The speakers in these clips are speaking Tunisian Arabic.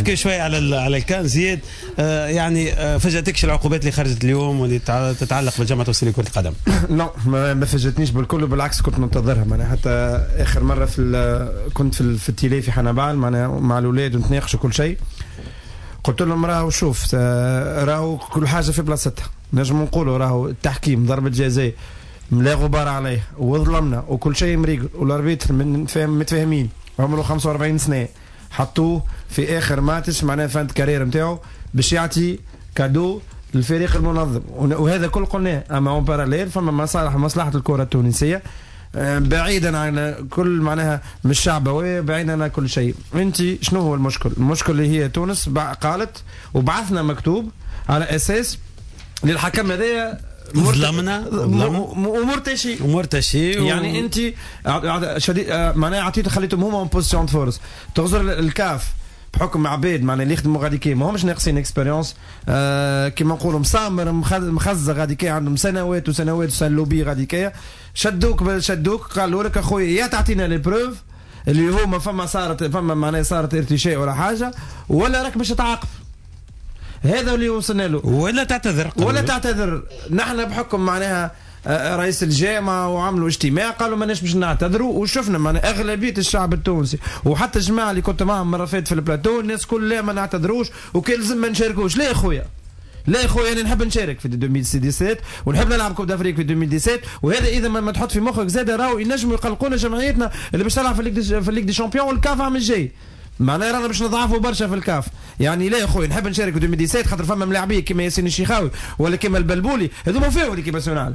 نحكي شوي على الكان زياد. يعني فاجاتكش العقوبات اللي خرجت اليوم واللي تتعلق بالجامعة التونسية لكرة القدم؟ لا، ما فاجاتنيش بالكل، وبالعكس كنت منتظرها. معناها حتى اخر مرة كنت في ال télé في حنبال معناها مع الاولاد ونتناقشوا كل شيء، قلت لهم راهو شوف، راهو كل حاجة في بلاصتها. نجم نقولوا راهو التحكيم ضربه جزاء لا غبار عليه وظلمنا وكل شيء مريقل، وال arbitre من فاهم متفاهمين عمره 45 سنة، حطوه في اخر ماتش معناها fin de carrière نتاعو باش يعطي cadeau للفريق المنظم، وهذا كل قلناه. اما en parallèle فما مصالح، مصلحة الكره التونسية، بعيدا عن كل معناها مش شعبويه، بعيدا عن كل شيء. انت شنو هو المشكل؟ المشكل اللي هي تونس قالت وبعثنا مكتوب على اساس للحكم هذايا ظلمنا. ومرتشي. ومرتشي. يعني انت شديد معناها عطيته خليتهم هما en position force. تغزر الكاف بحكم عباد معناها اللي يخدموا غادي كي ما همش ناقصين expérience، كيما نقولوا مسامر مخزة غادي كي عندهم سنوات وسنوات وسنة غادي كي شدوك قالوا لك اخويا يا تعطينا les preuves اللي هما فما صارت فما معناها صارت ارتشاء ولا حاجه، ولا راك باش تتعاقب. هذا اللي وصلنا له. ولا تعتذر. ولا تعتذر. نحن بحكم معناها رئيس الجامعة وعملوا اجتماع قالوا ماناش باش نعتذروا، وشفنا معناها اغلبية الشعب التونسي وحتى الجماعة اللي كنت معهم مرة فاتت في البلاتو، الناس كل لا ما نعتذروش وكان لازم ما نشاركوش. لا يا خويا، لا يا خويا، انا نحب نشارك في 2017 ونحب نلعب Coupe d'Afrique في 2017. وهذا اذا ما تحط في مخك زاد راهو ينجموا يقلقونا جمعيتنا اللي باش تلعب في ال Ligue des champions والكاف عام الجاي، معناها رانا باش نضعفوا برشا في الكاف. يعني لا يا خويا، نحب نشارك في 2017 خاطر فما ملاعبيه كيما ياسين الشيخاوي ولا كيما البلبولي، هذوما فيهم l'équipe nationale،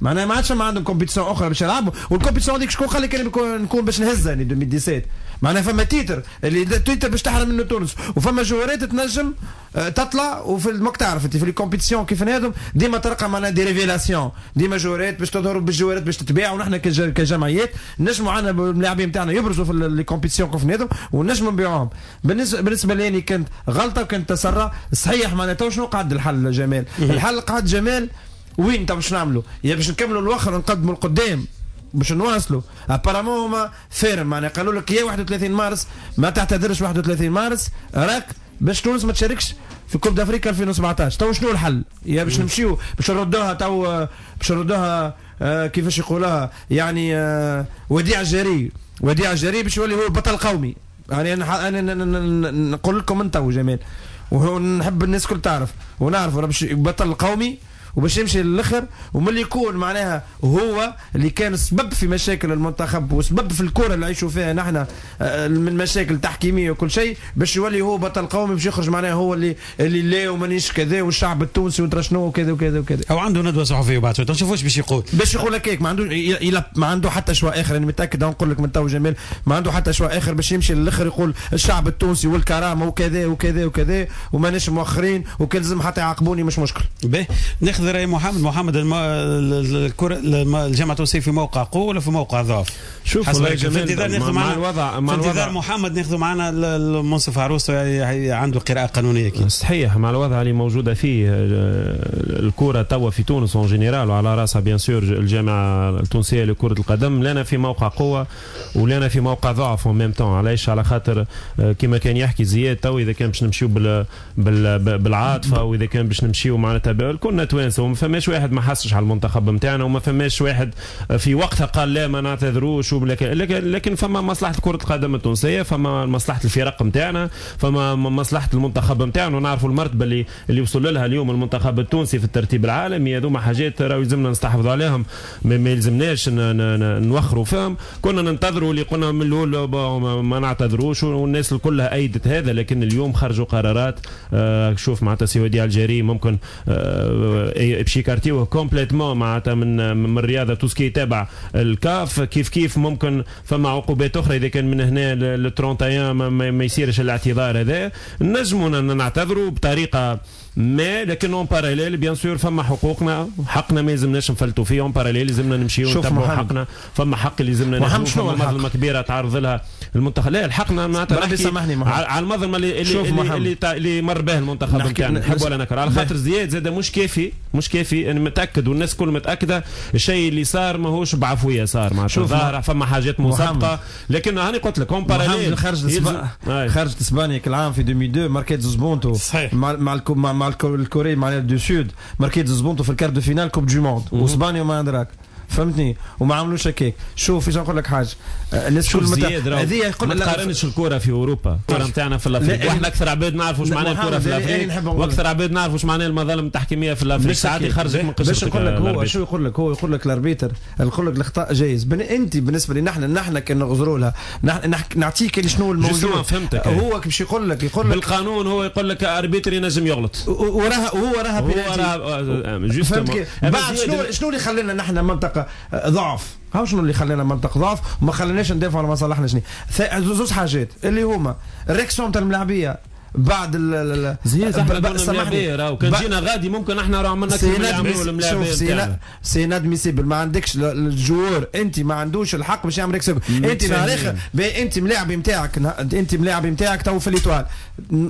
معناها ما عادش ما عندهم compétition اخرى باش يلعبوا. وال compétition هذيك شكون قال لك نكون باش نهزها 2017؟ معناها فما titre اللي titre باش تحرم منه تونس، وفما جوارات تنجم تطلع. وفي المك تعرف انت في les compétitions كيف هذم ديما تلقى معناها des révélations، ديما جوارات باش تظهر بالجوارات باش تتباع، ونحن كجمعيات نجموا عندنا الملاعبين نتاعنا يبرزوا في les compétitions كيف هذم ونجموا نبيعوهم. بالنسبه لي كانت غلطه وكانت تسرع صحيح. معناها تو شنو قعد الحل جمال؟ الحل قعد جمال وين تو باش نعملوا؟ يا باش نكملوا الاخر ونقدموا القدام باش نواصلوا. apparemment هما fermes معناها قالوا لك يا 31 مارس ما تعتذرش، 31 مارس راك باش تونس ما تشاركش في Coupe d'Afrique 2017. تو شنو الحل؟ يا باش نمشيو باش نردوها تو باش نردوها كيفاش يقولوها يعني وديع الجري، وديع الجري باش يولي هو بطل قومي. يعني انا نقول لكم من تو جمال، ونحب الناس الكل تعرف ونعرف باش بطل قومي وباش يمشي للاخر، وملي يكون معناها هو اللي كان سبب في مشاكل المنتخب وسبب في الكره اللي عيشوا فيها نحن من مشاكل تحكيميه وكل شيء، باش يولي هو بطل قومي باش يخرج معناها هو اللي لا ومانيش كذا والشعب التونسي وترى شنو وكذا وكذا وكذا. او عنده ندوه صحفية بعد شوي نشوفوا باش يقول. باش يقول هكاك، ما عنده ما عنده حتى choix اخر، انا متاكد نقول لك من تو جمال ما عنده حتى choix اخر باش يمشي للاخر يقول الشعب التونسي والكرامة وكذا وكذا وكذا وماناش مؤخرين وكان لازم حتى يعاقبوني مش مشكل. باهي ناخذ راي محمد. محمد الكره الجامعة التونسية في موقع قوة ولا في موقع ضعف؟ شوف والله جمال، مع الوضع مع في انتظار محمد ناخذ معنا المنصف عروس عنده قراءة قانونية اكيد. صحيح، مع الوضع اللي موجودة فيه الكره توا في تونس en général وعلى راسها bien sûr الجامعة التونسية لكرة القدم، لنا في موقع قوة ولنا في موقع ضعف en même temps. علاش؟ على خاطر كما كان يحكي زياد تو، اذا كان باش نمشيو بالعاطفه واذا كان باش نمشيو معناتها كلنا توانسة وما فماش واحد ما حسش على المنتخب نتاعنا وما فماش واحد في وقتها قال لا ما نعتذروش، لكن فما مصلحة كره القدم التونسيه، فما مصلحة الفرق نتاعنا، فما مصلحة المنتخب نتاعنا، ونعرفوا المرتبة اللي وصل لها اليوم المنتخب التونسي في الترتيب العالمي. هذوما حاجات راهو يلزمنا نستحفظوا عليهم، ما يلزمناش نوخروا فيهم. كنا ننتظروا اللي قلنا من الاول ما نعتذروش والناس كلها ايدت هذا، لكن اليوم خرجوا قرارات. شوف معناتها سي وديع الجري ممكن باش يكارتيوه complètement معناتها من الرياضة tout ce qui تابع الكاف. كيف كيف ممكن فما عقوبات اخرى اذا كان من هنا ل 31 ما يصيرش الاعتذار هذا، نجموا نعتذروا بطريقة mais لكن en parallèle bien sûr فما حقوقنا، حقنا ما يلزمناش نفلتوا فيه. en parallèle لازمنا نمشيو نتبعوا حقنا، فما حق اللي لازمنا ناخذوه، فما مظلمة كبيرة تعرض لها المنتخب. لا الحقنا معناتها سامحني على المظلمة اللي مر به المنتخب نتاعنا، نحب ولا نكره. على خاطر زياد زاد مش كافي، مش كافي، انا متاكد والناس كل متاكدة الشيء اللي صار ماهوش بعفويه، صار معناتها ظاهره فما حاجات مسبقة. لكن هاني قلت لك en parallèle خرجت اسبانيا كالعام في 2002 ماركيت زوز بونتو مع مع ال Corée مع du Sud، ماركيت زوز بونتو في ال quart de finale Coupe du Monde واسبانيا وما ادراك، فهمتني؟ وما عملوش هكاك. شوف ايش نقول لك حاجة، الناس كل هذه يقول ما تقارنش الكره في اوروبا، الكره نتاعنا في l'Afrique، واحنا اكثر عباد نعرفوا واش معناه الكره في l'Afrique، واكثر عباد نعرفوا واش معناه المظالم التحكيميه في l'Afrique. ساعات يخرجك من قشرتك. باش نقول لك هو شو يقول لك، هو يقول لك l'arbitre يقول لك الاخطاء جايز. انت بالنسبة لي نحن كان نغزروا لها، نعطيك شنو الموجود. فهمتك. هو باش يقول لك بالقانون، هو يقول لك arbitre ينجم يغلط وراها، هو راها بينالتي. بعد شنو اللي خلانا نحن منطقة ضعف؟ هاو شنو اللي خلانا منطقة ضعف وما خليناش ندافعوا على مصالحنا؟ شنو زوج حاجات اللي هما ال réaction تاع الملاعبيه بعد زياد. احنا سامحني راهو كان جينا غادي ممكن احنا راه عملنا اكثر من اللي عملوه الملاعبيه. c'est inadmissible، ما عندكش ال joueur، انت ما عندوش الحق باش يعمل réaction. انت نهار اخر انت ملاعب نتاعك، انت ملاعب نتاعك تو في l'Étoile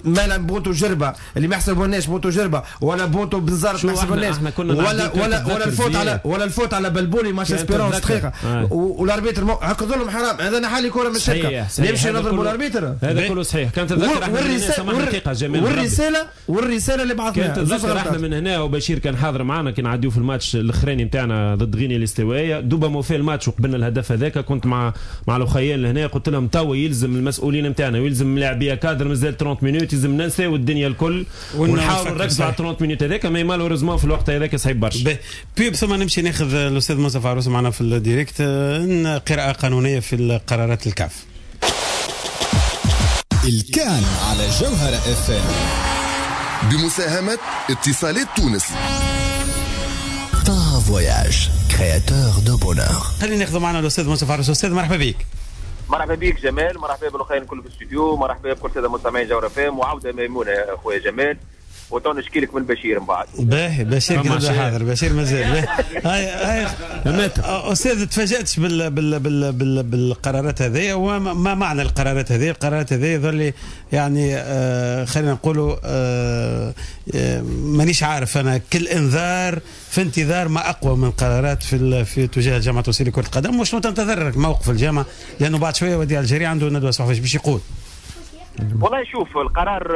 مالا بونتو جربه اللي ما يحسبوناش بونتو جربه ولا بونتو بنزرت ما يحسبوناش، ولا ولا ولا ال faute على ولا ال faute على بلبولي ماتش Espérance دقيقة وال arbitre هكا ظلم حرام. هذا نحالي كره من الشركة يمشي نضربوا ال arbitre. هذا كله صحيح. كان تتذكر والرسالة والرسالة اللي بعثناها، كان تتذكر احنا من هنا وبشير كان حاضر معنا كي نعديو في الماتش الاخراني نتاعنا ضد غينيا الاستوائيه، دوبا ما في الماتش وقبلنا الهدف هذاك، كنت مع الاخيان لهنا قلت لهم توا يلزم المسؤولين نتاعنا ويلزم لاعبيه كادر مازال 30 minutes، يلزم ننساو الدنيا الكل ونحاولوا نركزوا على 30 minutes هذاك. mais malheureusement في الوقت هذاك صعيب برشا. pub ثم نمشي ناخذ الاستاذ منصف عروس معنا في ال direct، قراءة قانونية في قرارات الكاف. الكان على جوهرة اف ام بمساهمة اتصالات تونس. طه Voyage créateur de bonheur. خلينا ناخذ معنا الاستاذ منصف عروس. استاذ مرحبا بك. مرحبا بك جمال، مرحبا بالاخوين الكل في الاستوديو، مرحبا بكل ساده مستمعين جوهرة اف ام، وعوده ميمونة يا خويا جمال. وتو نشكي لك من بشير من بعد. باهي بشير كده حاضر، بشير مازال. هاي هاي استاذ تفاجاتش بال بال بال بال بالقرارات هذه، وما معنى القرارات هذه؟ القرارات هذه يظل يعني خلينا نقولوا مانيش عارف انا، كل انذار في انتظار ما اقوى من قرارات في تجاه الجامعة التونسية لكرة القدم. وشنو تنتظر موقف الجامعة؟ لانه بعد شوية وديع الجري عنده ندوه صحفية باش يقول. والله شوف القرار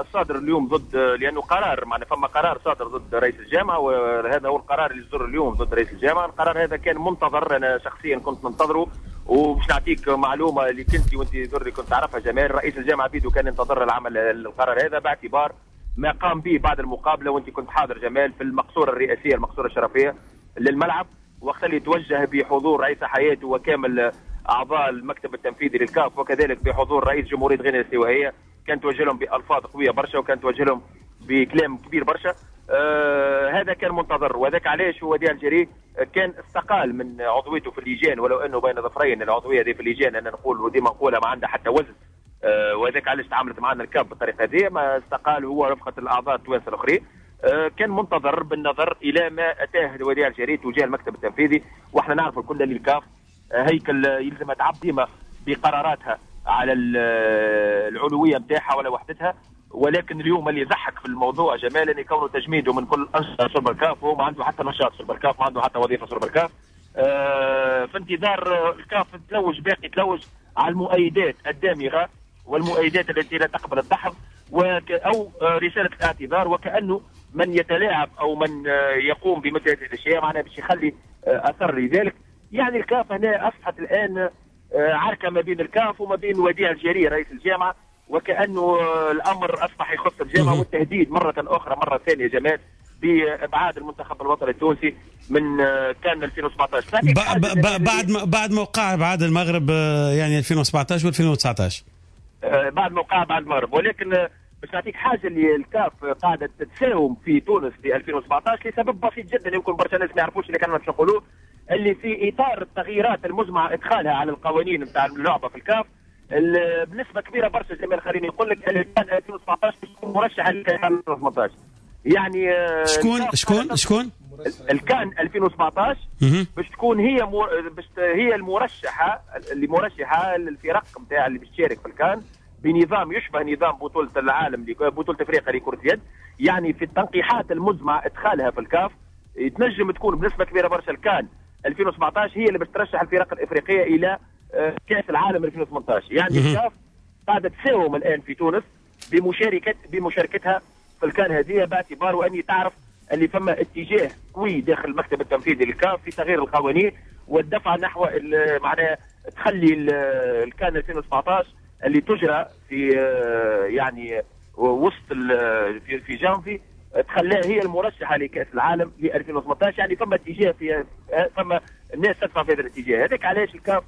الصادر اليوم ضد، لانه قرار معنا فما قرار صادر ضد رئيس الجامعة، وهذا هو القرار اللي صدر اليوم ضد رئيس الجامعة. القرار هذا كان منتظر، انا شخصيا كنت منتظره. وباش نعطيك معلومة اللي كنت وانت ذري كنت تعرفها جمال، رئيس الجامعة بيدو كان ينتظر العمل القرار هذا باعتبار ما قام به بعد المقابلة، وانت كنت حاضر جمال في المقصورة الرئاسية، المقصورة الشرفيه للملعب، وقت اللي توجه بحضور رئيس حياته وكامل اعضاء المكتب التنفيذي للكاف، وكذلك بحضور رئيس جمهورية غينيا الاستوائيه، كان توجه لهم بالفاظ قوية برشا، وكان توجه لهم بكلام كبير برشا. هذا كان منتظر، وذاك علاش وديع الجري كان استقال من عضويته في اللجان، ولو انه بين ظفرين العضوية هذه في اللجان، انا نقول وديما نقولها ما عندها حتى وزن. وذاك علاش تعاملت معنا الكاف بالطريقة هذه، ما استقال هو رفقه الاعضاء التوانسة الاخرين. كان منتظر بالنظر الى ما اتاه وديع الجري تجاه المكتب التنفيذي، واحنا نعرف الكل اللي الكاف هيكل يلزم تعب ديما بقراراتها على العلوية نتاعها ولا وحدتها. ولكن اليوم اللي يضحك في الموضوع جمال ان كونه تجميده من كل انشطة سوبر كاف، وهو ما عنده حتى نشاط سوبر كاف، ما عنده حتى وظيفة سوبر كاف. في انتظار الكاف تلوج، باقي تلوج على المؤيدات الدامغة والمؤيدات التي لا تقبل الدحض او رسالة الاعتذار، وكانه من يتلاعب او من يقوم بمثل هذه الاشياء معناها باش يخلي اثر لذلك. يعني الكاف هنا اصبحت الان عركة ما بين الكاف وما بين وديع الجري رئيس الجامعة، وكانه الامر اصبح يخص الجامعة، والتهديد مرة اخرى مرة ثانية جمال بابعاد المنتخب الوطني التونسي من كان 2017 بعد موقع ابعاد المغرب، يعني 2017 و2019 بعد موقع بعد المغرب. ولكن باش نعطيك حاجة اللي الكاف قاعدة تتساوم في تونس في 2017 لسبب بسيط جدا يمكن برشا ناس ما يعرفوش اللي كانوا باش نقولوه، اللي في اطار التغييرات المزمع ادخالها على القوانين نتاع اللعبة في الكاف بنسبة كبيرة برشا جمال، خليني نقول لك اللي كان 2017 باش تكون مرشح ل 2018. يعني شكون الكان 2017 باش تكون هي هي المرشحه اللي مرشحة للفرق نتاع اللي باش تشارك في الكان بنظام يشبه نظام بطوله العالم، بطوله افريقيا لكرة اليد. يعني في التنقيحات المزمع ادخالها في الكاف تنجم تكون بنسبة كبيرة برشا الكان 2017 هي اللي باش ترشح الفرق الافريقية الى كاس العالم 2018. يعني الكاف قاعدة تساوم الان في تونس بمشاركتها في الكان هذه، باعتبار واني تعرف اللي فما اتجاه قوي داخل المكتب التنفيذي للكاف في تغيير القوانين والدفع نحو معناها تخلي الكان 2017 اللي تجرى في يعني وسط في جانفي تخليها هي المرشحه لكاس العالم ل 2018. يعني فما اتجاه، في فما الناس تدفع في هذا الاتجاه. هذاك علاش الكاف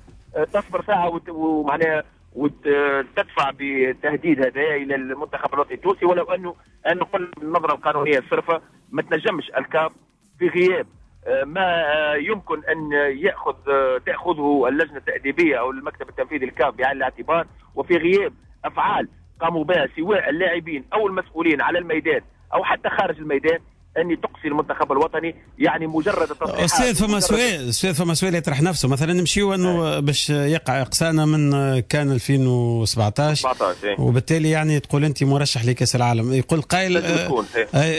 تصبر ساعة ومعناها وتدفع بتهديد هذا الى المنتخب الوطني التونسي، ولو انه نقول النظرة القانونية الصرفه ما تنجمش الكاف في غياب ما يمكن ان تاخذه اللجنة التاديبيه او المكتب التنفيذي للكاف بعين الاعتبار، وفي غياب افعال قاموا بها سواء اللاعبين او المسؤولين على الميدان او حتى خارج الميدان ان تقصي المنتخب الوطني. يعني مجرد التصريحات. استاذ فما سؤال يطرح نفسه، مثلا نمشيو انه باش يقع اقصائنا من كان 2017 وبالتالي يعني تقول انت مرشح لكاس العالم، يقول قائل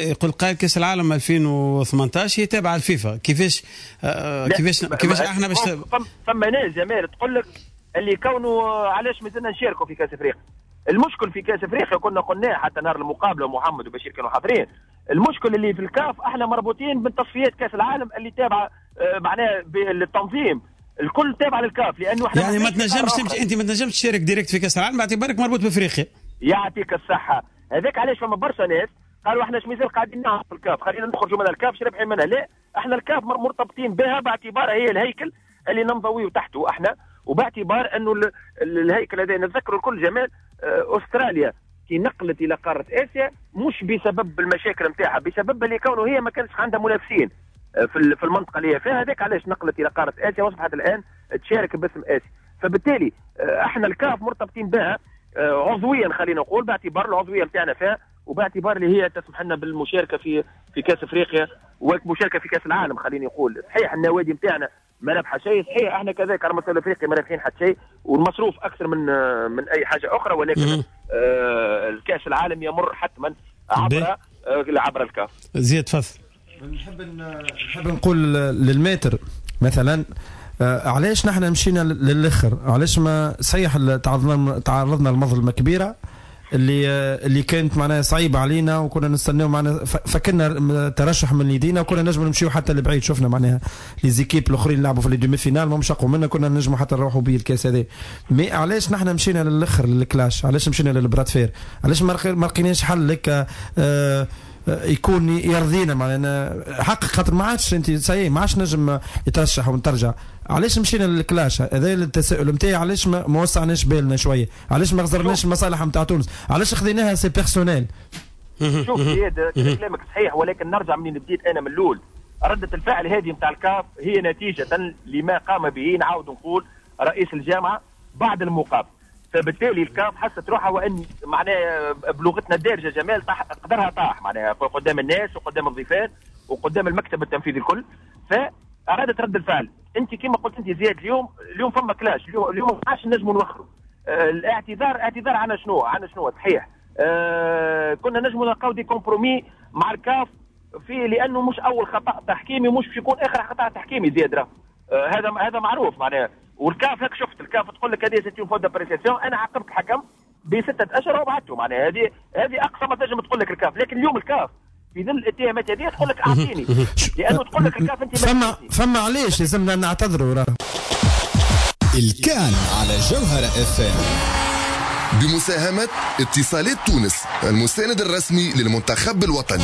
يقول قائل كاس العالم 2018 هي تابعه الفيفا، كيفاش كيفاش احنا باش فما ناس جمال تقول لك اللي كونه علاش مازلنا نشاركوا في كاس افريقيا. المشكل في كاس افريقيا كنا قلناه حتى نهار المقابلة ومحمد وبشير كانوا حاضرين، المشكل اللي في الكاف احنا مربوطين بالتصفيات كاس العالم اللي تابعه معناها بالتنظيم الكل تابع للكاف، لانه احنا يعني ما تنجمش تمشي انت، ما تنجمش تشارك direct في كاس العالم باعتبارك مربوط بافريقيا. يعطيك الصحة. هذاك علاش فما برشا ناس قالوا احنا مازال قاعدين نعرف الكاف، خلينا نخرجوا من الكاف شربحين رابحين منها. لا، احنا الكاف مرتبطين بها باعتبارها هي الهيكل اللي ننضويه تحته احنا، وباعتبار انه الهيكل هذا نتذكروا الكل جمال استراليا كي نقلت الى قارة اسيا مش بسبب المشاكل نتاعها، بسبب اللي كونه هي ما كانش عندها منافسين في المنطقة اللي هي فيها. هذاك علاش نقلت الى قارة اسيا واصبحت الان تشارك باسم اسيا. فبالتالي احنا الكاف مرتبطين بها عضويا، خلينا نقول باعتبار العضوية نتاعنا فيها، وباعتبار اللي هي تسمح لنا بالمشاركة في كاس افريقيا والمشاركة في كاس العالم. خليني نقول صحيح النوادي نتاعنا ما ربح شيء، صحيح احنا كذلك على المستوى الافريقي ما رابحين حتى شيء، والمصروف اكثر من اي حاجة اخرى، ولكن الكاس العالم يمر حتما عبر الكاف. زياد تفضل. نحب نقول للماتر مثلا علاش نحن مشينا للاخر، علاش ما صحيح تعرضنا لمظلمه كبيرة اللي كانت معناها صعيبة علينا، وكنا نستناو معناها فكنا ترشح من يدينا، وكنا نجموا نمشيو حتى لبعيد. شفنا معناها les équipes الاخرين لعبوا في les demi-finales ما مشقوا منا، كنا نجموا حتى نروحوا به الكاس هذا. mais علاش نحن مشينا للاخر لل clash؟ علاش مشينا لل bras de fer؟ علاش ما لقيناش حل لك يكون يرضينا معناها حق، خاطر ما عادش انت سي ما عادش نجم يترشح ونترجع. علاش مشينا لل clash؟ هذا التساؤل نتاعي. علاش ما وسعناش بالنا شوية؟ علاش ما غزرناش المصالح نتاع تونس؟ علاش خذيناها c'est personnel؟ شوف زياد كلامك صحيح، ولكن نرجع منين بديت انا من الاول. ردة الفعل هذه نتاع الكاف هي نتيجة لما قام به، نعاود نقول، رئيس الجامعة بعد المقابلة. فبالتالي الكاف حست روحها وان معناها بلغتنا الدارجة جمال طاح قدرها، طاح معناها قدام الناس وقدام الضيفات وقدام المكتب التنفيذي الكل، فارادت رد الفعل. انت كما قلت انت زياد، اليوم فما clash، اليوم ما عادش نجموا نوخروا. الاعتذار اعتذار عن شنو؟ عن شنو؟ صحيح كنا نجموا نلقاو des compromis مع الكاف في، لانه مش اول خطا تحكيمي مش باش يكون اخر خطا تحكيمي زياد، راه هذا معروف معناها. والكاف هيك شفت الكاف تقول لك هذه c'est une faute d'appréciation، انا عاقبت الحكم ب6 اشهر وبعثته معناها، هذه اقصى ما تنجم تقول لك الكاف. لكن اليوم الكاف في ظل الاتهامات هذه تقول لك اعطيني، لانه تقول لك الكاف انت فما علاش لازمنا نعتذروا. راه الكان على جوهرة اف ام بمساهمة اتصالات تونس المساند الرسمي للمنتخب الوطني.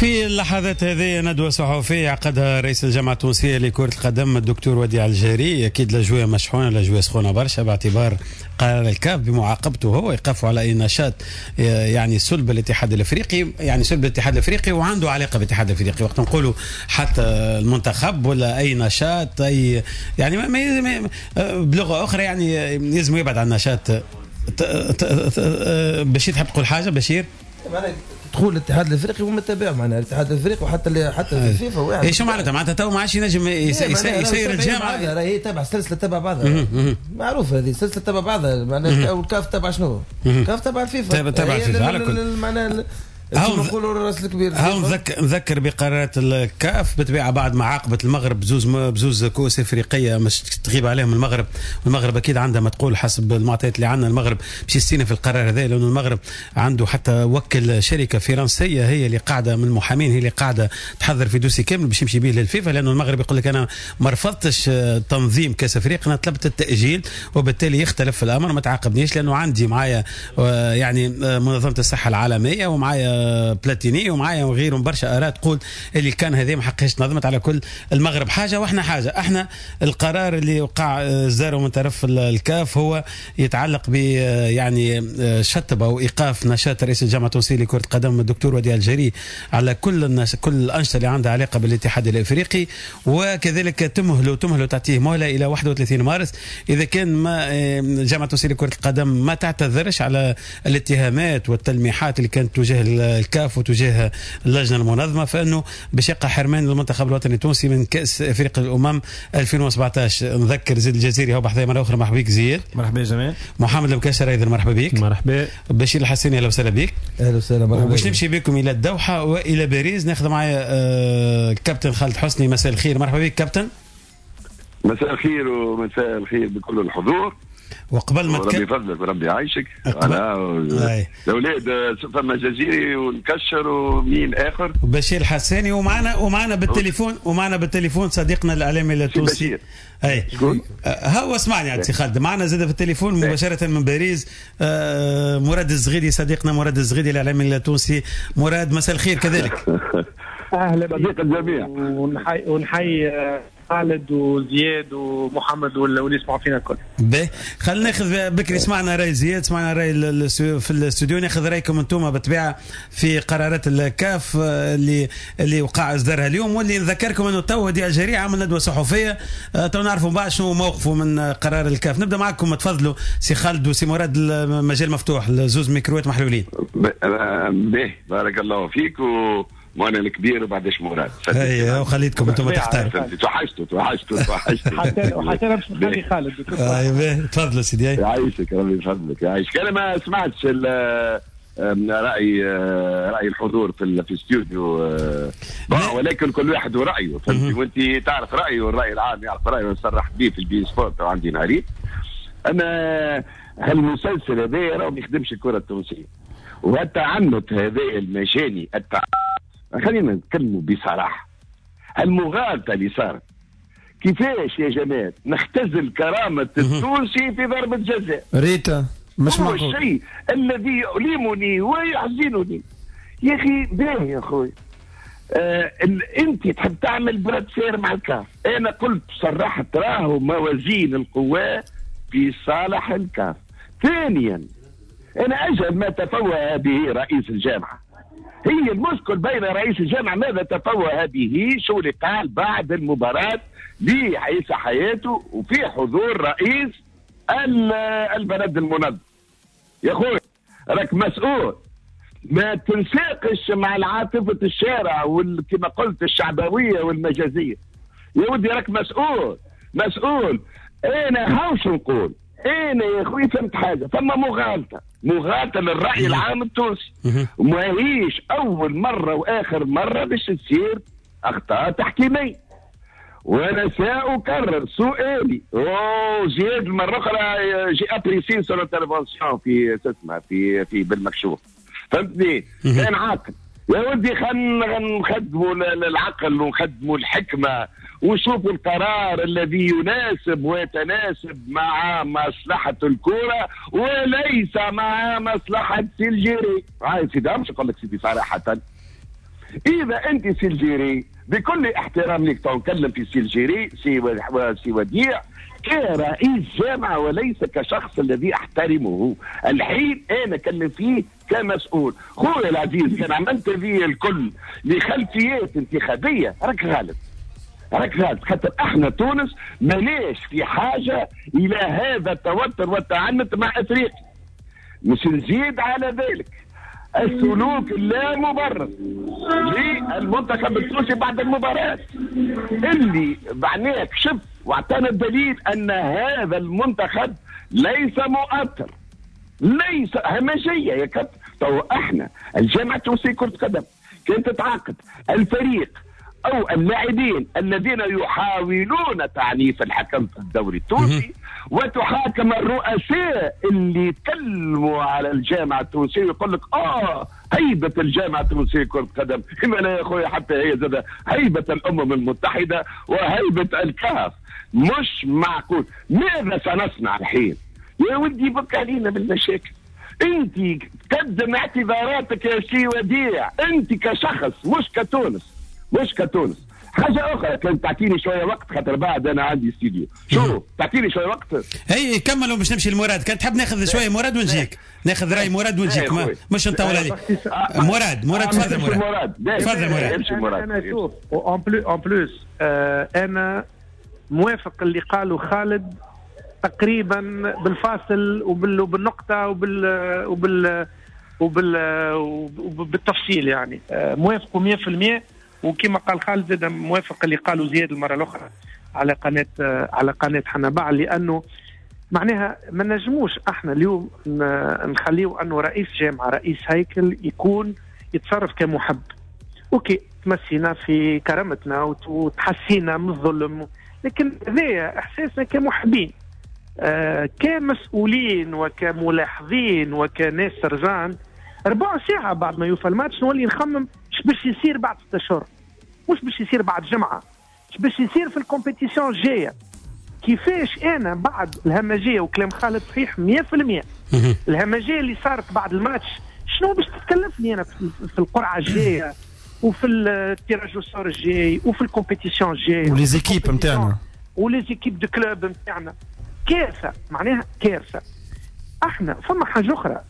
في اللحظات هذه ندوة صحفية عقدها رئيس الجامعة التونسية لكرة القدم الدكتور وديع الجاري. أكيد الأجواء مشحونة، الأجواء سخونة برشا باعتبار قرار الكاف بمعاقبته هو إيقافه على أي نشاط يعني سلب الاتحاد الأفريقي، يعني سلب الاتحاد الأفريقي وعنده علاقة بالاتحاد الأفريقي. وقت نقولوا حتى المنتخب ولا أي نشاط أي يعني ما بلغة أخرى يعني لازم يبعد عن النشاط. بشير تحب تقول حاجة بشير؟ معناها دخول الاتحاد الافريقي وما تابع معناها الاتحاد الافريقي وحتى حتى الفيفا واحد. اي شو معناتها؟ معناتها تو ما عادش ينجم يسير الجامعة، راهي تابع سلسلة تبع بعضها، معروفة هذه سلسلة تبع بعضها معناها. والكاف تبع شنو؟ الكاف تبع الفيفا، تبع الفيفا على كل معناها نقولوا الراس الكبير. هاو نذكر بقرارات الكاف بالطبيعة بعد ما عاقبت المغرب بزوز كؤوس افريقية مش تغيب عليهم المغرب، والمغرب اكيد عندها ما تقول حسب المعطيات اللي عندنا. المغرب باش يستينا في القرار هذا، لانه المغرب عنده حتى وكل شركة فرنسية هي اللي قاعدة من المحامين، هي اللي قاعدة تحضر في dossier كامل باش يمشي به للفيفا، لانه المغرب يقول لك انا ما رفضتش تنظيم كاس افريقيا، انا طلبت التاجيل، وبالتالي يختلف الامر، ما تعاقبنيش لانه عندي معايا يعني منظمة الصحة العالمية ومعايا بلاتيني ومعايا وغيرهم برشا اراء تقول اللي كان هذه ما حقهاش تنظمت. على كل المغرب حاجة واحنا حاجة. احنا القرار اللي وقع اصداره من طرف الكاف هو يتعلق ب يعني شطب او ايقاف نشاط رئيس الجامعة التونسية لكرة القدم الدكتور وديع الجري على كل الانشطة اللي عندها علاقة بالاتحاد الافريقي، وكذلك تمهله تعطيه مهله الى 31 مارس اذا كان ما الجامعة التونسية لكرة القدم ما تعتذرش على الاتهامات والتلميحات اللي كانت تجاه الكاف وتجاه اللجنة المنظمة، فانه باش يقع حرمان للمنتخب الوطني التونسي من كاس افريقيا الامم 2017. نذكر زيد الجزيري هو بحذايا مرة اخرى، مرحبا بك زياد. مرحبا جمال. محمد المكاشر ايضا مرحبا بك. مرحبا. بشير الحسيني اهلا وسهلا بك. اهلا وسهلا مرحبا. باش نمشي بكم الى الدوحة والى باريس، ناخذ معايا الكابتن خالد حسني. مساء الخير، مرحبا بك كابتن. مساء الخير ومساء الخير بكل الحضور. وقبل ما ربي يفضلك وربي يعيشك. انا الاولاد فما جزيري ونكشر ومين اخر وبشير الحساني، ومعنا بالتليفون، ومعنا بالتليفون صديقنا الاعلامي التونسي. اي هو اسمعني يا سي خالد، معنا زاد في التليفون مباشرة من باريس مراد الزغيدي، صديقنا مراد الزغيدي الاعلامي التونسي. مراد مساء الخير كذلك. اهلا صديق الجميع. ونحيي خالد وزياد ومحمد واللي يسمعوا فينا الكل. باهي، خلينا ناخذ بكري، سمعنا راي زياد، سمعنا راي في الاستوديو، ناخذ رايكم انتم بالطبيعة في قرارات الكاف اللي وقع اصدارها اليوم، واللي نذكركم انه تو وديع الجري عمل ندوه صحفية، تو نعرفوا بعد شنو موقفه من قرار الكاف. نبدا معكم، تفضلوا سي خالد وسي مراد، المجال مفتوح، زوز ميكروات محلولين. باهي، بارك الله فيك. وانا الكبير وبعدش مراد. ايوه وخليتكم انتم تختاروا. توحشتوا حتى انا باش نخلي خالد. ايوه تفضل سيدي. يعيشك ربي يفضلك يعيشك. انا ما سمعتش راي الحضور في الاستوديو، ولكن كل واحد ورايه، فهمتي؟ وانت تعرف رايه والراي العام يعرف رايه، وصرحت به في البي سبورت وعندي نهارين. انا هالمسلسل هذا راه ما يخدمش الكره التونسية، والتعنت هذا المجاني، خلينا نتكلموا بصراحة، المغالطة اللي صارت كيفاش يا جماعة نختزل كرامة التونسي في ضربه جزاء؟ ريتا مش معقول. هو الشيء الذي يؤلمني ويحزنني يا اخي. باهي يا خويا، انت تحب تعمل bras de fer مع الكاف، انا قلت صرحت راهو موازين القوى في صالح الكاف. ثانيا انا اجهل ما تفوه به رئيس الجامعة، هي المشكل بين رئيس الجامعة ماذا تفوه به، شو اللي قال بعد المباراة لعيسى حياته وفي حضور رئيس البلد المنظم. يا خويا راك مسؤول، ما تنساقش مع العاطفة الشارع وكما قلت الشعبوية والمجازية. يا ودي راك مسؤول مسؤول. انا هاوش نقول، انا يا خويا فهمت حاجة، فما مغالطة للراي العام التونسي، وماهيش اول مرة واخر مرة باش تصير اخطاء تحكيميه. وانا ساكرر سؤالي، زياد مرة اخرى j'ai apprécié son intervention في تسمع في بالمكشوف، فهمتني؟ كان عاقل يا ودي، خلينا نخدموا العقل ونخدموا الحكمة وشوفوا القرار الذي يناسب ويتناسب مع مصلحة الكرة وليس مع مصلحة سي الجيري. هاي سيدي مش نقول لك سيدي صراحة، إذا أنت سي الجيري بكل احترام لك تنكلم في سي الجيري سي وديع كرئيس جامعة وليس كشخص الذي أحترمه الحين، أنا كلم فيه كمسؤول. خويا العزيز كان عملت ذي الكل لخلفيات انتخابية راك غالط، راك غالط، خاطر احنا تونس ماناش في حاجة الى هذا التوتر والتعنت مع افريقيا. مش نزيد على ذلك السلوك اللا مبرر للمنتخب التونسي بعد المباراة اللي معناه كشف واعطانا الدليل ان هذا المنتخب ليس مؤثر، ليس همجية يا كابتن. تو احنا الجامعة التونسية كرة قدم كانت تتعاقد الفريق او اللاعبين الذين يحاولون تعنيف الحكم في الدوري التونسي، وتحاكم الرؤساء اللي يتكلموا على الجامعة التونسية ويقول لك هيبة الجامعة التونسية كره قدم. إما لا يا خويا، حتى هي زاد هيبة الامم المتحدة وهيبة الكاف. مش معقول. ماذا سنصنع الحين يا ودي؟ بك علينا بالمشاكل. انت تقدم اعتذاراتك يا سي وديع، انت كشخص مش كتونس، مش كتونس. حاجة اخرى كان تعطيني شوية وقت، خاطر بعد انا عندي استوديو. شوف تعطيني شوية وقت. اي كملوا باش نمشي لمراد. كان تحب ناخذ شوية مراد ونجيك، ناخذ راي مراد ونجيك، مش نطول عليك. مراد تفضل. مراد تفضل. مراد انا شوف en plus انا موافق اللي قاله خالد تقريبا بالفاصل وبالنقطه وبالتفصيل، يعني موافق 100%. وكما قال خالد زاد موافق اللي قالوا زياد المرة الاخرى على قناة حنبعل، لانه معناها ما نجموش احنا اليوم نخليه انه رئيس جامعه رئيس هيكل يكون يتصرف كمحب. OK تمسينا في كرامتنا وتحسينا من الظلم، لكن هذا احساسنا كمحبين، كمسؤولين وكملاحظين وكناس سرجان. ربع ساعة بعد ما يوفى الماتش نولي نخمم اش باش يصير بعد 6 اشهر، مش باش يصير بعد جمعة، اش باش يصير في ال compétition الجاية. كيفاش انا بعد الهمجية، وكلام خالد صحيح 100%، الهمجية اللي صارت بعد الماتش شنو باش تتكلفني انا في القرعة الجاية وفي ال tirage au sort الجاي وفي ال compétition الجاية و les équipes نتاعنا و les équipes de clubs نتاعنا. كارثة، معناها كارثة. احنا فما حاجة اخرى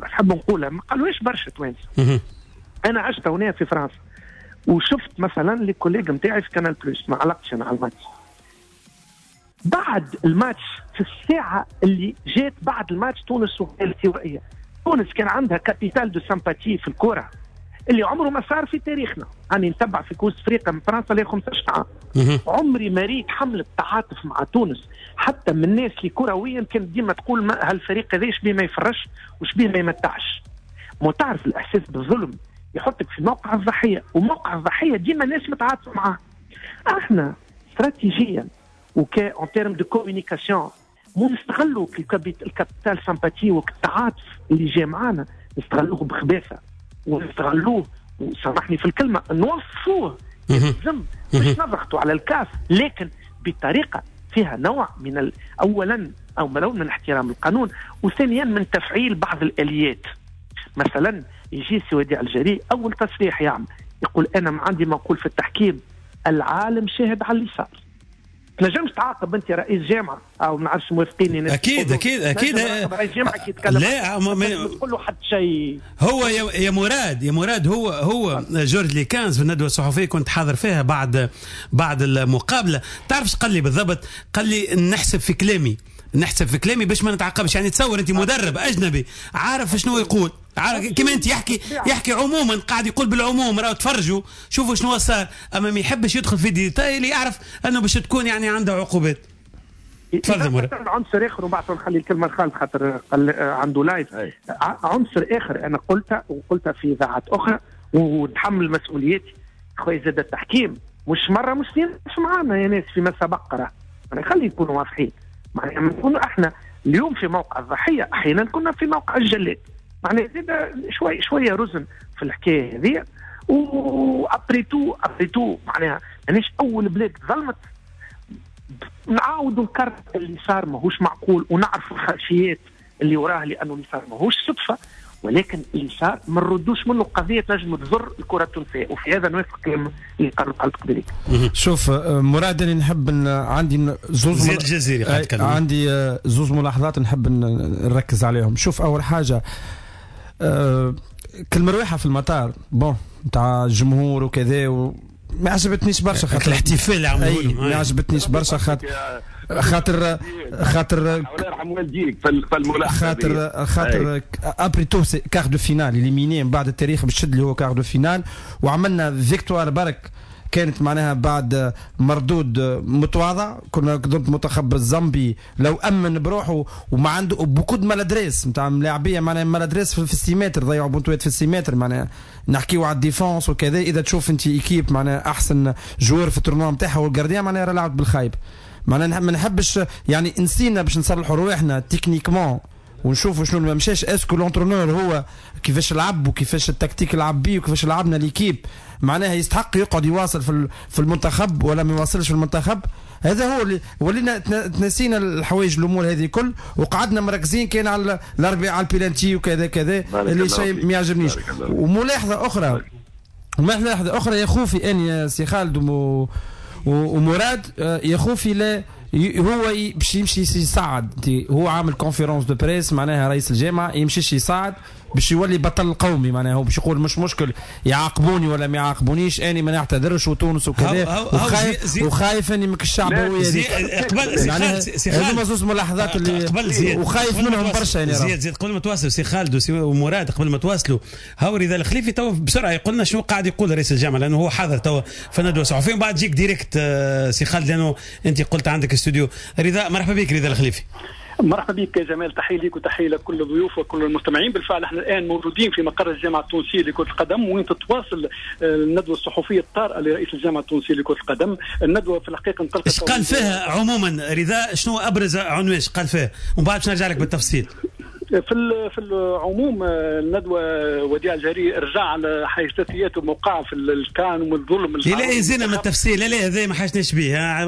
نحب نقولها ما قالوهاش برشا توانسة. انا عشت هنا في فرنسا وشفت مثلا les collègues نتاعي في Canal Plus، ما علقتش انا على الماتش. بعد الماتش في الساعة اللي جات بعد الماتش تونس الاستوائيه، تونس كان عندها capital de sympathie في الكره اللي عمره ما صار في تاريخنا. أنا نتبع في كوس افريقيا من فرنسا لي 15 عام، عمري ما ريت حملة تعاطف مع تونس حتى من الناس اللي كرويا كانت ديما تقول ما هالفريق هذا شبيه ما يفرش وشبيه ما يمتعش. ما تعرف الاحساس بالظلم يحطك في موقع الضحية، وموقع الضحية ديما الناس متعاطفه معاه. احنا استراتيجيا وك en termes de communication مو نستغلوا ال capital sympathie والتعاطف اللي جاي معانا، نستغلوه بخباثه ونستغلوه، وسامحني في الكلمة، نوصفوه لازم مش نضغطوا على الكاف، لكن بطريقة فيها نوع من اولا او من احترام القانون، وثانيا من تفعيل بعض الاليات. مثلا يجي سي وديع الجري اول تصريح يعمل يقول انا ما عندي ما نقول في التحكيم، العالم شاهد على اللي صار. تنجمش تعاقب انت رئيس جامعه او ما نعرفش موافقيني. اكيد اكيد اكيد رئيس جامعه كي يتكلم لا ما تقول له حتى شيء. هو يا مراد، يا مراد هو جورج ليكانز في الندوة الصحفية كنت حاضر فيها بعد المقابلة، تعرف ايش قال لي بالضبط؟ قال لي نحسب في كلامي، نحسب في كلامي باش ما نتعاقبش. يعني تصور انت مدرب اجنبي عارف شنو يقول، عارف كيما انت يحكي عموما، قاعد يقول بالعموم راهو تفرجوا شوفوا شنو صار، اما ما يحبش يدخل في détails اللي يعرف انه باش تكون يعني عنده عقوبات. تفضل مراد. عنصر اخر وبعد نخلي الكلمة لخالد خاطر عنده live. عنصر اخر انا قلتها وقلتها في اذاعات اخرى ونتحمل مسؤوليتي خويا، زاد التحكيم مش مرة مش اثنين مش معانا يا ناس فيما سبق، راه يعني خلي يكونوا واضحين. معناها نكونوا احنا اليوم في موقع الضحية، احيانا كنا في موقع الجلاد. معناها زاد شوية رزن في الحكاية هذه. و après tout معناها ماناش اول بلاد ظلمت، نعاودوا نكرر اللي صار ماهوش معقول، ونعرفوا الخلفيات اللي وراه لانه اللي صار ماهوش صدفة، ولكن اللي صار ما نردوش منه قضية تنجم تضر الكره التونسية، وفي هذا نوافق كلام اللي قالوا خالد قبيلي. شوف مراد، انا نحب عندي زوز عندي زوز ملاحظات نحب نركز عليهم. شوف اول حاجة، كالمروحه في المطار bon نتاع الجمهور وكذا ما عجبتنيش برشا خاطر الاحتفال اللي عملوه ما عجبتنيش برشا خاطر خاطر الله يرحم والديك في الملاحظة، خاطر après tout quart de finale éliminé من بعد التاريخ باش تشد اللي هو quart de finale، وعملنا victoire برك كانت معناها بعد مردود متواضع. كنا ضد منتخب الزامبي لو امن بروحه وما عنده beaucoup de maladresses نتاع ملاعبيه، معناها maladresses في ال six mètres، ضيعوا بونتوات في ال six mètres، معناها نحكيو على ال défense وكذا. اذا تشوف انت équipe معناها احسن joueur في ال tournoi نتاعها وال gardien معناها راه لعبت بالخايب، معناها ما نحبش يعني نسينا باش نصلحوا رواحنا techniquement ونشوفوا شنو ما مشاش. est-ce que l'entraîneur هو كيفاش لعب وكيفاش التكتيك لعب بيه وكيفاش لعبنا l'équipe، معناها يستحق يقعد يواصل في المنتخب ولا ما يواصلش في المنتخب. هذا هو اللي ولينا تنسينا الحوايج الامور هذه كل، وقعدنا مركزين كان على الاربعة على البيلانتي وكذا كذا، اللي شيء ما يعجبنيش. وملاحظة اخرى، وملاحظة اخرى يا خوفي اني يا سي خالد ومراد، يا خوفي لا هو باش يمشي يصعد، هو عامل conférence de presse معناها رئيس الجامعة يمشيش يصعد باش يولي بطل قومي، معناها هو باش يقول مش مشكل يعاقبوني ولا ما يعاقبونيش، اني ما نعتذرش وتونس وكذا، وخايف اني مك الشعبوية. قبل سي خالد هذوما زوز ملاحظات اللي قبل زياد وخايف منهم برشا يعني. زياد قبل ما تواصلوا سي خالد ومراد، قبل ما تواصلوا هاو رضا الخليفي تو بسرعة يقول لنا شنو قاعد يقول رئيس الجامعة، لانه هو حاضر تو في الندوة الصحفية، ومن بعد تجيك direct سي خالد لانه انت قلت عندك استوديو. رضا مرحبا بك رضا الخليفي. مرحبا بك يا جمال، تحية لك وتحية لكل الضيوف وكل المستمعين. بالفعل احنا الان موجودين في مقر الجامعة التونسية لكرة القدم، وين تتواصل الندوة الصحفية الطارئة لرئيس الجامعة التونسية لكرة القدم. الندوة في الحقيقة انطلقت. ايش قال فيها عموما رضا؟ شنو ابرز عنوان قال فيها؟ ومن بعد باش نرجع لك بالتفصيل. في العموم الندوة وديع الجري رجع على حيثيات وموقعه في الكان والظلم. لا يزينا من التفصيل، لا لا هذا ما حاجناش به.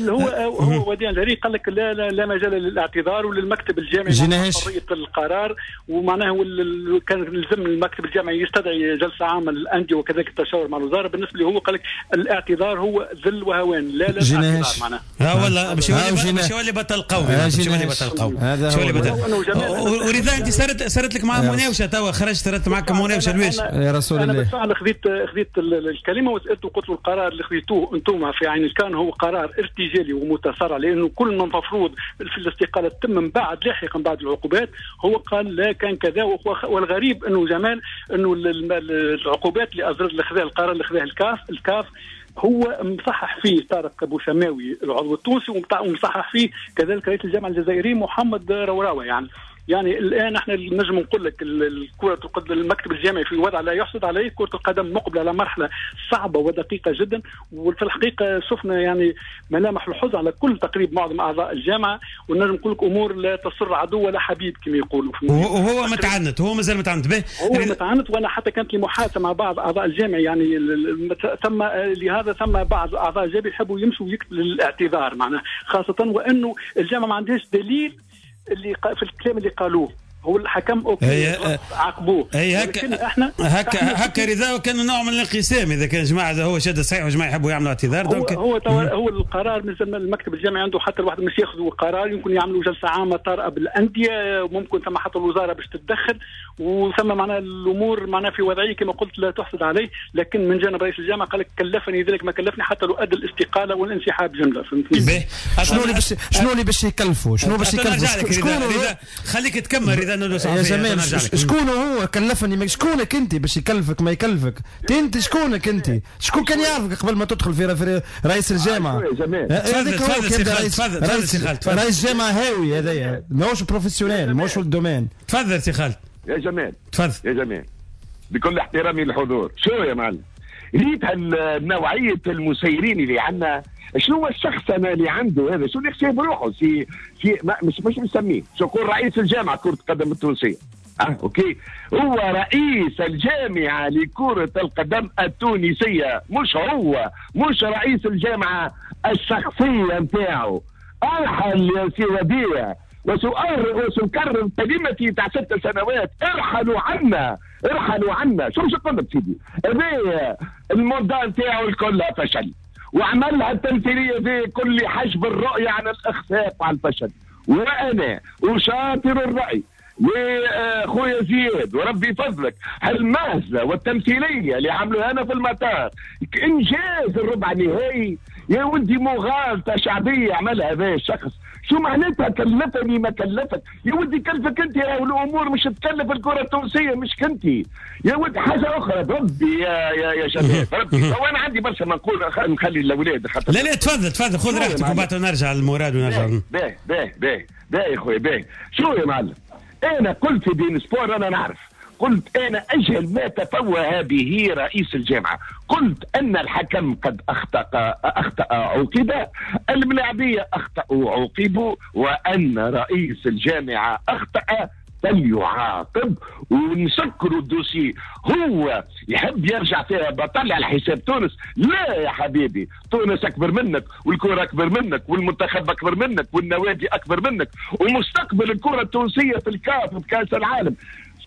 هو وديع الجري قال لك لا لا, لا مجال للاعتذار وللمكتب الجامعي حرية القرار، ومعناه كان لازم المكتب الجامعي يستدعي جلسه عامة للاندية وكذلك التشاور مع الوزارة. بالنسبة لي هو قال لك الاعتذار هو ذل وهوان، لا لا اعتذار معناه. ها والله باش يولي بطل قومي، باش يولي بطل قومي. ورضا انت صارت لك مع مناوشه توا، خرجت صارت معك مناوشه لواش؟ يا رسول الله. انا بالفعل خذيت الكلمة وسالته وقلت له القرار اللي خذيتوه انتم في عين الكان هو قرار ارتجالي ومتسرع، لانه كل ما المفروض في الاستقالة تتم من بعد لاحقا بعد العقوبات. هو قال لا كان كذا. والغريب انه جمال انه العقوبات اللي اصدرت اللي خذاه القرار اللي خذاه الكاف هو مصحح فيه طارق بوشماوي العضو التونسي، ومصحح فيه كذلك رئيس الجامعة الجزائري محمد روراوه. يعني الان احنا نجم نقول لك الكره القدم المكتب الجامعي في وضع لا يحسد عليه، كره القدم مقبله على مرحلة صعبة ودقيقة جدا، وفي الحقيقة شفنا يعني ملامح الحزن على كل تقريب معظم اعضاء الجامعة، ونجم نقول لك امور لا تسر عدو ولا حبيب كما يقولوا. وهو متعنت، هو مازال متعنت به، هو متعنت. وانا حتى كانت لي محادثة مع بعض اعضاء الجامعة، يعني ثم لهذا ثم بعض اعضاء الجامعة يحبوا يمشوا ويكتبوا للاعتذار معناها، خاصة وانه الجامعة ما عندهاش دليل اللي في الكلام اللي قالوه. هو الحكم OK عاقبوه. هي هكا احنا هكا رضا، وكان نوع من الانقسام اذا كان جماعة هو شاد صحيح وجماعه يحبوا يعملوا اعتذار. donc هو القرار من المكتب الجامعي عنده حتى الواحد مش ياخذوا قرار، يمكن يعملوا جلسه عامة طارئة بالاندية، ممكن ثم حتى الوزارة باش تتدخل، وثم معناها الامور معناها في وضعية كما قلت لا تحسد عليه. لكن من جانب رئيس الجامعة قال لك كلفني ذلك ما كلفني حتى لو ادى الاستقالة والانسحاب جملة. فهمتني؟ شنو اللي باش يكلفوا؟ شنو باش يكلفوا؟ خليك تكمل رضا. يا جمال شكون هو كلفني؟ شكونك انت باش يكلفك ما يكلفك؟ انت شكونك انت؟ شكون كان يعرفك قبل ما تدخل في رئيس الجامعة؟ هذاك هو تفضل. رئيس جامعه هاوي هذايا، ماهوش professionnel، ماهوش في ال domaine. تفضل سي خالد. يا جمال تفضل يا جمال، بكل احترامي للحضور، شو يا معلم ريت هالنوعية المسيرين اللي عندنا؟ شنو هو الشخص انا اللي عنده هذا؟ شو اللي يحسب روحه؟ سي مش مسميه، شو يقول رئيس الجامعة كره القدم التونسية. OK، هو رئيس الجامعة لكرة القدم التونسية، مش هو مش رئيس الجامعة الشخصية نتاعو. ارحل يا سي وديع، وسأكرر كلمتي تاع 6 سنوات، ارحلوا عنا، ارحلوا عنا. شو نقول لك سيدي؟ هذايا ال mandat نتاعو الكل فشل، وعملها التمثيلية في كل حجب الرؤية عن الاخفاق وعن الفشل. وانا اشاطر الراي لخويا زياد وربي فضلك، هالمهزله والتمثيليه اللي عملوها انا في المطار، انجاز الربع النهائي يا ولدي مغالطة شعبية عملها هذا الشخص. شو معناتها كلفني ما كلفك؟ يا ولدي كلفك انت، الامور مش تكلف الكره التونسية مش كنتي يا ولدي. حاجة اخرى بربي يا شباب بربي، هو انا عندي برشا ما نقول، نخلي الاولاد خاطر. لا تفضل تفضل، خذ راحتك وبعد نرجع للمراد ونرجع. باهي باهي باهي باهي يا خويا باهي. شو يا معلم، انا قلت في بين سبور، انا نعرف، قلت أنا أجهل ما تفوه به رئيس الجامعة، قلت أن الحكم قد أخطأ عوقب، الملاعبية أخطأوا عوقبوا، وأن رئيس الجامعة أخطأ فليعاقب، ونسكروا ال dossier. هو يحب يرجع فيها بطل على حساب تونس. لا يا حبيبي، تونس أكبر منك، والكرة أكبر منك، والمنتخب أكبر منك، والنوادي أكبر منك، ومستقبل الكرة التونسية في الكاف وفي كأس العالم.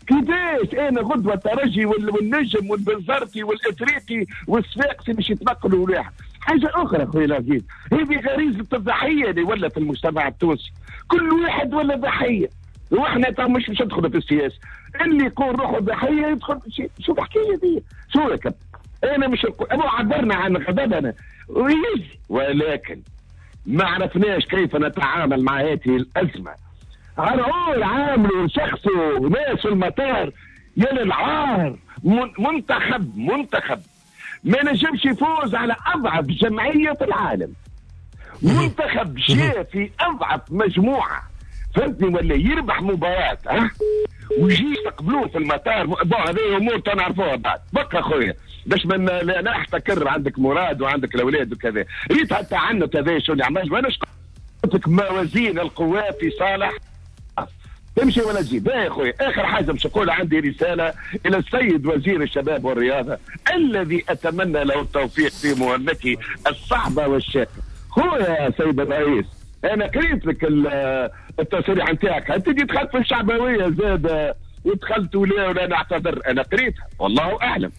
كيفاش انا غدوه الترجي والنجم والبنزرتي والافريقي والصفاقسي باش يتنقلوا واحد؟ حاجة اخرى خويا العزيز، هذه غريزة الضحية اللي ولا في المجتمع التونسي، كل واحد ولا ضحية، واحنا مش باش ندخلوا في السياسة، اللي يقول روحه ضحية يدخل. شو الحكاية دي؟ شو يا كابتن؟ انا مش عبرنا عن غضبنا ولكن ما عرفناش كيف نتعامل مع هذه الازمة. عرعور عاملوا شخصه ناس في المطار، يا للعار. منتخب ما نجمش يفوز على اضعف جمعية في العالم، منتخب جاء في اضعف مجموعة، فهمتني، ولا يربح مباراة ها ويجي يستقبلوه في المطار. bon هذه امور تنعرفوها بعد. بقى خويا باش ما لا احتكر، عندك مراد وعندك الاولاد وكذا، ريت حتى عنه كذا شو اللي عمل. وانا قلت لك موازين القوى في صالح تمشي ولا تجي. باهي يا خويا، اخر حاجة باش نقول، عندي رسالة الى السيد وزير الشباب والرياضة الذي اتمنى له التوفيق في مهمته الصعبة والشاقه. خويا يا سيد الرئيس، انا قريت لك التصريح نتاعك، انت دخلت في الشعبوية زاد ودخلت ولا نعتذر، انا قريتها والله اعلم.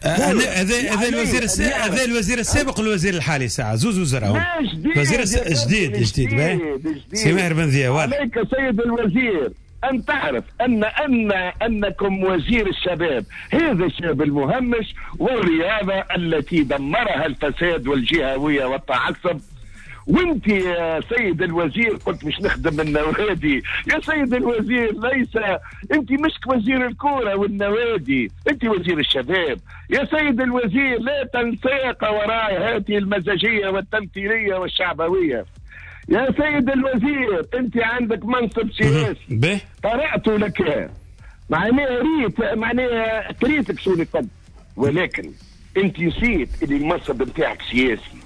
هذا الوزير هذا الوزير السابق والوزير الحالي ساعة زوز وزراء. الوزير جديد جديد سي ماهر بن ذياب. عليك سيد الوزير ان تعرف ان ان انكم وزير الشباب، هذا الشاب المهمش والرياضة التي دمرها الفساد والجهويه والتعصب. وانت يا سيد الوزير قلت مش نخدم النوادي. يا سيد الوزير ليس انت مش وزير الكورة والنوادي، انت وزير الشباب. يا سيد الوزير لا تنساق وراء هذه المزاجية والتمثيليه والشعبويه. يا سيد الوزير انت عندك منصب سياسي، قرأت لك معناها ريت معناها قريتك شو اللي قد، ولكن انت نسيت اللي المنصب نتاعك سياسي.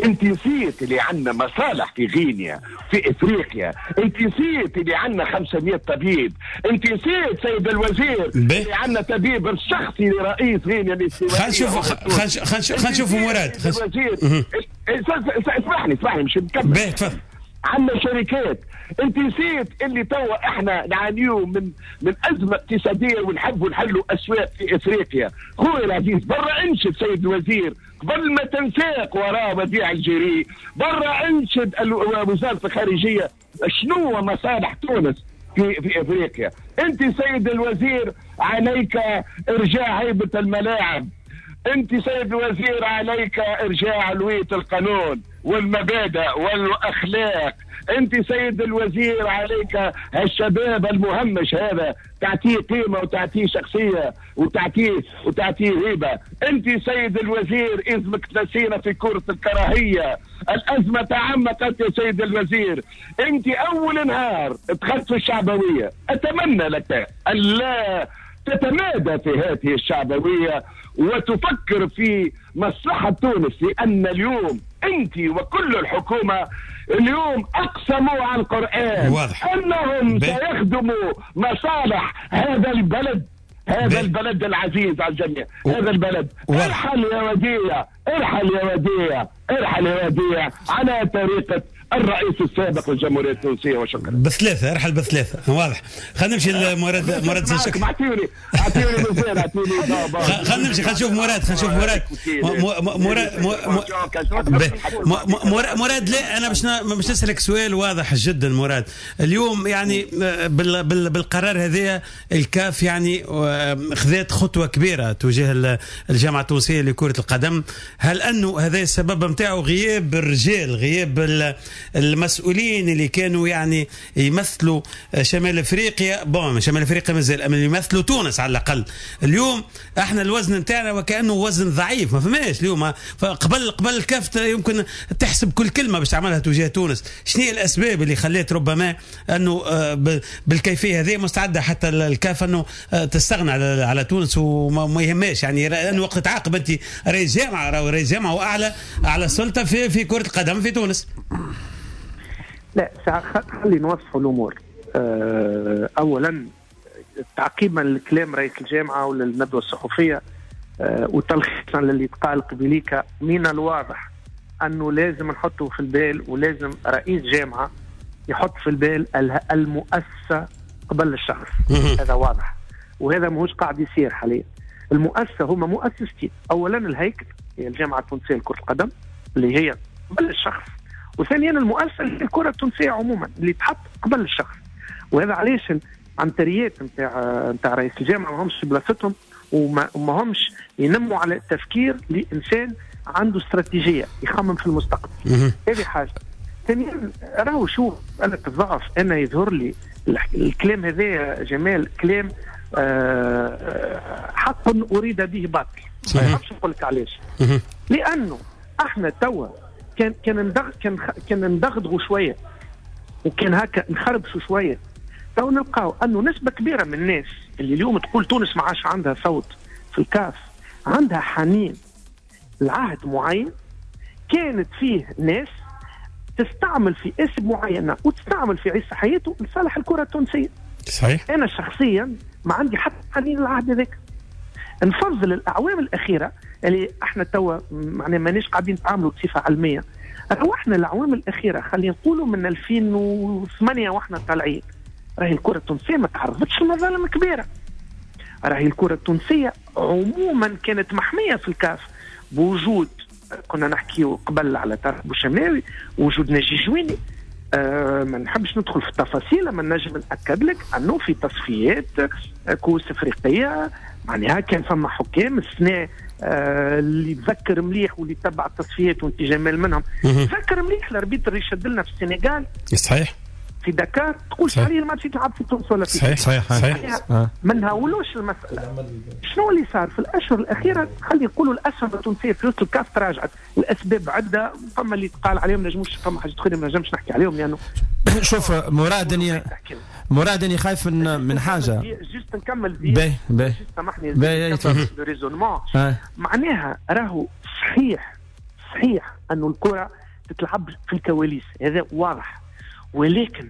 انت نسيت اللي عندنا مصالح في غينيا في افريقيا، انت نسيت اللي عندنا 500 طبيب، انت نسيت سيد الوزير اللي عندنا طبيب الشخصي لرئيس غينيا الاستوائيه. خلينا نشوفوا مراد. اسمح لي مش نكمل. تفضل. عندنا شركات، انت نسيت اللي توا احنا نعانيو من ازمة اقتصادية ونحبوا نحلوا اسواق في افريقيا. خويا العزيز برا انشد سيد الوزير قبل ما تنساق وراء وديع الجري، برا انشد وزارة الخارجية شنو مصالح تونس في افريقيا. انت سيد الوزير عليك ارجاع هيبة الملاعب، انت سيد الوزير عليك ارجاع علويه القانون والمبادئ والاخلاق، انت سيد الوزير عليك الشباب المهمش هذا تعطيه قيمة وتعطيه شخصية وتعطيه هيبة. انت سيد الوزير اذنك تنسينا في كره الكراهية، الازمة تعمقت يا سيد الوزير. انت اول نهار دخلت في الشعبوية، اتمنى لك ان لا تتمادى في هذه الشعبوية وتفكر في مصلحة تونس، لأن اليوم أنت وكل الحكومة اليوم أقسموا على القرآن واضح أنهم سيخدموا مصالح هذا البلد، هذا البلد العزيز على الجميع، هذا البلد. ارحل يا وديع، ارحل يا وديع، ارحل يا وديع على طريقة الرئيس السابق للجمهورية التونسية. وشكرا. بثلاثة، ارحل بثلاثة، واضح. خلينا نمشي لمراد. مراد شكرا. اعطيوني مثال، اعطيوني. خلينا نمشي، خلينا نشوف مراد، خلينا نشوف مراد. مراد مراد لا انا باش نسالك سؤال واضح جدا مراد. اليوم يعني بالقرار هذا الكاف يعني خذت خطوة كبيرة تجاه الجامعة التونسية لكرة القدم، هل انه هذا السبب نتاعو غياب الرجال، غياب المسؤولين اللي كانوا يعني يمثلوا شمال افريقيا؟ bon شمال افريقيا مازال، اما يمثلوا تونس على الاقل. اليوم احنا الوزن نتاعنا وكانه وزن ضعيف، ما فماش اليوم. قبل الكاف يمكن تحسب كل كلمة باش تعملها تجاه تونس. شنو هي الاسباب اللي خلت ربما انه بالكيفية هذه مستعدة حتى الكاف انه تستغنى على تونس وما يهماش، يعني انه وقت تعاقب انت رئيس جامعه، رئيس جامعه واعلى اعلى سلطة في كره القدم في تونس. لا خلي نوضحوا الامور. اولا تعقيبا لكلام رئيس الجامعة وللندوه الصحفية وتلخيصا للي تقال قبليك، من الواضح انه لازم نحطه في البال، ولازم رئيس جامعه يحط في البال المؤسسة قبل الشخص. هذا واضح، وهذا ماهوش قاعد يصير حاليا. المؤسسة هما مؤسستين، اولا الهيكل هي الجامعة التونسية لكرة القدم اللي هي قبل الشخص، وثانيا المؤسسة اللي الكره التونسية عموما اللي تحط قبل الشخص. وهذا علاش العنتريات نتاع رئيس الجامعة ما همش في بلاصتهم، وما همش ينموا على التفكير لانسان عنده استراتيجية يخمم في المستقبل. هذه حاجة. ثانيا راهو شوف انا الضعف، انا يظهر لي الكلام هذا جمال كلام حق اريد به باطل. ما نعرفش نقول لك علاش، لانه احنا توا كان ندغدغوا شوية وكان هكا نخربشوا شوية، تو نلقاو انه نسبه كبيرة من الناس اللي اليوم تقول تونس ما عادش عندها صوت في الكاف عندها حنين لعهد معين كانت فيه ناس تستعمل في اسم معينة وتستعمل في عيسى حياته لصالح الكره التونسية. صحيح. انا شخصيا ما عندي حتى حنين للعهد هذاك. نفضل الاعوام الاخيرة اللي احنا توا معناها ماناش قاعدين نتعاملوا بصفة علمية. روحنا الاعوام الاخيرة خلينا نقولوا من 2008 واحنا طالعين، راهي الكره التونسية ما تعرضتش لمظالم كبيرة. راهي الكره التونسية عموما كانت محمية في الكاف بوجود، كنا نحكيو قبل على طارق بوشماوي، وجود ناجي جويني. ما نحبش ندخل في التفاصيل، اما نجم ناكد لك انه في تصفيات كؤوس افريقية معناها كان فما حكام السنة اللي تذكر مليح واللي تبع التصفيات وانت جمال منهم تذكر مليح ال arbitre اللي شد لنا في السنغال. صحيح. في دكار تقول عليه الماتش يتلعب في تونس ولا في صحيح. صحيح. ما نهولوش المسالة. شنو اللي صار في الاشهر الاخيرة؟ خلي نقولوا الاسهم التونسية في وسط الكاف تراجعت، الاسباب عده، فما اللي تقال عليهم نجموش، فما حاجات اخرى ما نجمش نحكي عليهم لانه شوف مراد اني خايف من حاجة. juste نكمل باهي باهي سامحني raisonnement. معناها راهو صحيح انه الكره تتلعب في الكواليس، هذا واضح، ولكن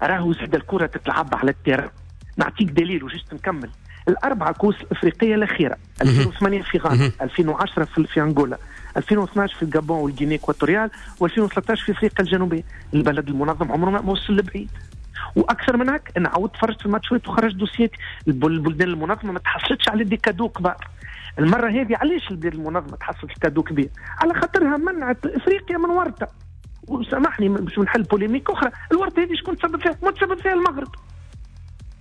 راهو زاد الكره تتلعب على ال terrain. نعطيك دليل و juste نكمل. الاربعة كؤوس الافريقية الاخيرة 2008 في غانا، 2010 في انغولا، 2012 في الجابون وال Guinée équatoriale، و2013 في افريقيا الجنوبية. البلد المنظم عمره ما وصل لبعيد. واكثر من هيك انا عاودت تفرجت في الماتشات وخرجت دوسيات البلدان المنظمة ما تحصلتش على des cadeaux كبار. المرة هذه علاش البلاد المنظمة تحصلت cadeau كبير؟ على خاطرها منعت افريقيا من ورطة. وسامحني باش نحل polémique اخرى، الورطة هذه شكون تسبب فيها؟ ما تسبب فيها المغرب.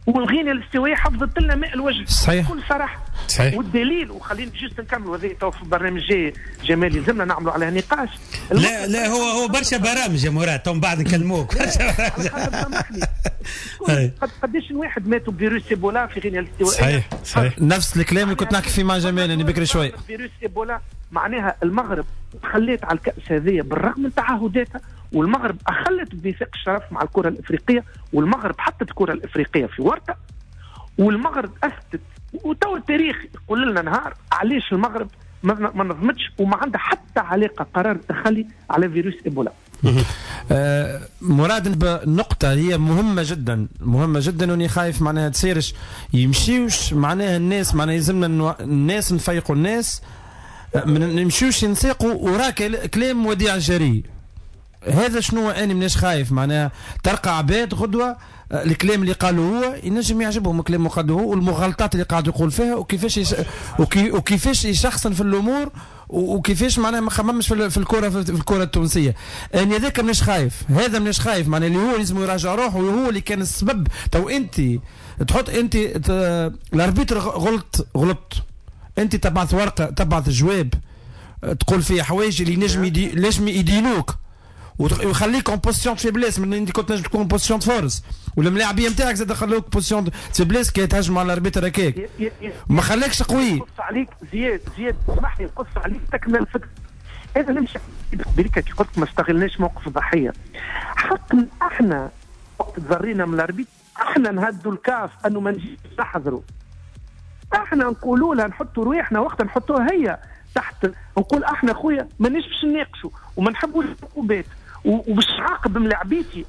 والغينيا الاستوائيه حفظت لنا ماء الوجه. صحيح. بكل صراحة. صحيح. والدليل، وخلينا juste نكملوا هذه تو في البرنامج الجاي جمال يلزمنا نعملوا عليها نقاش. لا لا هو برشا برامج يا مراد، تو من بعد نكلموك. برشا برامج. قداش واحد ماتوا بفيروس ايبولا في غينيا الاستوائيه؟ صحيح صحيح. نفس الكلام اللي كنت نحكي فيه مع جمال انا بكري شوي. فيروس ايبولا معناها المغرب تخليت على الكأس هذه بالرغم من تعهداتها، والمغرب أخلت بميثاق الشرف مع الكرة الإفريقية، والمغرب حطت الكرة الإفريقية في ورطة، والمغرب أثبتت، وتو التاريخ يقول لنا نهار علاش المغرب ما نظمتش وما عندها حتى علاقة قرار التخلي على فيروس إيبولا. مراد نقطة هي مهمة جدا مهمة جدا، واني خايف معناها تصيرش يمشيوش معناها الناس، معناها يلزمنا الناس نفيقوا الناس، ما نمشيوش نسيقوا وراك كلام وديع الجري. هذا شنو انا مناش خايف معناها تلقى عباد غدوه الكلام اللي قالوه هو ينجم يعجبهم الكلام اللي قالوه هو والمغالطات اللي قاعد يقول فيها وكيفاش وكيفاش يشخصن في الامور وكيفاش معناها ما خممش في الكره في الكره التونسية. انا هذاك مانيش خايف، هذا مانيش خايف معناها اللي هو لازم يراجع روحه وهو اللي كان السبب. تو انت تحط انت ال arbitre غلط انت تبعث ورقة تبعث جواب تقول فيه حوايج اللي نجم يدينوك ويخليك en position faiblesse، من انت كنت نجم تكون position force والملاعبيه نتاعك زاد خلوك position faiblesse كي تهجم على ال arbitre هكاك ما خلاكش قوي. نقص عليك زياد اسمح لي نقص عليك تكمل الفكرة. هذا نمشي بريكا كي قلت ما استغلناش موقف الضحية. حقنا احنا وقت تضرينا من ال arbitre احنا نهدوا الكاف انه ما نجيش نحضروا، احنا نقولوا لها نحطوا رواحنا وقت نحطوها هي تحت، نقول احنا خويا مانيش باش نناقشوا وما نحبوش العقوبات وباش نعاقب ملاعبيتي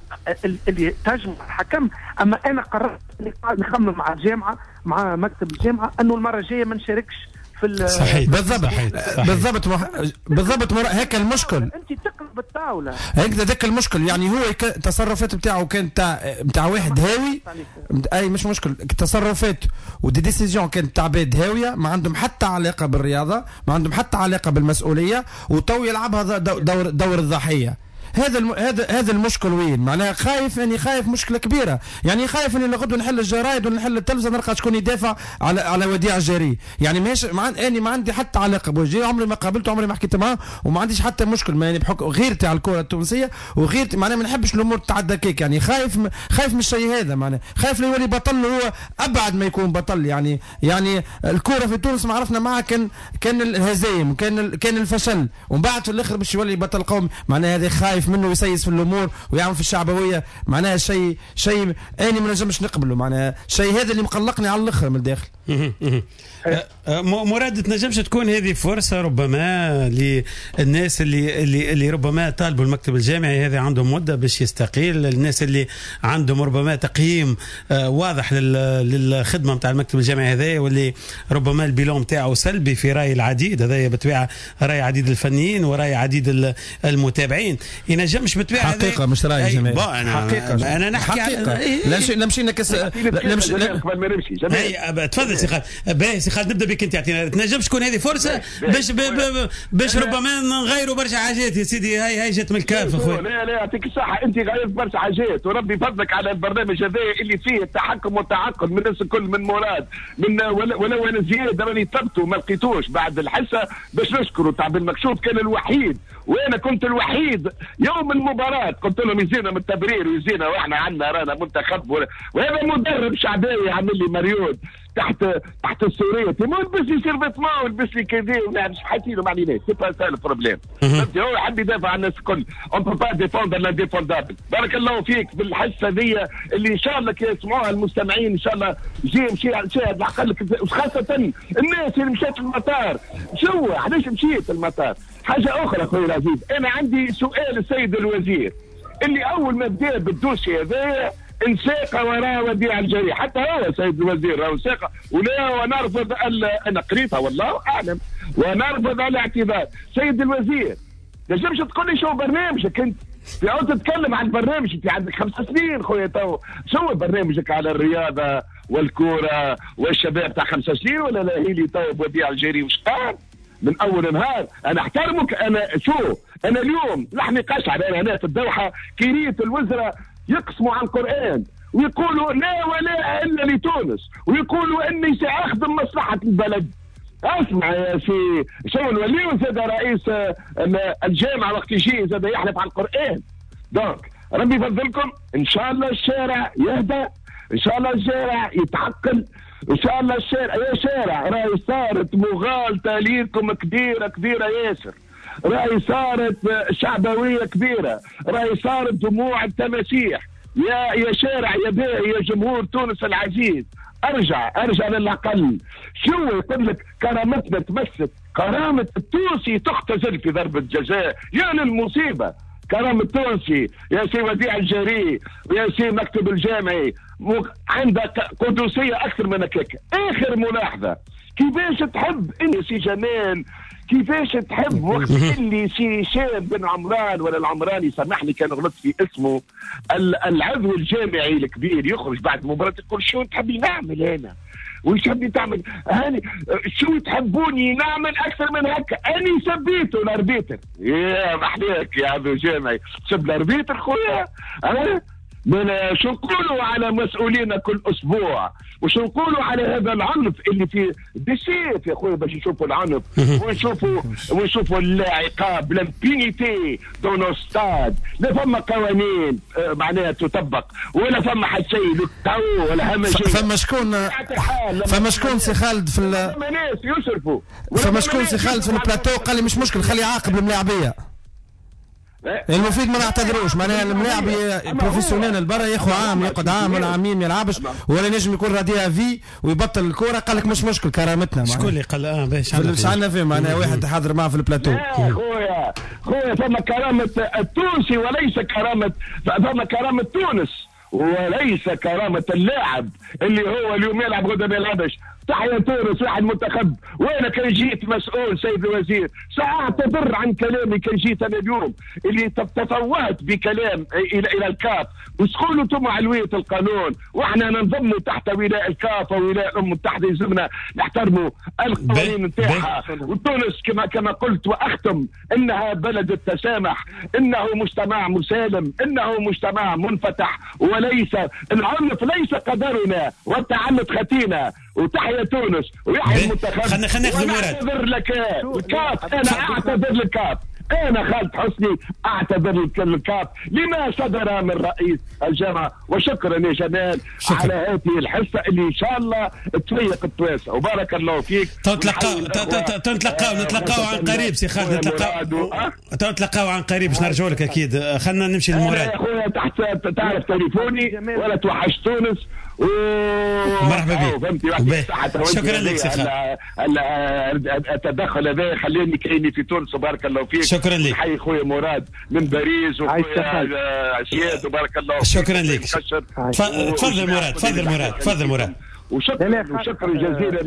اللي تهاجم الحكم. اما انا قررت نخمم مع الجامعة مع مكتب الجامعة انه المرة الجاية ما نشاركش في صحيح. بالضبط بالضبط بالضبط هيك المشكل. انت تقلب الطاولة هيك ذاك المشكل. يعني هو التصرفات نتاعو كانت نتاع واحد هاوي، اي مش مشكل تصرفات و des décisions كانت تاع عباد هاوية ما عندهم حتى علاقة بالرياضة، ما عندهم حتى علاقة بالمسؤولية، وتو يلعبها دور الضحية. هذا المشكل وين معناها خايف، اني خايف مشكلة كبيرة، يعني خايف اني لغدو نحل الجرايد ونحل التلفزة نلقى شكون يدافع على وديع الجري. يعني ماشي اني ما عندي حتى علاقة بوجيه، عمري ما قابلته، عمري ما حكيت معاه، وما عنديش حتى مشكل يعني بحكم غيرتي على الكره التونسية وغيرتي معناها ما نحبش الامور تتعدى كيك. يعني خايف من الشيء هذا، معناها خايف يولي بطل هو ابعد ما يكون بطل. يعني الكره في تونس ما عرفنا معها كان الهزايم كان الفشل، ومن بعد في الاخر باش يولي بطل قومي. معناها هذا خايف منه يسيس في الامور ويعمل في الشعبوية، معناها شيء اني ما نجمش نقبله. معناها شيء هذا اللي مقلقني على الاخر من الداخل. مراد، تنجمش تكون هذه فرصة ربما للناس اللي اللي ربما طالبوا المكتب الجامعي هذا عندهم مده باش يستقيل، الناس اللي عندهم ربما تقييم واضح للخدمة نتاع المكتب الجامعي هذا، واللي ربما ال bilan نتاعو سلبي في راي العديد، هذا بالطبيعة راي عديد الفنيين وراي عديد المتابعين. ينجمش بالطبيعة حقيقة مش راي جماعي، حقيقة انا نحكي حقيقة. لا مشينا كس لا مش قبل ما نمشي. تفضل سي خالد. باهي سي خالد نبدا بك انت، يعطينا تنجمش تكون هذه فرصة باش ربما نغيروا برشا حاجات يا سيدي. هاي جات من الكاف اخويا. لا يعطيك الصحة، انت غيرت برشا حاجات وربي فضلك على البرنامج هذا اللي فيه التحكم والتعقل من الناس الكل، من مراد من ولو انا زياد راني طلبته ما لقيتوش بعد الحصة باش نشكره. تاع بالمكشوف كان الوحيد وانا كنت الوحيد يوم المباراة قلت لهم يزينا من التبرير ويزينا واحنا عندنا رانا منتخب، وهذا مدرب شعباوي عامل لي مريود تحت السورية، ما لبس لي survêtement ولبس لي كذا ولا مش حاسينه ما عليناش، c'est pas ça le problème. فهمتي؟ هو يحب يدافع عن الناس الكل، on peut pas défendre l'indéfendable. بارك الله فيك بالحصه ذي اللي ان شاء الله يسمعوها المستمعين، ان شاء الله جي مشي شاهد العقل، وخاصة الناس اللي مشات المطار. شو علاش مشيت المطار؟ حاجة اخرى خويا العزيز، انا عندي سؤال السيد الوزير اللي اول ما بدا بال dossier هذايا انساق وراء وديع الجري، حتى هو سيد الوزير راهو انساق ولا، ونرفض انا قريتها والله اعلم ونرفض الاعتذار. سيد الوزير نجمش تقول لي شو برنامجك انت؟ في عود تتكلم عن برنامج، انت عندك 5 سنين خويا تو، شو برنامجك على الرياضة والكوره والشباب تاع 5 سنين ولا لا؟ هي لي تو وديع الجري وش قال؟ من اول نهار انا احترمك. انا شو انا اليوم لحمي قشعر، انا هنا في الدوحة كريت الوزراء يقسموا على القرآن ويقولوا لا ولا إلا لتونس، ويقولوا إني سأخدم مصلحة البلد. اسمع يا سي شو الولي زاد رئيس الجامعة وقت يجي زاد يحلف على القرآن. donc ربي يفضلكم، إن شاء الله الشارع يهدى، إن شاء الله الشارع يتعقل، إن شاء الله الشارع يا شارع راهي صارت مغالطة ليكم كبيرة كبيرة ياسر، راهي صارت شعبوية كبيرة، راهي صارت دموع التماسيح. يا شارع يا باهي يا جمهور تونس العزيز، ارجع للعقل. شو يقول لك كرامتنا تمست، كرامة التونسي تختزل في ضربة جزاء، يا للمصيبة. كرامة التونسي يا سي وديع الجري ويا سي مكتب الجامعي عندك قدسية أكثر من هكاك. آخر ملاحظة، كيفاش تحب انت سي جمال؟ كيفاش تحب وقت اللي سي هشام بن عمران ولا العمراني، سامحني كان غلطت في اسمه، العضو الجامعي الكبير يخرج بعد مباراة يقول شو تحبي نعمل انا؟ وش تحبي تعمل؟ هاني شو تحبوني نعمل اكثر من هكا؟ اني سبيته ال arbitre. يا محليك يا عضو جامعي، سب ال arbitre خويا. من شو نقولوا على مسؤولينا كل اسبوع؟ وشو نقولوا على هذا العنف اللي في بسيف يا خويا باش نشوفوا العنف ونشوفوا العقاب، l'impunité dans nos stades. لا فما قوانين معناها تطبق، ولا فما حتى شيء ولا همجية. فما شكون سي خالد في ناس يصرفوا، فما شكون سي خالد في البلاتو قال لي مش مشكل خلي يعاقب الملاعبيه، المفيد ما نعتذروش. معناها الملاعب professionnel برا ياخذ عام، يقعد عام ولا عامين ما يلعبش، ولا نجم يكون radié à vie ويبطل الكورة. قال لك مش مشكل كرامتنا. شكون اللي قال؟ باش عندنا فيه معناها واحد حاضر معاه في البلاتو. خويا خويا فما كرامة التونسي وليس كرامة، فما كرامة تونس وليس كرامة اللاعب اللي هو اليوم يلعب غدا ما يلعبش. تحيا تونس، واحد منتخب. وانا كان جيت مسؤول سيد الوزير ساعتذر عن كلامي، كان جيت انا اليوم اللي تفوهت بكلام الى الكاف، وسقولوا انتم علويه القانون، واحنا ننضموا تحت ولاء الكاف وولاء الامم المتحدة، يلزمنا نحترموا القوانين نتاعها. وتونس كما قلت واختم انها بلد التسامح، انه مجتمع مسالم، انه مجتمع منفتح، وليس العنف ليس قدرنا والتعنت ختينا. وتحيا تونس ويحيى المنتخب. خلينا ناخذ مراد. اعتذر لك الكاف، انا اعتذر للكاف، انا خالد حسني اعتذر للكاف لما صدر من رئيس الجامعة. وشكرا يا جمال على هذه الحصة اللي ان شاء الله تفيق التواسع، وبارك الله فيك. نتلقاو عن قريب سي خالد، نتلقاو عن قريب باش نرجعوا لك اكيد. خلينا نمشي للمراد. يا خويا تحت تعرف تليفوني ولا توحش تونس. مرحبا بك، شكرا لك سي خالد. التدخل هذا خليني كايني في تونس، وبارك الله فيك. شكرا لك. حي خويا مراد من باريس وخويا زياد، وبارك الله فيك. شكرا لك. تفضل مراد، تفضل مراد، تفضل مراد. وشكرا جزيلا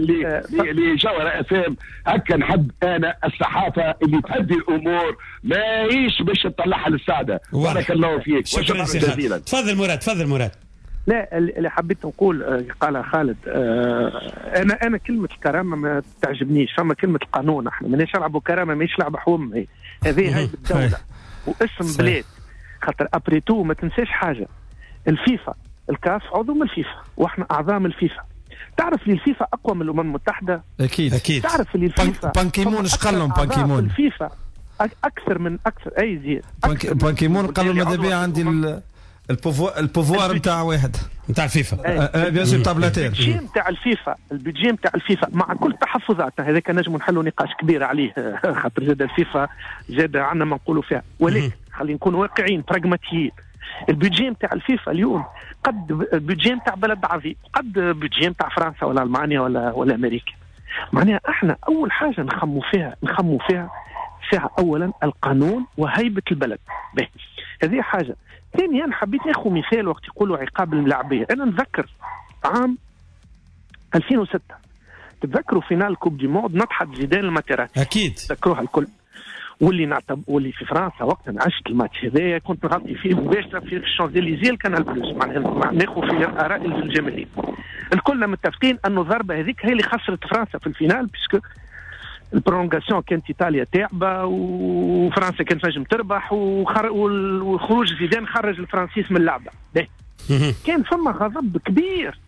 لجوهرة FM. هكا نحب انا الصحافة اللي تهدي الامور، ماهيش باش تطلعها للسعادة. بارك الله فيك، شكرا جزيلا. تفضل مراد، تفضل مراد. لا اللي حبيت نقول قالها خالد، انا كلمة الكرامة ما تعجبنيش. فما كلمة القانون، احنا ماناش نلعبوا كرامة، ماهيش لعبه حوم، هذه هاي بالدولة واسم بلاد. خاطر après tout ما تنساش حاجة، الفيفا الكاف عضو من الفيفا واحنا اعضاء من الفيفا. تعرف لي الفيفا اقوى من الامم المتحدة؟ اكيد اكيد. تعرف اللي الفيفا بانكيمون اش قال لهم؟ بانكيمون الفيفا اكثر من اكثر اي زيد بانكيمون قال لهم ماذا بيا عندي ال pouvoir نتاع واحد نتاع الفيفا، bien sûr نتاع بلاتير. ال budget نتاع الفيفا، ال budget نتاع الفيفا مع كل تحفظاتها، هذاك نجم نحلوا نقاش كبير عليه خاطر زاد الفيفا زاد عندنا ما نقولوا فيها، ولكن خلينا نكون واقعيين براغماتيين. ال budget نتاع الفيفا اليوم قد ال budget نتاع بلد عظيم، قد budget نتاع فرنسا ولا المانيا ولا امريكا. معناها احنا اول حاجة نخمو فيها ساعة اولا القانون وهيبة البلد. به هذه حاجة. ثانيا حبيت ناخذ مثال وقت يقولوا عقاب الملاعبيه، انا نتذكر عام 2006 تتذكروا finale coupe du monde نطحت زيدان الماتيراتي، اكيد تذكروها الكل، واللي في فرنسا وقتها عشت الماتش هذايا كنت نغطي فيه مباشرة في الشانزليزيه الكانال بلوس، معناها ناخذ في اراء الجماهير. الكلنا متفقين انه الضربة هذيك هي اللي خسرت فرنسا في ال finale، puisque ال prolongation كانت ايطاليا تعبه وفرنسا كانت نجم تربح، وخروج زيدان خرج الفرنسيس من اللعبة. كان فما غضب كبير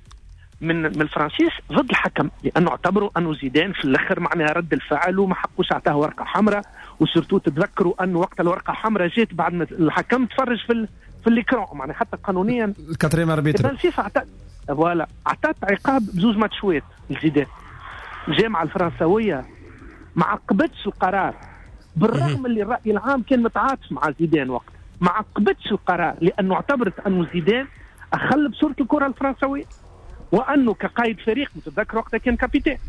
من الفرنسيس ضد الحكم، لانه اعتبروا انه زيدان في الاخر معناها رد الفعل وما حقوش اعطاه ورقة حمراء، و surtout تتذكروا انه وقت الورقة الحمراء جات بعد ما الحكم تفرج في l'écran، معناها حتى قانونيا ال quatrième arbitre. الفيفا voilà اعطت عقاب بزوج ماتشوات لزيدان. الجامعة الفرنسويه ما عقبتش القرار، بالرغم اللي الراي العام كان متعاطف مع زيدان وقت، ما عقبتش القرار لانه اعتبرت انه زيدان اخل بصورة الكره الفرنسويه، وانه كقائد فريق متذكر وقتها كان capitaine،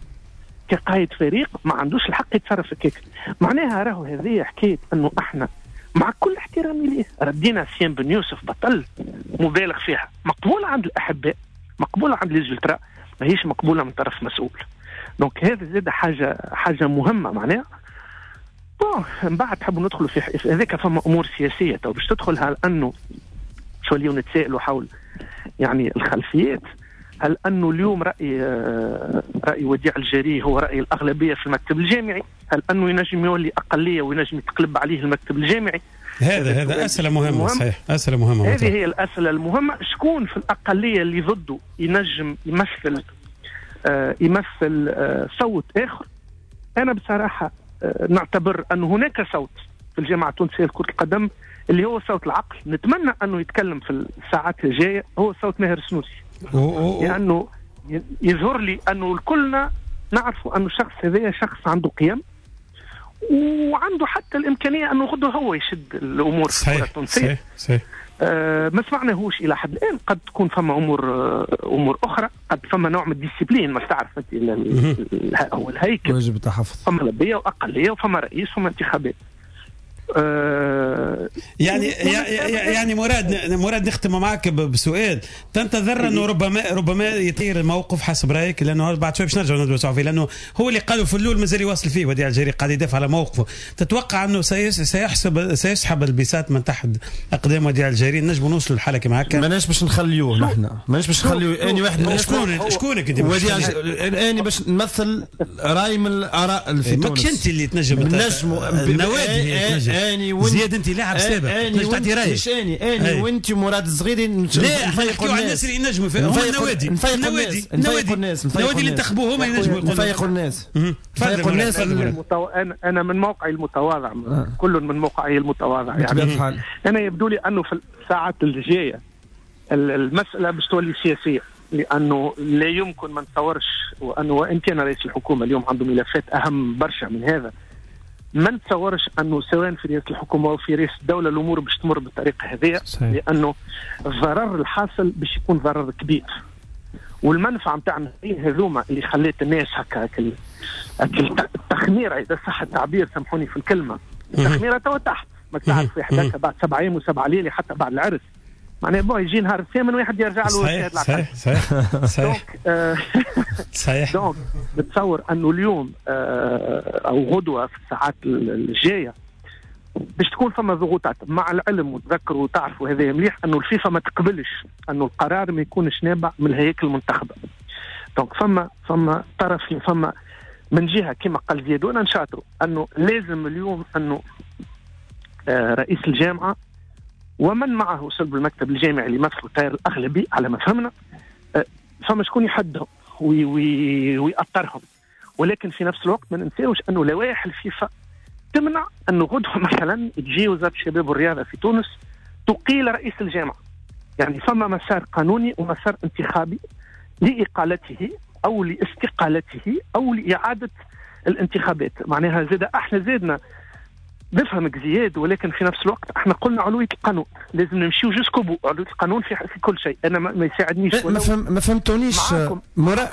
كقائد فريق ما عندوش الحق يتصرف هكاك. معناها راهو هذه حكاية انه احنا مع كل احترامي ليه ردينا سيان بن يوسف بطل مبالغ فيها، مقبولة عند الاحباء، مقبولة عند les ultras، ماهيش مقبولة من طرف مسؤول. donc هذا زاد حاجة مهمة معناها. bon من بعد تحبوا ندخلوا في هذاك، فما امور سياسية تو باش تدخل، هل انه شو اليوم نتسائلوا حول يعني الخلفيات، هل انه اليوم راي وديع الجري هو راي الاغلبية في المكتب الجامعي؟ هل انه ينجم يولي اقلية وينجم يتقلب عليه المكتب الجامعي؟ هذا اسئلة مهمة. صحيح، اسئلة مهمة. هذه هي الاسئلة المهمة. شكون في الاقلية اللي ضده ينجم يمثل صوت اخر؟ انا بصراحة نعتبر ان هناك صوت في الجامعة التونسية لكرة القدم اللي هو صوت العقل، نتمنى انه يتكلم في الساعات الجاية، هو صوت ماهر السنوسي، لانه يظهر لي انه الكلنا نعرفوا انه الشخص هذا شخص عنده قيم وعنده حتى الامكانية انه غدوه هو يشد الامور في الكره التونسية. صحيح. ما سمعناهوش الى حد الان. قد تكون فما امور اخرى، قد فما نوع من ال discipline، ما تعرف انت هو الهيكل واجب التحفظ، فما لبيه واقليه وفما رئيس وفما انتخابات. يعني مراد نختم معك بسؤال. تنتظر انه ربما يطير الموقف حسب رايك؟ لانه بعد شوي باش نرجعوا ندرسوا فيه، لانه هو اللي قالوا في الاول مازال يواصل فيه وديع الجري قاعد يدافع على موقفه. تتوقع انه سيسحب البساط من تحت اقدام وديع الجري؟ نجموا نوصلوا لحاله كما هكا؟ ماناش باش نخليوه نحن، ماناش باش نخليوه. اني واحد شكونك انت وديع؟ اني باش نمثل راي من الاراء في تونس. ماكش انت اللي تنجم، النوادي تنجم. زياد انت لاعب سابق تنجم تعطي رايك. مش اني وانت مراد الصغيري. لا احنا نحكيو على الناس اللي ينجموا، هما النوادي النوادي اللي انتخبوه هما ينجموا يقولوا. نفيقوا الناس، نفيقوا الناس. انا من موقعي المتواضع، كل من موقعي المتواضع يعني انا يبدو لي انه في الساعات الجاية المسالة باش تولي سياسية، لانه لا يمكن ما نتصورش وانه وان كان رئيس الحكومة اليوم عنده ملفات اهم برشا من هذا، ما نتصورش انه سواء في رئاسة الحكومة او في رئاسة الدولة الامور باش تمر بالطريقة هذه، لانه الضرر الحاصل باش يكون ضرر كبير، والمنفعه نتاع هذوما اللي خلات الناس هكا التخميره، اذا صح التعبير سامحوني في الكلمة، التخميره توا تحت، ما تعرف واحد هكا بعد 7 ايام و7 ليالي حتى بعد العرس، معناها bon يجي نهار الثامن واحد يرجع له. صحيح صحيح صحيح صحيح. donc بتصور انه اليوم او غدوه في الساعات الجاية باش تكون فما ضغوطات، مع العلم وتذكروا وتعرفوا هذا مليح انه الفيفا ما تقبلش انه القرار ما يكونش نابع من الهياكل المنتخبه. donc فما طرف، فما من جهة كما قال زياد وانا نشاطره انه لازم اليوم انه رئيس الجامعة ومن معه صلب المكتب الجامعي اللي يمثلوا التيار الاغلبي على ما فهمنا، فما شكون يحدهم ويأطرهم، ولكن في نفس الوقت ما ننساوش انه لوائح الفيفا تمنع انه غدوه مثلا تجي وزارة الشباب والرياضة في تونس تقيل رئيس الجامعة. يعني فما مسار قانوني ومسار انتخابي لاقالته او لاستقالته او لاعادة الانتخابات. معناها زاد احنا زادنا نفهمك زياد، ولكن في نفس الوقت احنا قلنا علوية القانون لازم نمشيو jusqu'au bout، علوية القانون في كل شيء. انا ما يساعدنيش ما فهمتونيش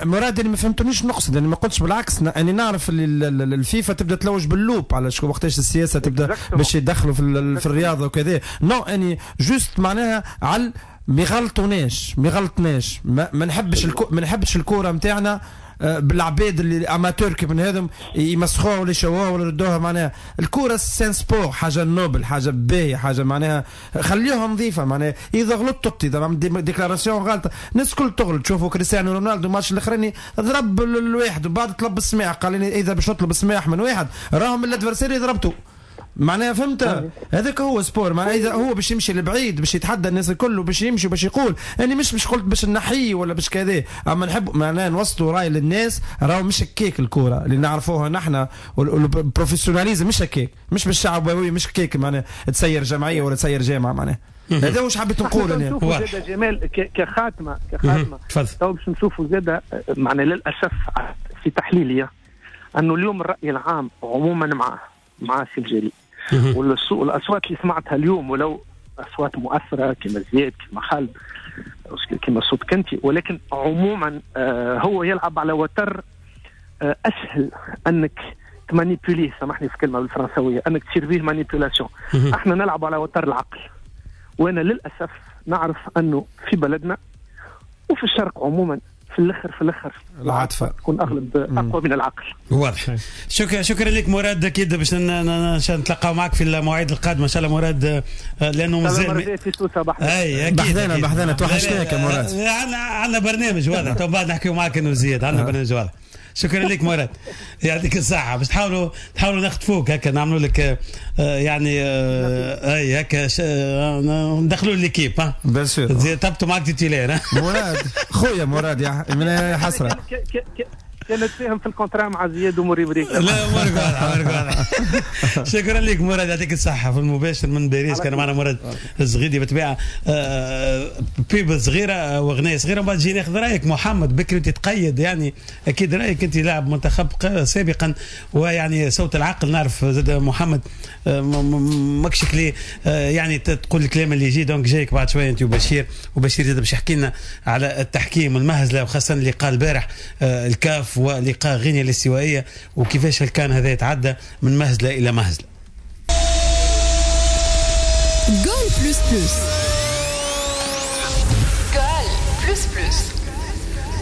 مراد، اللي ما فهمتونيش نقصد انا ما قلتش، بالعكس انا نعرف اللي الفيفا تبدا تلوج بال loupe على شو وقتاش السياسة تبدا باش يدخلوا في الرياضة وكذا. non اني juste معناها على ما يغلطوناش، ما يغلطناش، ما نحبش ما نحبش الكورة نتاعنا بالعباد اللي amateurs كيف من هذم يمسخوها ولا يشوهوها ولا يردوها. معناها الكورة c'est un sport، حاجة noble، حاجة باهيه، حاجة معناها خليوها نظيفة. معناها اذا غلطت اذا عملت déclaration غلطه الناس الكل تغلط. شوفوا كريستيانو رونالدو الماتش الاخراني ضرب الواحد وبعد طلب السماح، قال لي اذا باش نطلب السماح من واحد راهم ال adversaire ضربته. معناها فهمت هذاك هو sport. معناها اذا هو باش يمشي لبعيد باش يتحدى الناس الكل وباش يمشي وباش يقول انا مش قلت باش نحيي ولا باش كذا، اما نحب معناها نوصلوا راي للناس راهو مش هكاك الكورة اللي نعرفوها نحن وال professionnalisme مش هكاك، مش بالشعبويه، مش هكاك معناها تسير جمعية ولا تسير جامعه. معناها هذا واش حبيت نقول انا. زاد جمال كخاتمه تو باش نشوفوا زاد معناها للاسف في تحليلي انه اليوم الراي العام عموما مع سي الجري، والاصوات اللي سمعتها اليوم ولو اصوات مؤثرة كما زياد كما خالد كما صوت كنتي، ولكن عموما هو يلعب على وتر اسهل انك ت manipuler، سامحني في كلمة بالفرنساويه، انك تصير به manipulation. احنا نلعب على وتر العقل، وانا للاسف نعرف انه في بلدنا وفي الشرق عموما في الاخر العاطفة تكون اغلب اقوى من العقل. واضح. شكرا لك مراد، اكيد باش نتلاقاو معك في المواعيد القادمة ان شاء الله مراد، لانه مازال في سوسة بحذانا بحذانا توحشناك يا مراد. عندنا برنامج واضح، تو بعد نحكيو معك انه زياد عندنا برنامج واضح. شكرا لك مراد، يعطيك الصحة. باش تحاولوا نخطفوك هكا، نعملوا لك يعني اي هكا ندخلوا l'équipe. ها bien sûr تبتوا معك titulaire. مراد خويا مراد يا حسرة كانت فاهم في ال contrat مع زياد وموري بريك. لا امورك واضحة، امورك واضحة. شكرا لك مراد، يعطيك الصحة. في المباشر من باريس كان معنا مراد الزغيدي. بالطبيعة pub صغيرة واغنيه صغيرة، ومن بعد جي ناخذ رايك محمد بكري تتقيد، يعني اكيد رايك انت لاعب منتخب سابقا ويعني صوت العقل، نعرف زاد محمد ماكش كلي يعني تقول الكلام اللي يجي، donc جايك بعد شوية انت وبشير، وبشير زاد باش يحكي لنا على التحكيم والمهزله، وخاصة اللي قال البارح الكاف ولقاء غينيا الاستوائية وكيفاش الكان هذا يتعدى من مهزلة إلى مهزلة. Goal plus plus. Goal plus plus.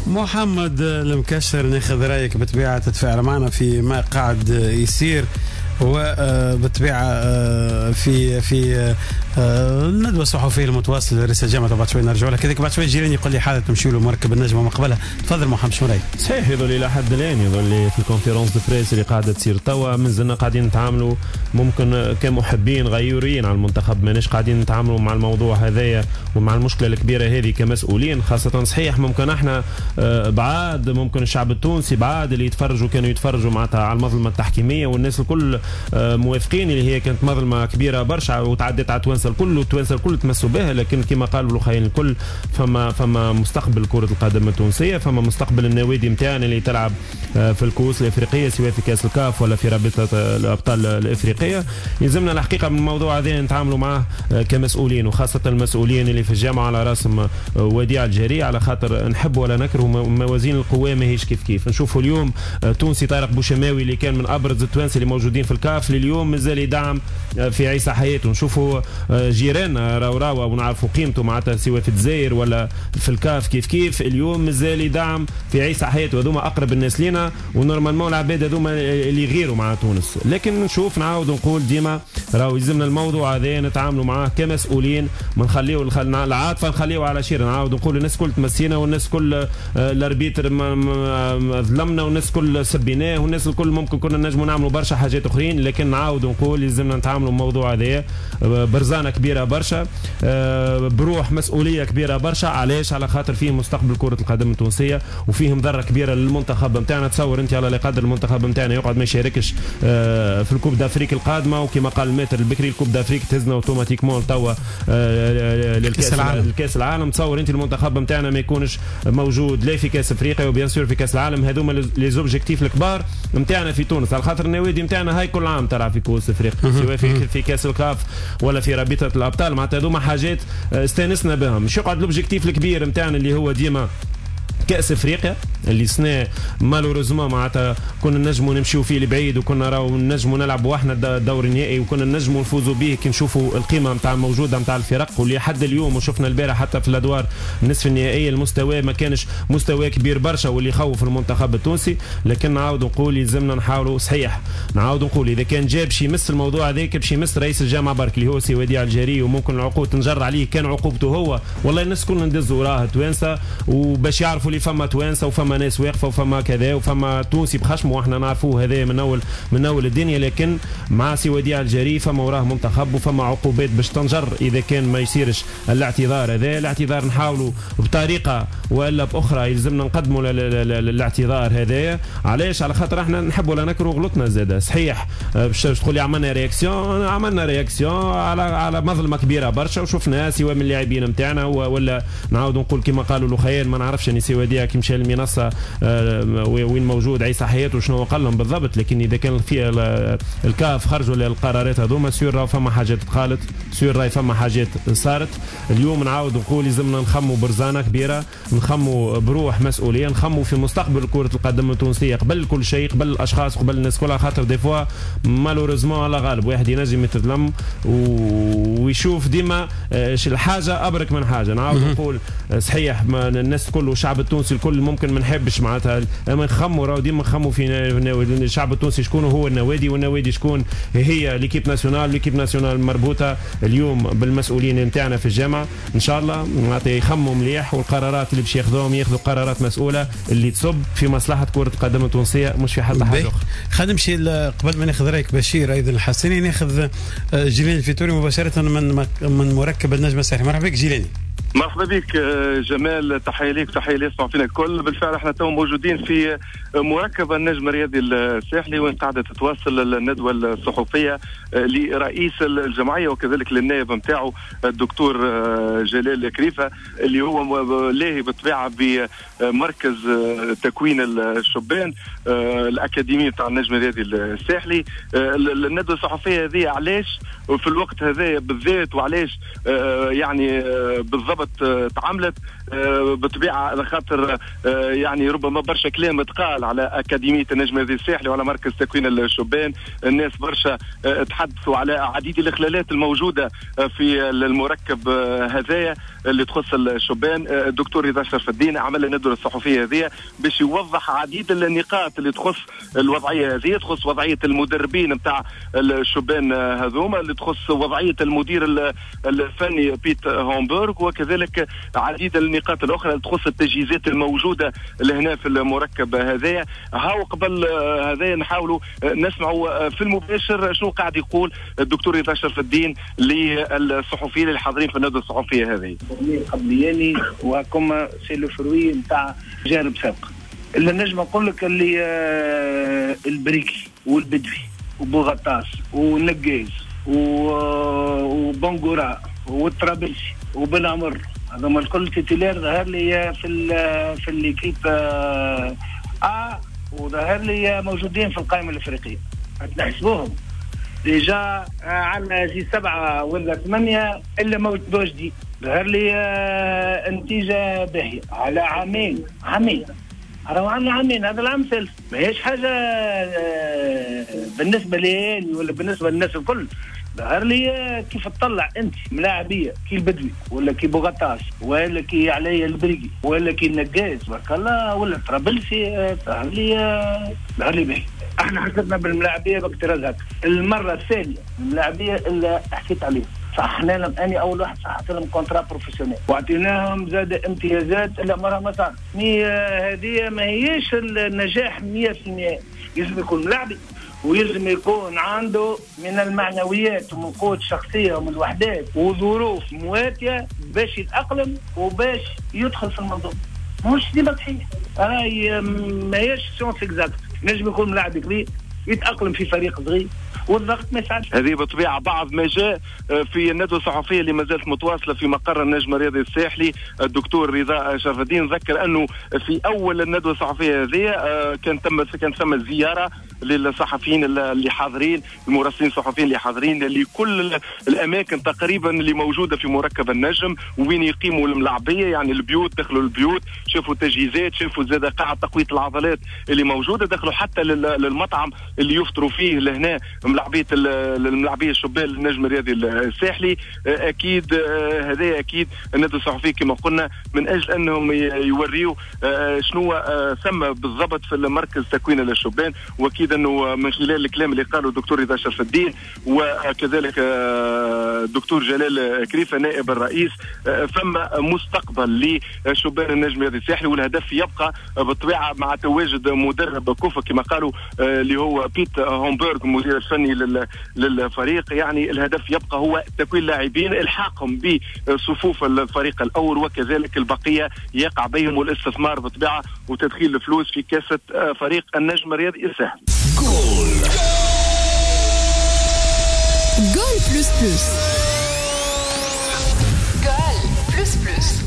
محمد المكشر، ناخذ رأيك بطبيعة تتفاعل معنا في ما قاعد يصير، وبالطبيعة في الندوة الصحفية المتواصلة لرئيس الجامعة، بعد شوي نرجعوا لها. كذلك بعد شوي جيراني يقول لي حالة تمشي له مركب النجمة مقبلها. تفضل محمد، شو رايك؟ صحيح يظل إلى حد الآن يظل في ال conférence de presse اللي قاعدة تصير توا مازلنا قاعدين نتعاملوا ممكن كمحبين غيورين على المنتخب، ماناش قاعدين نتعاملوا مع الموضوع هذايا ومع المشكلة الكبيرة هذه كمسؤولين خاصة. صحيح ممكن احنا بعاد، ممكن الشعب التونسي بعاد اللي يتفرجوا كانوا يتفرجوا معناتها على المظلمة التحكيمية والناس الكل موافقين اللي هي كانت مظلمة كبيرة برشا وتعدت على التوانسة الكل والتوانسه الكل تمسوا بها، لكن كما قالوا الاخرين الكل فما مستقبل كره القدم التونسية، فما مستقبل النوادي نتاعنا اللي تلعب في الكؤوس الافريقية سواء في كاس الكاف ولا في رابطه الابطال الافريقية. يلزمنا الحقيقة من الموضوع هذا نتعاملوا معاه كمسؤولين، وخاصة المسؤولين اللي في الجامعة على راسهم وديع الجري، على خاطر نحب ولا نكره موازين القوى ماهيش كيف كيف. نشوفوا اليوم تونسي طارق بوشماوي اللي كان من ابرز التوانسة اللي موجودين في الكاف لليوم مازال يدعم في عيسى حياته. نشوفوا جيراننا راوراوا ونعرفوا قيمته معناتها سواء في الجزائر ولا في الكاف كيف كيف، اليوم مازال يدعم في عيسى حياته. هذوما اقرب الناس لينا و normalement العباد هذوما اللي يغيروا مع تونس. لكن نشوف نعاود نقول ديما راهو يلزمنا الموضوع هذا نتعاملوا معاه كمسؤولين، ما نخليو العاطفة نخليو على شير. نعاود نقول الناس كل تمسينا والناس كل ال arbitre ظلمنا والناس كل سبيناه والناس الكل ممكن كنا نجموا نعملوا برشا حاجات اخرين، لكن نعاود نقول يلزمنا نتعاملوا الموضوع هذا برزانه كبيرة برشا، بروح مسؤولية كبيرة برشا. علاش؟ على خاطر فيه مستقبل كره القدم التونسية وفيه مضرة كبيرة للمنتخب نتاعنا. تصور انت على قدر المنتخب نتاعنا يقعد ما يشاركش في ال Coupe d'Afrique القادمة، وكما قال ال maître البكري ال Coupe d'Afrique تهزنا automatiquement توا للكاس العالم. تصور انت المنتخب نتاعنا ما يكونش موجود لا في كاس افريقيا و bien sûr في كاس العالم. هذوما les objectifs الكبار نتاعنا في تونس، على خاطر النوادي نتاعنا هاي كل عام تلعب في كؤوس افريقيا سواء في كاس الكاف ولا في رابطه الابطال. معناتها هذوما حاجات استانسنا بهم. مش يقعد l'objectif الكبير نتاعنا اللي هو ديما كاس افريقيا اللي سنة malheureusement معناتها كنا نجموا نمشيو فيه لبعيد، وكنا راهو نجموا نلعبوا احنا الدور النهائي وكنا نجموا نفوزوا به كي نشوفوا القيمة نتاع الموجودة نتاع الفرق. واللي حد اليوم وشفنا البارح حتى في الادوار النصف النهائية المستوى ما كانش مستوى كبير برشا واللي يخوف المنتخب التونسي. لكن نعاود نقول يلزمنا نحاولوا، صحيح نعاود نقول اذا كان جاب شي يمس الموضوع هذاك باش يمس رئيس الجامعة برك اللي هو سي وديع الجري، وممكن العقود تنجر عليه كان عقوبته هو، والله الناس كلنا ندزوا وراه توانسة وباش يعرفوا اللي فما توانسة وفما ناس واقفة وفما كذا وفما تونسي بخشمه واحنا نعرفوه هذا من اول الدنيا. لكن مع سي وديع الجري فما وراه منتخب وفما عقوبات باش تنجر اذا كان ما يصيرش الاعتذار هذا. الاعتذار نحاولوا بطريقة والا باخرى يلزمنا نقدموا الاعتذار هذا. علاش؟ على خاطر احنا نحب ولا نكرهوا غلطنا زاده. صحيح باش تقول لي عملنا réaction، عملنا réaction على مظلمة كبيرة برشا وشفناها سواء من اللاعبين نتاعنا ولا نعاود نقول كما قالوا الاخيان ما نعرفش يعني سي وديع كي مشى للمنصه وين موجود عيسى حياته وشنو قال لهم بالضبط. لكن اذا كان في الكاف خرجوا للقرارات هذوما sûr راهو فما حاجات تقالت، sûr راهي فما حاجات صارت. اليوم نعاود نقول لازمنا نخموا برزانه كبيرة، نخموا بروح مسؤولية، نخموا في مستقبل كره القدم التونسية قبل كل شيء، قبل الاشخاص قبل الناس كلها. خاطر des fois malheureusement على غالب واحد ينجم يتظلم ويشوف ديما الحاجة ابرك من حاجة. نعاود نقول صحيح الناس كل والشعب التونسي التونسي الكل ممكن ما نحبش معناتها، اما نخموا راهو ديما نخموا في الشعب التونسي شكون هو النوادي، والنوادي شكون هي l'équipe nationale. l'équipe nationale مربوطة اليوم بالمسؤولين نتاعنا في الجامعة. ان شاء الله معناتها يخموا مليح، والقرارات اللي باش ياخذوهم ياخذوا قرارات مسؤولة اللي تصب في مصلحة كره القدم التونسية مش في حتى حاجة اخرى. خلينا نمشي قبل ما ناخذ رايك بشير ايضا الحسيني، ناخذ جيلاني الفيتوري مباشرة من مركب النجم الساحلي. مرحبا بك جيلاني. مرحبا بك جمال، تحية ليك تحية لي يسمعوا فينا الكل. بالفعل احنا تو موجودين في مركب النجم الرياضي الساحلي وين قاعدة تتواصل الندوة الصحفية لرئيس الجمعية وكذلك للنائب نتاعو الدكتور جلال كريفة اللي هو لاهي بالطبيعة بمركز تكوين الشبان الاكاديمي نتاع النجم الرياضي الساحلي. الندوة الصحفية هذه علاش في الوقت هذا بالذات وعلاش يعني بالضبط تعاملت بالطبيعة خاطر يعني ربما برشا كلام تقال على اكاديمية النجم الرياضي الساحلي وعلى مركز تكوين الشبان. الناس برشا تحدثوا على عديد الاخلالات الموجودة في المركب هذايا اللي تخص الشبان. الدكتور رضا شرف الدين عمل الندوة الصحفية هذه باش يوضح عديد النقاط اللي تخص الوضعية هذه، تخص وضعية المدربين نتاع الشبان هذوما، اللي تخص وضعية المدير الفني بيت هومبورغ، وكذلك عديد النقاط الاخرى اللي تخص التجهيزات الموجودة لهنا في المركب هذايا. هاو قبل هذايا نحاولوا نسمعوا في المباشر شنو قاعد يقول الدكتور رضا شرف الدين للصحفيين اللي حاضرين في الندوة الصحفية هذه. قبلياني وكما c'est le fruit نتاع تجارب سابقه. اللي نجم نقول لك اللي البريكي والبدوي وبوغطاس والنقاز وبنغورا والطرابلسي وبن عمر، هذوما الكل titulaires ظهر لي في l'équipe A، وظهر لي موجودين في القائمة الافريقية. نحسبوهم déjà عندنا جي 7 ولا 8 الا موجودين. ظهر لي نتيجة باهيه على عامين، راهو عندنا عامين، هذا العام الثالث، ماهيش حاجة بالنسبة لي ولا بالنسبة للناس الكل. ظهر لي كيف تطلع انت ملاعبيه كي البدوي ولا كي بوغطاس ولا كي علي البريقي ولا كي النقاز بارك الله ولا طرابلسي، ظهر لي باهي. احنا حسبنا بالملاعبيه باكتراز هكا. المرة الثانية الملاعبيه اللي حكيت عليهم صححنا لهم، اني اول واحد صححت لهم contrat professionnel واعطيناهم زاد امتيازات اللي عمرها ما صارت. هذه ما هيش النجاح 100%، لازم يكون ملاعبي ويلزم يكون عنده من المعنويات ومن قوة الشخصية ومن الوحدات وظروف مواتية باش يتأقلم وباش يدخل في المنظومة. مش ديما صحيح، راهي ماهيش science exacte. نجم يكون ملاعب كبير يتأقلم في فريق صغير والضغط ما يساعدش. هذه بالطبيعة بعض ما جاء في الندوة الصحفية اللي ما زالت متواصلة في مقر النجم الرياضي الساحلي. الدكتور رضا شرف الدين ذكر انه في اول الندوة الصحفية هذه كان ثم زيارة للصحفيين اللي حاضرين، المراسلين الصحفيين اللي حاضرين لكل الاماكن تقريبا اللي موجودة في مركب النجم وين يقيموا الملاعبيه، يعني البيوت، دخلوا البيوت شافوا التجهيزات، شافوا زاد قاعة تقوية العضلات اللي موجودة، دخلوا حتى للمطعم اللي يفطروا فيه لهنا ملاعبيه الملاعبيه الشبان للنجم الرياضي الساحلي. اكيد هذا اكيد الندوة الصحفية كما قلنا من اجل انهم يوريوا شنو ثم بالضبط في المركز تكوين للشبان، واكيد انه من خلال الكلام اللي قاله الدكتور رضا شرف الدين وكذلك الدكتور جلال كريفة نائب الرئيس، ثم مستقبل لشبان النجم الرياضي الساحلي، والهدف يبقى بالطبيعة مع تواجد مدرب كوفا كما قالوا اللي هو بيت هومبورغ المدير الفني للفريق. يعني الهدف يبقى هو تكوين لاعبين، الحاقهم بصفوف الفريق الاول، وكذلك البقية يقع بهم الاستثمار بالطبيعة وتدخيل الفلوس في كاسه فريق النجم الرياضي الساحلي. جول جول plus plus، goal plus plus.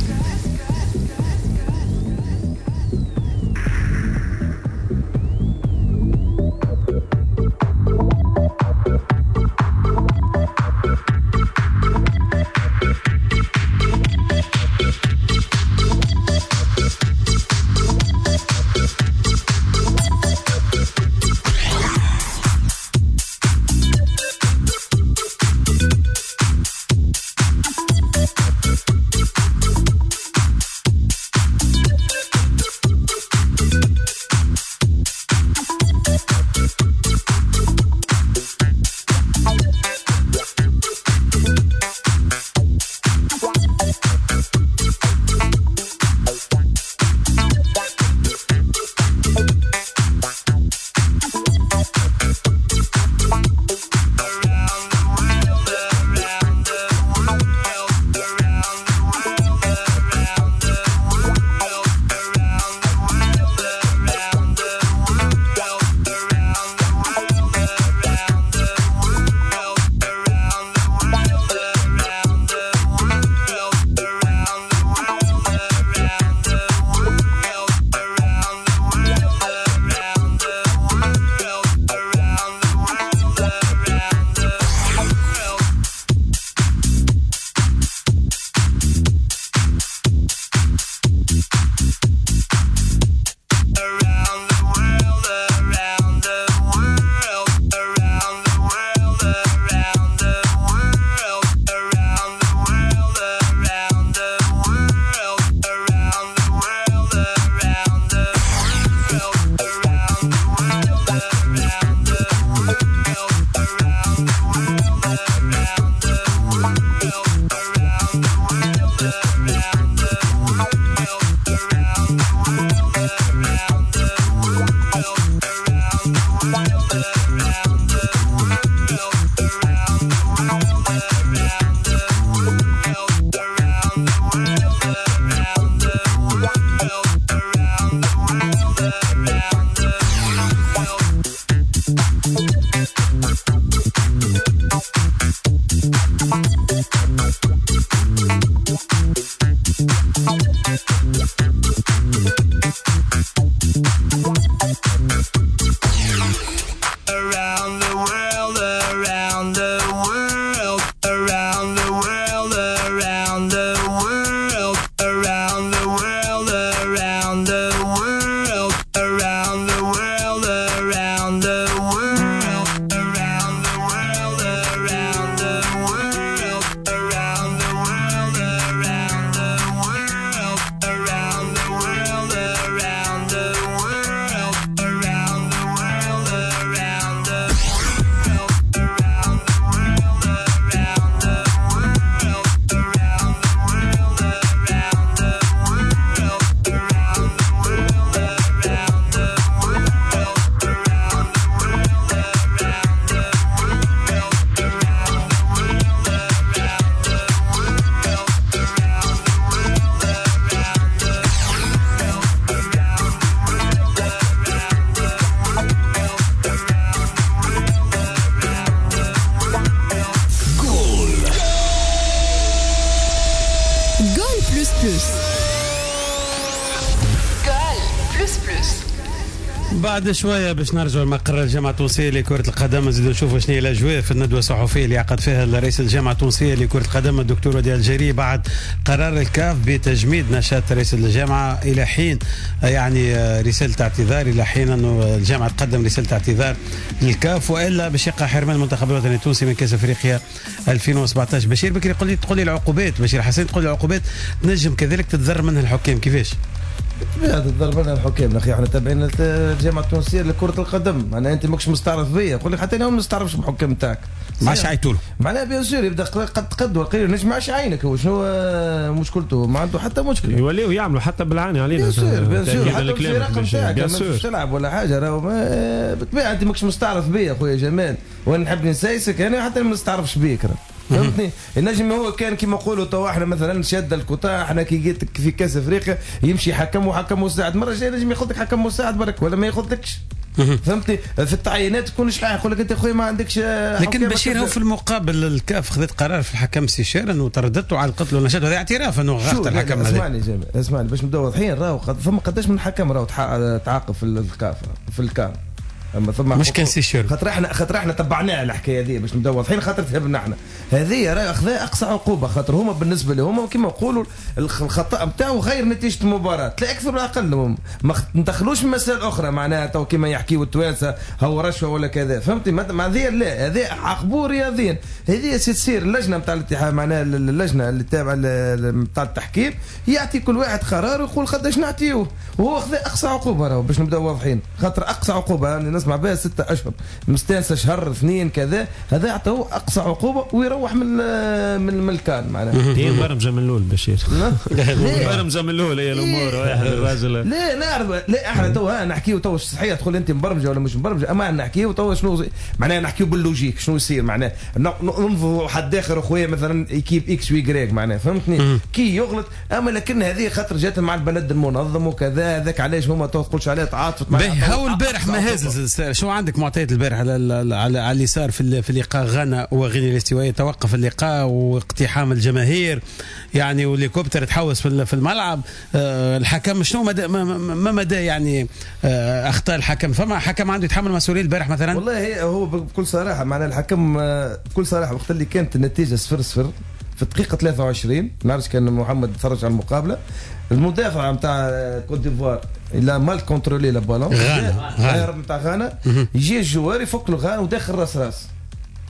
بعد شوية باش نرجعوا لمقر الجامعة التونسية لكرة القدم، نزيدوا نشوفوا شنو هي الاجواء في الندوة الصحفية اللي عقد فيها رئيس الجامعة التونسية لكرة القدم الدكتور وديع الجري بعد قرار الكاف بتجميد نشاط رئيس الجامعة الى حين يعني رسالة اعتذار، الى حين انه الجامعة تقدم رسالة اعتذار للكاف، والا باش يقع حرمان المنتخب الوطني التونسي من كاس افريقيا 2017. بشير بكري قل لي، تقول لي العقوبات، بشير حسين تقول لي العقوبات تنجم كذلك تتضرر منها الحكام، كيفاش؟ بالطبيعة تتضرر منها الحكام اخي، احنا تابعين الجامعة التونسية لكرة القدم، معناها انت ماكش مستعرف بيا، نقول لك حتى انا ما مستعرفش بالحكام نتاعك. ما عادش عيطوا له. معناها bien sûr يبدا قد وقيل نجم ما عادش عينك، هو شنو مشكلته؟ ما عنده حتى مشكلة. يوليو يعملوا حتى بالعاني علينا. bien sûr bien sûr حتى الفرق نتاعك ما تلعب ولا حاجة، راهو بالطبيعة انت ماكش مستعرف بيا خويا جمال، وانا نحب نسايسك انا حتى ما نستعرفش بيك، فهمتني؟ النجم هو كان كيما نقولوا تو احنا مثلا شاد الكوتا، احنا كي جيت في كاس افريقيا يمشي حكم وحكم مساعد، مرة جاية نجم ياخذ لك حكم مساعد برك ولا ما ياخذلكش، فهمتني؟ في التعيينات تكون شحال يقول لك انت خويا ما عندكش. لكن بشير هو في المقابل الكاف خذت قرار في الحكم سيشير انه طردته على القتل والنشاط، وهذا اعتراف انه غلط الحكم هذا. اسمعني جمال، اسمعني باش نبداو واضحين، راهو فما قداش من حكم راهو تعاقب في الكاف في الكان، اما ثم مش كان سيشير، خاطر احنا تبعناها الحكاية هذه باش نبداو واضحين، خاطر تهبنا احنا هذه راه اخذها اقصى عقوبه، خاطر هما بالنسبة لهم كما نقولوا الخطا نتاعو غير نتيجة المباراة لا اكثر ولا اقل، ما ندخلوش مسائل اخرى معناها تو كما يحكيوا التوانسة هو رشوة ولا كذا، فهمتي؟ ما هذه لا، هذه عاقبوه رياضيا، هذه تصير اللجنة نتاع الاتحاد معناها اللجنة اللي تابعه نتاع التحكيم يعطي كل واحد قرار ويقول قداش نعطيوه، وهو خذا اقصى عقوبه راهو باش نبداو واضحين، خاطر اقصى عقوبه يعني نسمع بها 6 أشهر مستانسه شهر 2 كذا، هذا يعطوه اقصى عقوبه ويروح من الكان معناها. هي مبرمجه من الاول بشير، مبرمجه من الاول هي الامور واحد الراجل. لا نعرف، لا احنا تو نحكيو تو صحيح تقول انت مبرمجه ولا مش مبرمجه، اما نحكيو تو شنو معناها، نحكيو بال logique شنو يصير معناها، ننظروا حد اخر اخويا مثلا équipe X و Y معناها، فهمتني؟ كي يغلط، اما لكن هذه خاطر جات مع البلد المنظم وكذا، هذاك علاش هما تو تقولش عليه تعاطفت معناها. هو البارح ما هازز، شو عندك معطيات البارح على اللي صار في لقاء غانا وغينيا الاستوائيه؟ توقف اللقاء واقتحام الجماهير يعني، والهليكوبتر تحوس في الملعب. الحكم شنو ما مدى يعني اخطاء الحكم؟ فما حكم عنده يتحمل مسؤولية البارح مثلا؟ والله هو بكل صراحة معناها الحكم بكل صراحة وقت اللي كانت النتيجة 0-0 في الدقيقة 23، نعرفش كان محمد تفرج على المقابلة، المدافع نتاع كوت ديفوار il a mal contrôlé le ballon، غانا نتاع غانا، يجي ال joueur يفك له غانا وداخل راس راس،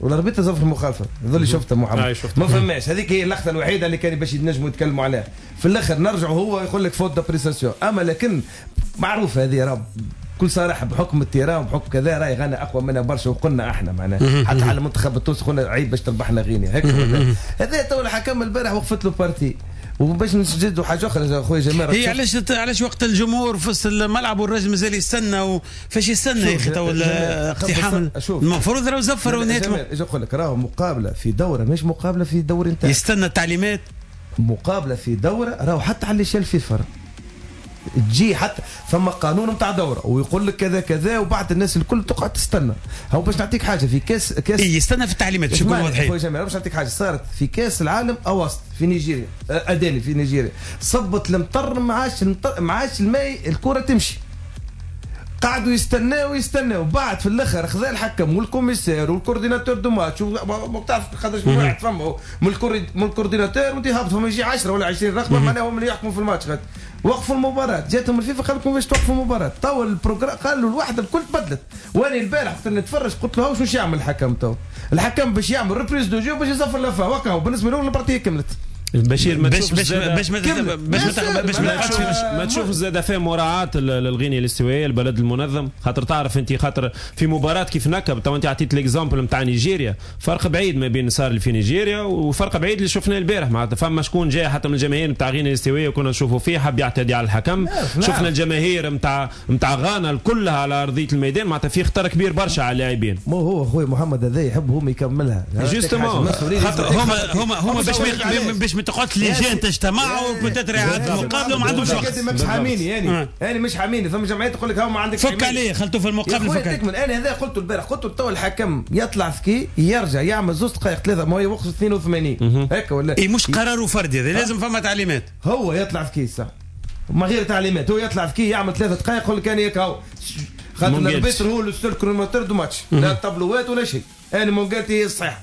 وال arbitre زفر المخالفة، هذا اللي شفته محمد، ما فماش، هذيك هي اللقطة الوحيدة اللي كان باش ينجموا يتكلموا عليها. في الاخر نرجعوا هو يقول لك faute d'appréciation، اما لكن معروف هذه راه بكل صراحة بحكم ال terrain وبحكم كذا راهي غانا اقوى منا برشا، وقلنا احنا معناها حتى على المنتخب التونسي قلنا عيب باش تربحنا غينيا هيك. هذا تو الحكم البارح وقفت له partie. وباش نسجدوا حاجة اخرى خويا جمال، هي علاش وقت الجمهور في وسط الملعب والراجل مازال يستنى، فاش يستنى يا اخي تو الاقتحام؟ المفروض راهو زفر ونهاية. اجي نقول لك راهو مقابله في دوره مش مقابله في دوري نتاع يستنى التعليمات، مقابله في دوره راهو حتى على l'échelle فيفا تجي، حتى ثم قانون نتاع دوره ويقول لك كذا كذا، وبعد الناس الكل تقعد تستنى. هو باش نعطيك حاجة في كاس إيه يستنى في التعليمات باش يكونوا واضحين. خويا جمال باش نعطيك حاجة صارت في كاس العالم اوسط في نيجيريا، اداني في نيجيريا، صبت المطر ما عادش الماء الكره تمشي، قعدوا يستناو بعد في الاخر خذا الحكم وال commissaire وال coordinateur de match، ما تعرف قداش من واحد فما من ال coordinateur وانت هابط، فما يجي 10 ولا 20 رقم معناها هم اللي يحكموا في الماتش. غاد وقفوا المباراة، جاتهم الفيفا قال لكم باش توقفوا المباراة، تو ال programme قالوا الواحدة الكل تبدلت. وانا البارح وقت نتفرج قلت له شو يعمل الحكم تو؟ الحكم باش يعمل reprise de jeu باش يصفر la fin، وكا بالنسبة له ال partie كملت. بشير ما تشوف باش ما تشوف زاد فيه مراعاة للغينيا الاستوائيه البلد المنظم، خاطر تعرف انت خاطر في مباراة كيف نكب تو انت عطيت l'exemple نتاع نيجيريا، فرق بعيد ما بين صار اللي في نيجيريا وفرق بعيد اللي شفناه البارح، معناتها فما شكون جاي حتى من الجماهير نتاع غينيا الاستوائيه وكنا نشوفوا فيه حب يعتدي على الحكم، شفنا الجماهير نتاع غانا كلها على ارضية الميدان، معناتها في خطر كبير برشا على اللاعبين. ما هو اخوي محمد هذا يحب هم يكملها justement، هما باش ما تقعدش لجان تجتمع وبتتري على المقابلة وما عندهمش وقت. مش حاميني يعني انا مش حاميني، ثم جمعية تقول لك ها ما عندك فك عليه خلته في المقابلة فك. انا هذا قلته البارح، قلت تو الحكم يطلع ذكي يرجع يعمل 2 دقائق 3، ما هو يوقف 82 هكا ولا اي مش قراره فردي، هذا لازم فما تعليمات. هو يطلع ذكي صح ما غير تعليمات، هو يطلع ذكي يعمل 3 دقائق يقول لك انا هكا خاطر ال arbitre هو le seul chronométreur du match، لا طابلوات ولا شيء. انا مونجالتي هي الصحيحة،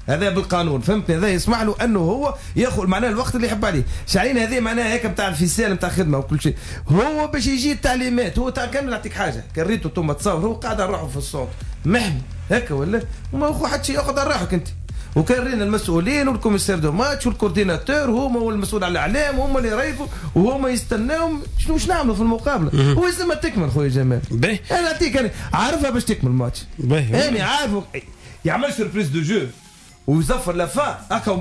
هذا بالقانون، فهمتني؟ هذا يسمح له انه هو ياخذ معناها الوقت اللي يحب عليه. شعلين هذه معناها هيك نتاع ال ficelle نتاع خدمة وكل شيء، هو باش يجي التعليمات هو تاع كامل. نعطيك حاجة، كان ريتو انتم تصور هو قاعد على روحه في الصوت محمي هكا ولا وما هو حتى شيء، ياخذ على روحك انت. وكان رينا المسؤولين وال commissaire de match وال coordinateur هما والمسؤول على الاعلام هما اللي يريفوا وهما يستناو شنو باش نعملوا في المقابلة. هو لازم تكمل خويا جمال. انا نعطيك انا عارفها باش تكمل الماتش، انا عارفه يعمل reprise de jeu ويزفر la fin هكا.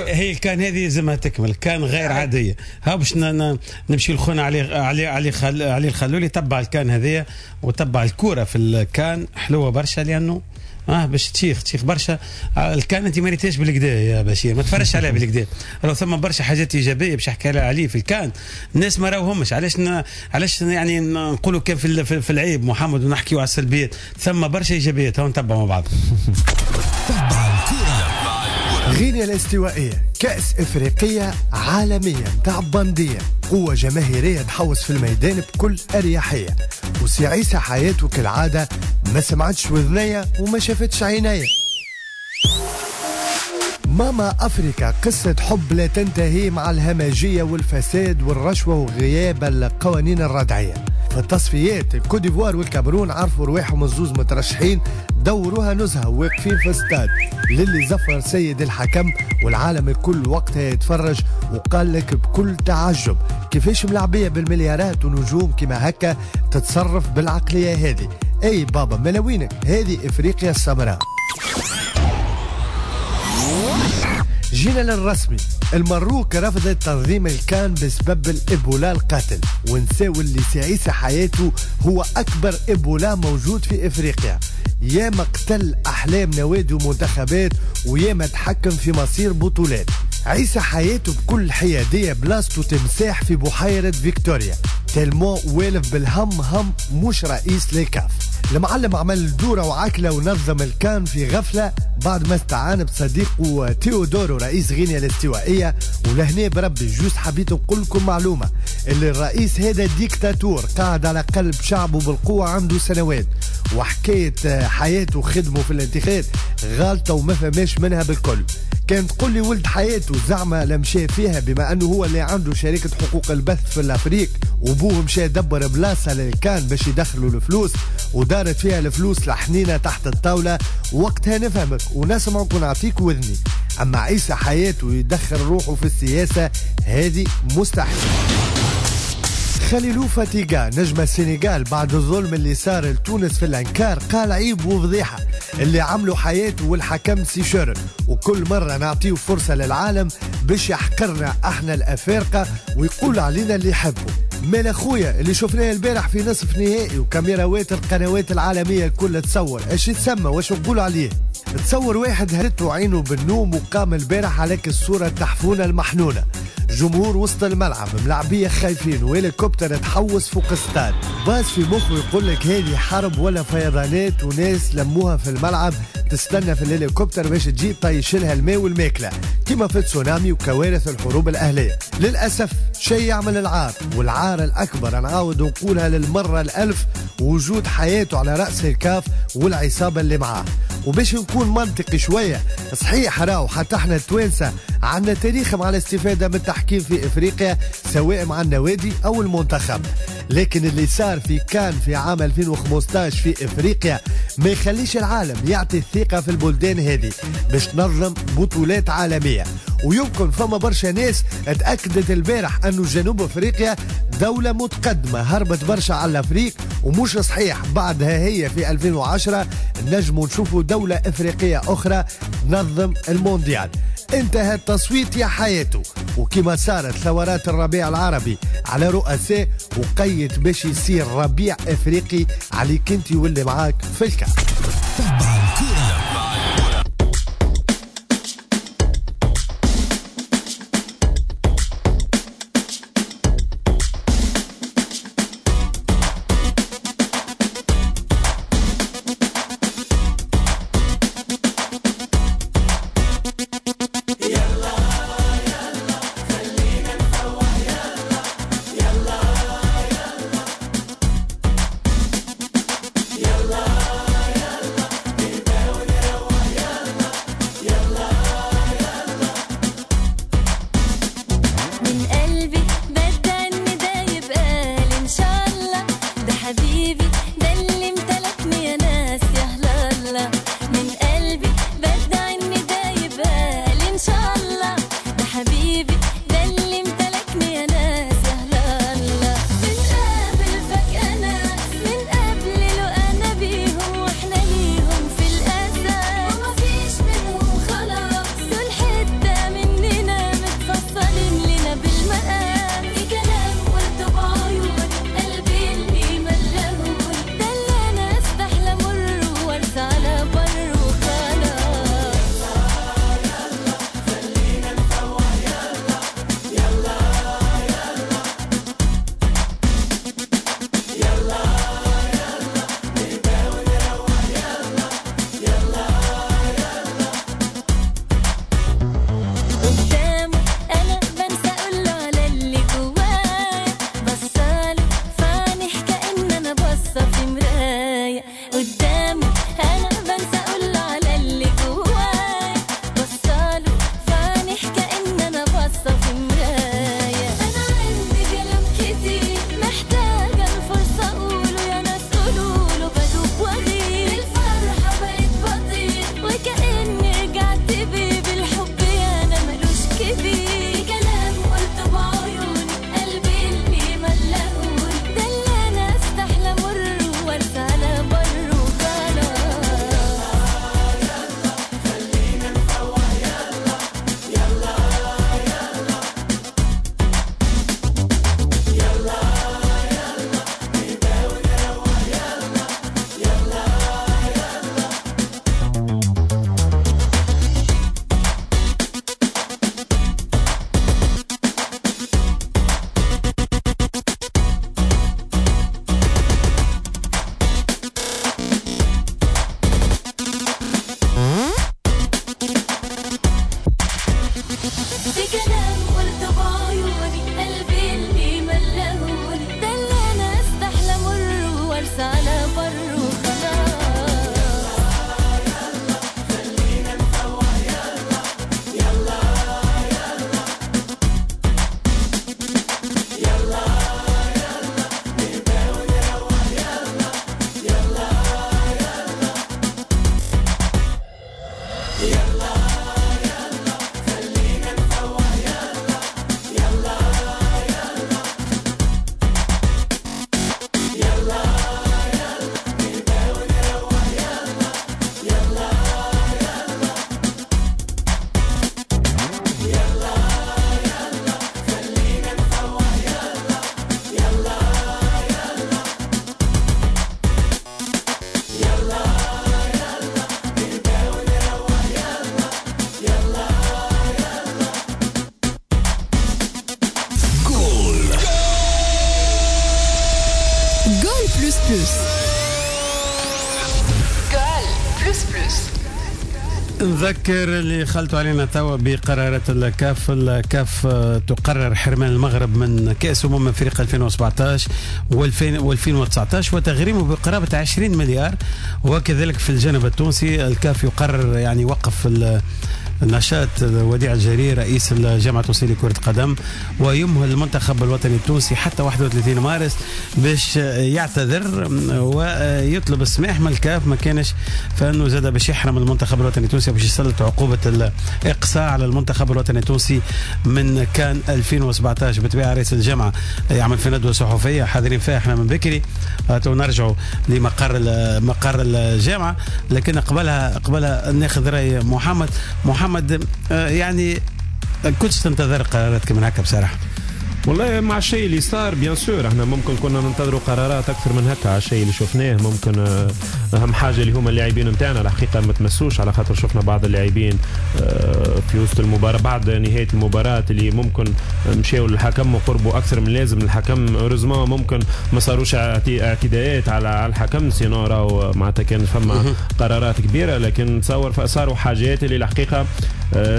هي الكان هذه لازمها تكمل، كان غير عادية. ها باش نمشي لخونا علي علي علي علي الخلولي تبع الكان هذه وتبع الكورة في الكان، حلوة برشا لانه باش تشيخ برشا الكان. انت ما ريتهاش بالكدا يا بشير، ما تفرجش عليها بالكدا. لو ثم برشا حاجات ايجابية باش يحكي لها عليه في الكان، الناس ما راوهمش. علاش يعني نقولوا كان في العيب محمد ونحكيوا على السلبيات، ثم برشا ايجابيات. هاو نتبعوا مع بعض. غينيا الاستوائية كأس إفريقية عالمية متاع بندية، قوة جماهيرية تحوس في الميدان بكل أريحية، وسي عيسى حياته كالعادة ما سمعتش وذنيا وما شافتش عينيا. ماما أفريكا قصة حب لا تنتهي مع الهمجية والفساد والرشوة وغياب القوانين الردعية. في التصفيات الكوديفوار والكاميرون عرفوا رواحهم الزوز مترشحين، دوروها نزهة واقفين في استاد للي زفر سيد الحكم، والعالم الكل وقتها يتفرج وقال لك بكل تعجب كيفاش ملعبية بالمليارات ونجوم كما هكا تتصرف بالعقلية هذه. اي بابا ملاوينك، هذه افريقيا السمراء. جينا للرسمي، المروك رفضت تنظيم الكان بسبب الإيبولا القاتل، ونساو اللي سي عيسى حياته هو أكبر إيبولا موجود في إفريقيا. ياما قتل أحلام نوادي ومنتخبات وياما تحكم في مصير بطولات. عيسى حياته بكل حيادية بلاصته تمساح في بحيرة فيكتوريا، tellement والف بالهم هم مش رئيس للكاف. المعلم عمل دورة وعكلة ونظم الكان في غفلة بعد ما استعان بصديقه تيودورو رئيس غينيا الاستوائية. ولهنا بربي juste حبيت نقول لكم معلومة، اللي الرئيس هذا ديكتاتور قاعد على قلب شعبه بالقوة عنده سنوات، وحكاية حياته وخدمه في الانتخابات غالطة وما فماش منها بالكل. كان تقول لي ولد حياته زعما لمشى فيها بما انه هو اللي عنده شركة حقوق البث في l'Afrique، وبوه مشى دبر بلاصة للكان باش يدخلوا الفلوس ودارت فيها الفلوس لحنينة تحت الطاولة، وقتها نفهمك ونسمعك ونعطيك وذني. اما عيسى حياته يدخل روحه في السياسة هذه مستحيل. خليلو فاتيغا نجم السنغال بعد الظلم اللي صار لتونس في الانكار قال عيب وفضيحة اللي عملوا حياته والحكم سيشور، وكل مرة نعطيه فرصة للعالم باش يحقرنا احنا الافارقة ويقول علينا اللي يحبه. مال اخويا اللي شفناه البارح في نصف نهائي وكاميراوات القنوات العالمية الكل تصور اش يتسمى واش نقول عليه. تصور واحد هرته عينه بالنوم وقام البارح عليك الصورة التحفونة المحنونة، جمهور وسط الملعب ملعبية خايفين وهليكوبتر تحوس فوق الستاد، باز في مخه يقول لك هذه حرب ولا فيضانات وناس لموها في الملعب تستنى في الهليكوبتر باش تجي طيشلها الماء والماكلة كما في تسونامي وكوارث الحروب الأهلية. للأسف شيء يعمل العار، والعار الأكبر نعاود نقولها للمرة الألف وجود حياته على رأس الكاف والعصابة اللي معاه. وباش نكون منطقي شوية، صحيح راهو حتى احنا التوانسة عندنا تاريخ مع الاستفادة من التحكيم في إفريقيا سواء مع النوادي أو المنتخب، لكن اللي صار في كان في عام 2015 في إفريقيا ما يخليش العالم يعطي الثقة في البلدان هذه باش تنظم بطولات عالمية. ويمكن فما برشا ناس اتأكدت البارح أنه جنوب أفريقيا دولة متقدمة هربت برشا على الأفريق، ومش صحيح. بعدها هي في 2010 نجموا نشوفوا دولة إفريقية أخرى تنظم المونديال. انتهى التصويت يا حياته، وكما صارت ثورات الربيع العربي على رؤساء وقيت باش يصير ربيع افريقي عليك انت واللي معاك في الكاف. تبع الكرة. حبيبي ده اللي امتلكني يا ناس يا هلاله، من قلبي بدعي ان ده يبقى لي ان شاء الله. ده حبيبي ده اللي امتلكني يا ناس يا هلاله. بنقابل فجأة ناس من قبل لو انا بيهم واحنا ليهم في الاساس، ومفيش منهم خلاص دول حتة مننا متفصلين لنا بالمقاس. في كلام قلته بعيوني قلبي اللي ملهوني، ده اللي انا استحلى مر وارسى على بر وخلاص. يلا خلينا نفوح، يلا يلا يلا يلا يلا نهدى ونروح، يلا يلا يلا. قدامه انا بنسى اقوله على اللي جوايا، بصاله في عينيه كأن انا باصة في مراية. قدامه انا بنسى اقوله على اللي جوايا، بصاله في عينيه كأن انا باصة في مراية. انا عندي كلام كتير محتاجه الفرصة اقوله، يا ناس قولوله بدوب واغير، الفرحة بقت بطير وكأني رجعت بيه بالحب يا انا ملوش كبير. في كلام قلته بعيوني قلبي اللي ملهوني، ده اللي انا استحلى مر وارسى على بر وخلاص. خلينا نفوح، يلا يلا يلا يلا يلا نهدى ونروح، يلا يلا يلا. في كلام قلته بعيوني قلبي اللي ملهوني، ده اللي انا استحلى مر وارسى على بر وخلاص. خلينا نفوح، يلا يلا يلا يلا يلا نهدى ونروح، يلا يلا يلا يلا يلا خلينا نفوح، يلا يلا يلا يلا يلا نهدى ونروح، يلا يلا يلا يلا يلا خلينا نفوح، يلا يلا يلا يلا يلا نهدى ونروح، يلا يلا يلا. جول Goal plus plus. Goal plus plus. نذكر اللي خلطوا علينا توا بقرارات الكاف. الكاف تقرر حرمان المغرب من كأس أفريقيا 2017 و2019 وتغريمه بقرابة 20 مليار. وكذلك في الجانب التونسي الكاف يقرر يعني وقف النشاط وديع الجري رئيس الجامعة التونسية لكرة القدم، ويمهل المنتخب الوطني التونسي حتى 31 مارس باش يعتذر ويطلب السماح من الكاف، ما كانش فانه زاد باش يحرم المنتخب الوطني التونسي باش يسلط عقوبة الإقصاء على المنتخب الوطني التونسي من كان 2017. بالطبيعة رئيس الجامعة يعمل في ندوة صحفية حاضرين فيها احنا من بكري، نرجعوا لمقر مقر الجامعة، لكن قبلها ناخذ رأي محمد. محمد يعني كنتش تنتظر قرارات من هكا بصراحة؟ والله مع الشيء اللي صار bien sûr احنا ممكن كنا ننتظروا قرارات اكثر من هكا على الشيء اللي شفناه. ممكن اهم حاجة اللي هما اللاعبين نتاعنا الحقيقة ما تمسوش، على خاطر شفنا بعض اللاعبين في وسط المباراة بعد نهاية المباراة اللي ممكن مشاو للحكم وقربوا اكثر من اللازم للحكم. heureusement ممكن ما صاروش اعتداءات على الحكم، sinon راهو معناتها كان فما قرارات كبيرة، لكن تصور صاروا حاجات اللي الحقيقة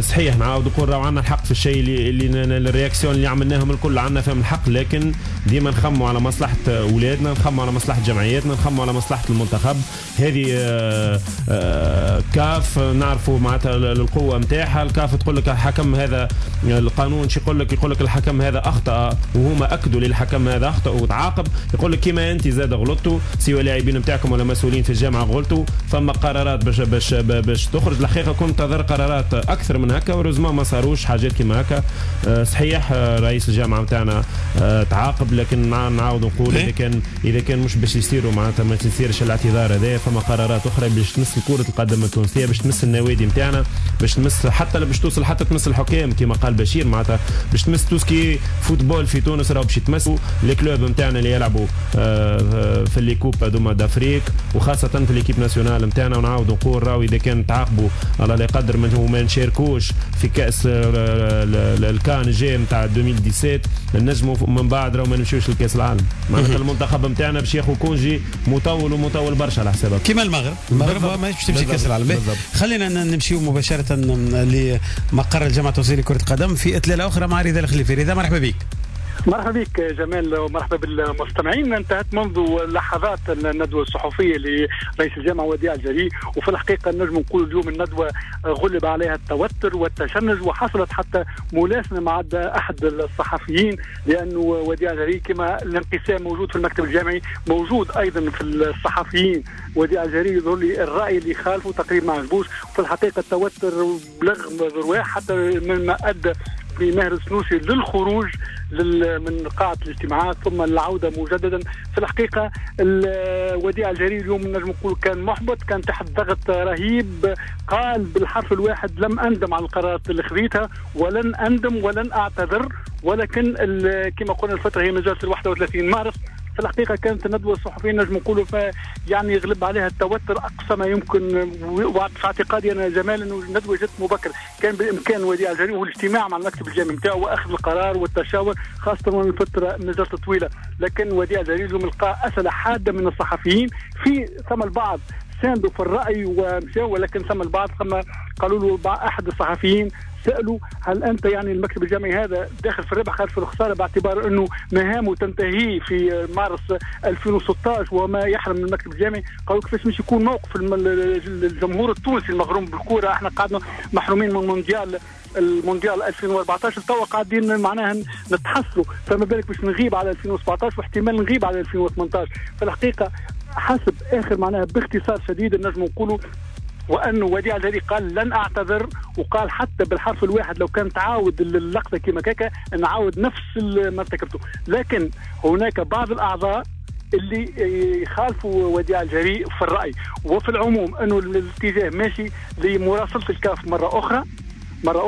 صحيح نعاود نقول راهو عندنا الحق في الشيء اللي ال réaction اللي عملناهم الكل. الكل عندنا فهم الحق، لكن ديما نخموا على مصلحة اولادنا، نخموا على مصلحة جمعياتنا، نخموا على مصلحة المنتخب. هذه كاف نعرفوا معناتها القوة نتاعها. الكاف تقول لك الحكم هذا القانون شو يقول لك؟ يقول لك الحكم هذا اخطا، وهما اكدوا للحكم هذا اخطا وتعاقب. يقول لك كيما انت زاد غلطتوا، سواء لاعبين نتاعكم ولا مسؤولين في الجامعة غلطوا، فما قرارات باش باش باش تخرج. الحقيقة كنت انتظر قرارات اكثر من هكا، ورزما ما صاروش حاجات كيما هكا. صحيح رئيس الجامعة نتاعنا تعاقب، لكن نعاود نقول اذا كان مش باش يصيروا معناتها ما تصيرش الاعتذار هذا، فما قرارات اخرى باش تمس كره القدم التونسية، باش تمس النوادي نتاعنا، باش تمس حتى باش توصل حتى تمس الحكام كما قال بشير، معناتها باش تمس tout ce qui est football في تونس، راهو باش يتمسوا les clubs نتاعنا اللي يلعبوا في les coupes هذوما d'Afrique، وخاصة في l'équipe nationale نتاعنا. ونعاود نقول راهو اذا كان تعاقبوا الله لا يقدر وما نشاركوش في كاس الكان الجاي نتاع 2017، نجموا من بعد راهو ما نمشيوش لكاس العالم. معناتها المنتخب نتاعنا باش ياخذ congé مطول ومطول برشا على حسابك كيما المغرب. المغرب ماهيش باش تمشي كاس العالم. خلينا نمشيو مباشرة لمقر الجامعة التونسية لكرة القدم في اطلالة اخرى مع رضا الخليفي. رضا مرحبا بك. مرحبا بك جمال ومرحبا بالمستمعين. انتهت منذ لحظات الندوة الصحفية لرئيس الجامعة وديع الجري، وفي الحقيقة نجم نقول اليوم الندوة غلب عليها التوتر والتشنج، وحصلت حتى ملاسمة مع أحد الصحفيين، لأنه وديع الجري كما الانقسام موجود في المكتب الجامعي موجود أيضا في الصحفيين. وديع الجري يظهر لي الرأي اللي خالفه تقريبا ما عجبوش، وفي الحقيقة التوتر بلغ ذروة حتى مما أدى بماهر السنوسي للخروج من قاعة الاجتماعات ثم العودة مجددا. في الحقيقة وديع الجري اليوم نجم نقول كان محبط، كان تحت ضغط رهيب. قال بالحرف الواحد لم أندم على القرارات اللي خذيتها ولن أندم ولن أعتذر، ولكن كما قلنا الفترة هي مازالت 31 مارس. في الحقيقة كانت الندوة الصحفية نجم نقولوا يعني غلب عليها التوتر أقصى ما يمكن، وفي اعتقادي أنا جمال أنه الندوة جت مبكر، كان بإمكان وديع الجري والاجتماع مع المكتب الجامعي نتاعو وأخذ القرار والتشاور، خاصة وأن الفترة مازالت طويلة. لكن وديع الجري اليوم لقى أسئلة حادة من الصحفيين، في ثم البعض ساندوا في الرأي ومشاو، ولكن ثم البعض ثم قالوا له أحد الصحفيين سألوا هل أنت يعني المكتب الجامعي هذا داخل في الربح خارج في الخسارة، باعتبار أنه مهامه تنتهي في مارس 2016 وما يحرم من المكتب الجامعي. قالوا كيفاش مش يكون موقف الجمهور التونسي المغروم بالكورة، احنا قعدنا محرومين من المونديال 2014 توا قاعدين معناها نتحسروا، فما بالك باش نغيب على 2017 واحتمال نغيب على 2018. في الحقيقة حسب آخر معناها باختصار شديد نجم نقولوا وأنه وديع الجري قال لن أعتذر، وقال حتى بالحرف الواحد لو كان تعاود اللقطة كما كاكا نعاود نفس ما ارتكبته. لكن هناك بعض الأعضاء اللي يخالفوا وديع الجري في الرأي، وفي العموم أنه الاتجاه ماشي لمراسلة الكاف مرة أخرى،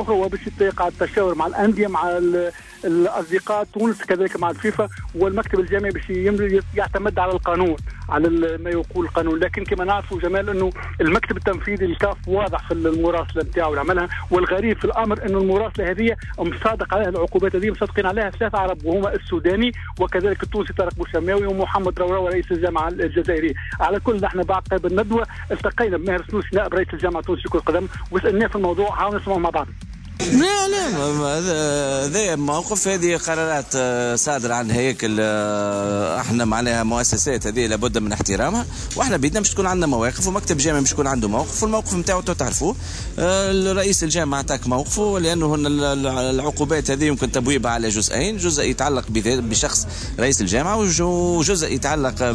وباش يقع التشاور مع الأندية مع الأصدقاء تونس كذلك مع الفيفا والمكتب الجامعي باش يعتمد على القانون، على ما يقول القانون. لكن كما نعرفوا جمال أنه المكتب التنفيذي للكاف واضح في المراسلة نتاعو اللي عملها، والغريب في الأمر أنه المراسلة هذه مصادق عليها العقوبات هذه مصادقين عليها 3 عرب، وهما السوداني وكذلك التونسي طارق بوشماوي ومحمد روراوة رئيس الجامعة الجزائرية. على كل نحن بعد قبل الندوة التقينا بماهر السنوسي نائب رئيس الجامعة التونسية لكرة القدم وسألناه في الموضوع، حاولنا نسمعه مع بعض. لا لا، هذا موقف، هذه قرارات صادرة عن هياكل، احنا معناها مؤسسات هذه لابد من احترامها، واحنا بيدنا مش تكون عندنا مواقف، ومكتب جامعي مش يكون عنده موقف، والموقف نتاعو تعرفوه. الرئيس الجامعة عطاك موقفه، لانه العقوبات هذه يمكن تبويبها على جزئين، جزء يتعلق بشخص رئيس الجامعة وجزء يتعلق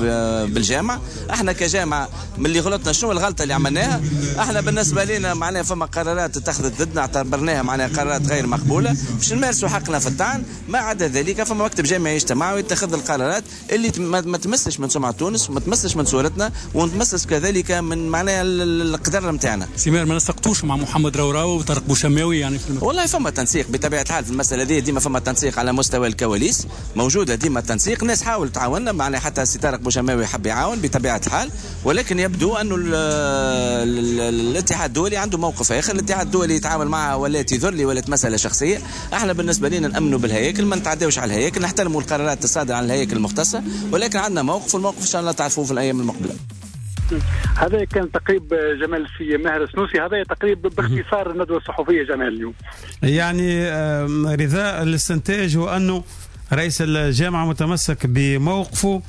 بالجامعة. احنا كجامعة من اللي غلطنا شنو الغلطة اللي عملناها؟ احنا بالنسبة لنا معناها فما قرارات اتخذت ضدنا اعتبرناها معناها قرارات غير مقبولة باش نمارسوا حقنا في الطعن. ما عدا ذلك فما مكتب جامعي يجتمع ويتخذ القرارات اللي ما تمسش من سمعة تونس وما تمسش من صورتنا وما تمسش كذلك من معناها القدر نتاعنا. سمير ما نسقطوش مع محمد روراوة وطارق بوشماوي يعني في المكتب؟ والله فما تنسيق بطبيعة الحال في المسألة دي، ديما فما تنسيق على مستوى الكواليس، موجودة ديما التنسيق، الناس حاول تعاوننا معناها حتى سي طارق بوشماوي حب يعاون بطبيعة الحال، ولكن يبدو أنه الاتحاد الدولي عنده موقف آخر، الاتحاد الدولي يتعامل معها ولا يذل ولا مسألة شخصية. احنا بالنسبة لنا نأمنوا بالهياكل، ما نتعداوش على الهياكل، نحترموا القرارات الصادرة عن الهياكل المختصة، ولكن عندنا موقف، والموقف إن شاء الله تعرفوه في الأيام المقبلة. هذا كان تقريب جمال في ماهر السنوسي، هذا تقريب باختصار الندوة الصحفية جمال اليوم. يعني رضا الاستنتاج هو أنه رئيس الجامعة متمسك بموقفه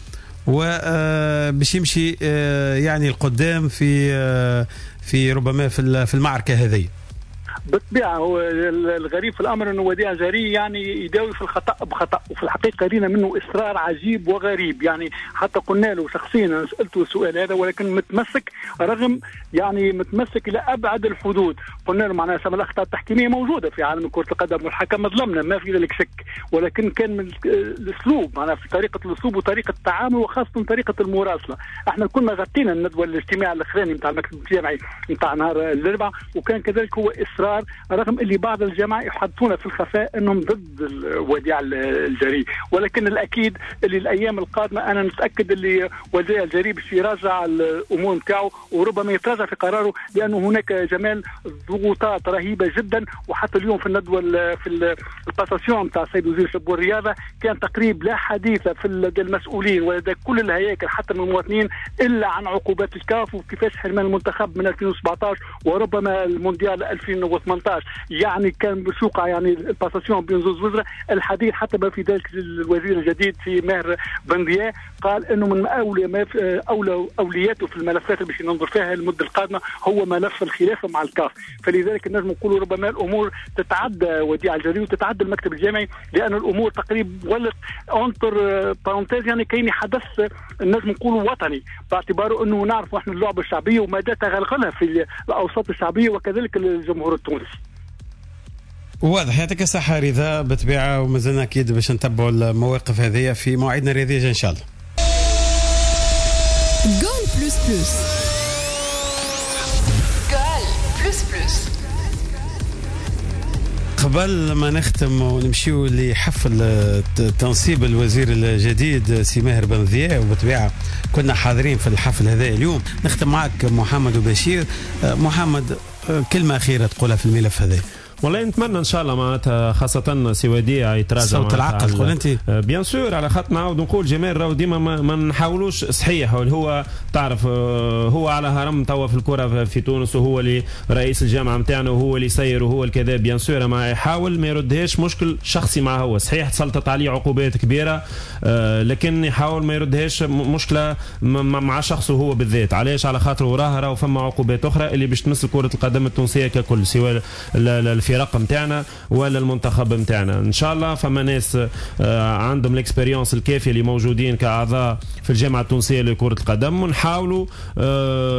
وباش يمشي يعني القدام في ربما في المعركة هذه. بالطبيعة هو الغريب في الامر انه وديع الجري يعني يداوي في الخطا بخطا، وفي الحقيقة رينا منه اصرار عجيب وغريب، يعني حتى قلنا له شخصيا، انا سالته السؤال هذا، ولكن متمسك، رغم يعني متمسك الى ابعد الحدود. قلنا له معناها سما الاخطاء التحكيميه موجودة في عالم كره القدم والحكم ظلمنا ما في ذلك شك، ولكن كان من الاسلوب معناها في طريقه الاسلوب وطريقه التعامل وخاصة طريقه المراسله. احنا كنا غطينا الندوة الاجتماع الاخراني نتاع المكتب الجامعي نتاع نهار الاربعاء، وكان كذلك هو اصرار، رغم اللي بعض الجماعة يحدثون في الخفاء انهم ضد وديع الجري، ولكن الاكيد اللي الايام القادمة انا متاكد اللي وديع الجري باش يراجع الامور نتاعو وربما يتراجع في قراره، لانه هناك جمال ضغوطات رهيبة جدا. وحتى اليوم في الندوة في ال passation نتاع السيد وزير الشباب والرياضة كان تقريب لا حديث في لدى المسؤولين ولدى كل الهياكل حتى من المواطنين الا عن عقوبات الكاف وكيفاش حرمان المنتخب من 2017 وربما المونديال 2018. يعني كان بسوقع يعني ال passation بين زوز وزراء الحديث، حتى ما في ذلك الوزير الجديد في ماهر بن ضياء قال انه من اولى ما في اولى اولياته في الملفات اللي باش ننظر فيها المدة القادمة هو ملف الخلافة مع الكاف. فلذلك نجم نقولوا ربما الامور تتعدى وديع الجري وتتعدى المكتب الجامعي، لان الامور تقريبا ولت entre parenthèses، يعني كاين حدث نجم نقولوا وطني، باعتباره انه نعرفوا احنا اللعبة الشعبية ومدى تغلغلها في الاوساط الشعبية وكذلك الجمهور التونسي. واضح، يعطيك الصحة رضا بالطبيعة، ومازلنا أكيد باش نتبعوا المواقف هذه في موعدنا الرياضي إن شاء الله. Goal plus plus. Goal plus plus. قبل ما نختم ونمشيو لحفل تنصيب الوزير الجديد سي ماهر بن ضياء، وبالطبيعة كنا حاضرين في الحفل هذا اليوم، نختم معك محمد وبشير. محمد، كلمة أخيرة تقولها في الملف هذا؟ والله نتمنى ان شاء الله معناتها خاصة سي وديع يتراجع صوت العقل تقول انت bien sûr، على خاطر نعاود نقول جمال راهو ديما ما نحاولوش، صحيح هو تعرف هو على هرم توا في الكره في تونس، وهو اللي رئيس الجامعة نتاعنا وهو اللي يسير وهو الكذا bien sûr، ما يحاول ما يردهاش مشكل شخصي مع هو، صحيح تسلطت عليه عقوبات كبيرة، لكن يحاول ما يردهاش مشكلة مع شخصه هو بالذات. علاش؟ على خاطر وراه راهو فما عقوبات اخرى اللي باش تمس كره القدم التونسية ككل، سواء الفرق نتاعنا ولا المنتخب نتاعنا. ان شاء الله فما ناس عندهم l'expérience الكافيه اللي موجودين كاعضاء في الجامعة التونسية لكرة القدم، ونحاولوا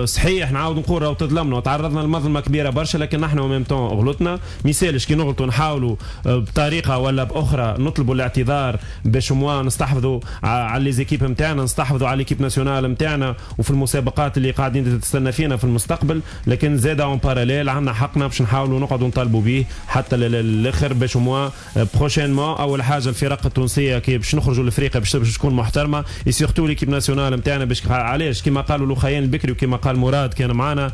صحيح نعاود نقول راهو تظلمنا وتعرضنا لمظلمه كبيرة برشا، لكن نحن même temps غلطنا، ما يسالش كي نغلطوا نحاولوا بطريقة ولا باخرى نطلبوا الاعتذار باش moins نستحفظوا على les équipes نتاعنا، نستحفظوا على l'équipe nationale نتاعنا وفي المسابقات اللي قاعدين تستنى فينا في المستقبل. لكن زاد en parallèle عندنا حقنا باش نحاولوا نقعدوا نطالبوا به حتى للاخر، باش moins prochainement اول حاجة الفرق التونسية كي باش نخرجوا لافريقيا باش تكون محترمه، surtout l'équipe nationale نتاعنا. باش علاش كما قالوا لوخيان البكري وكما قال مراد كان معنا،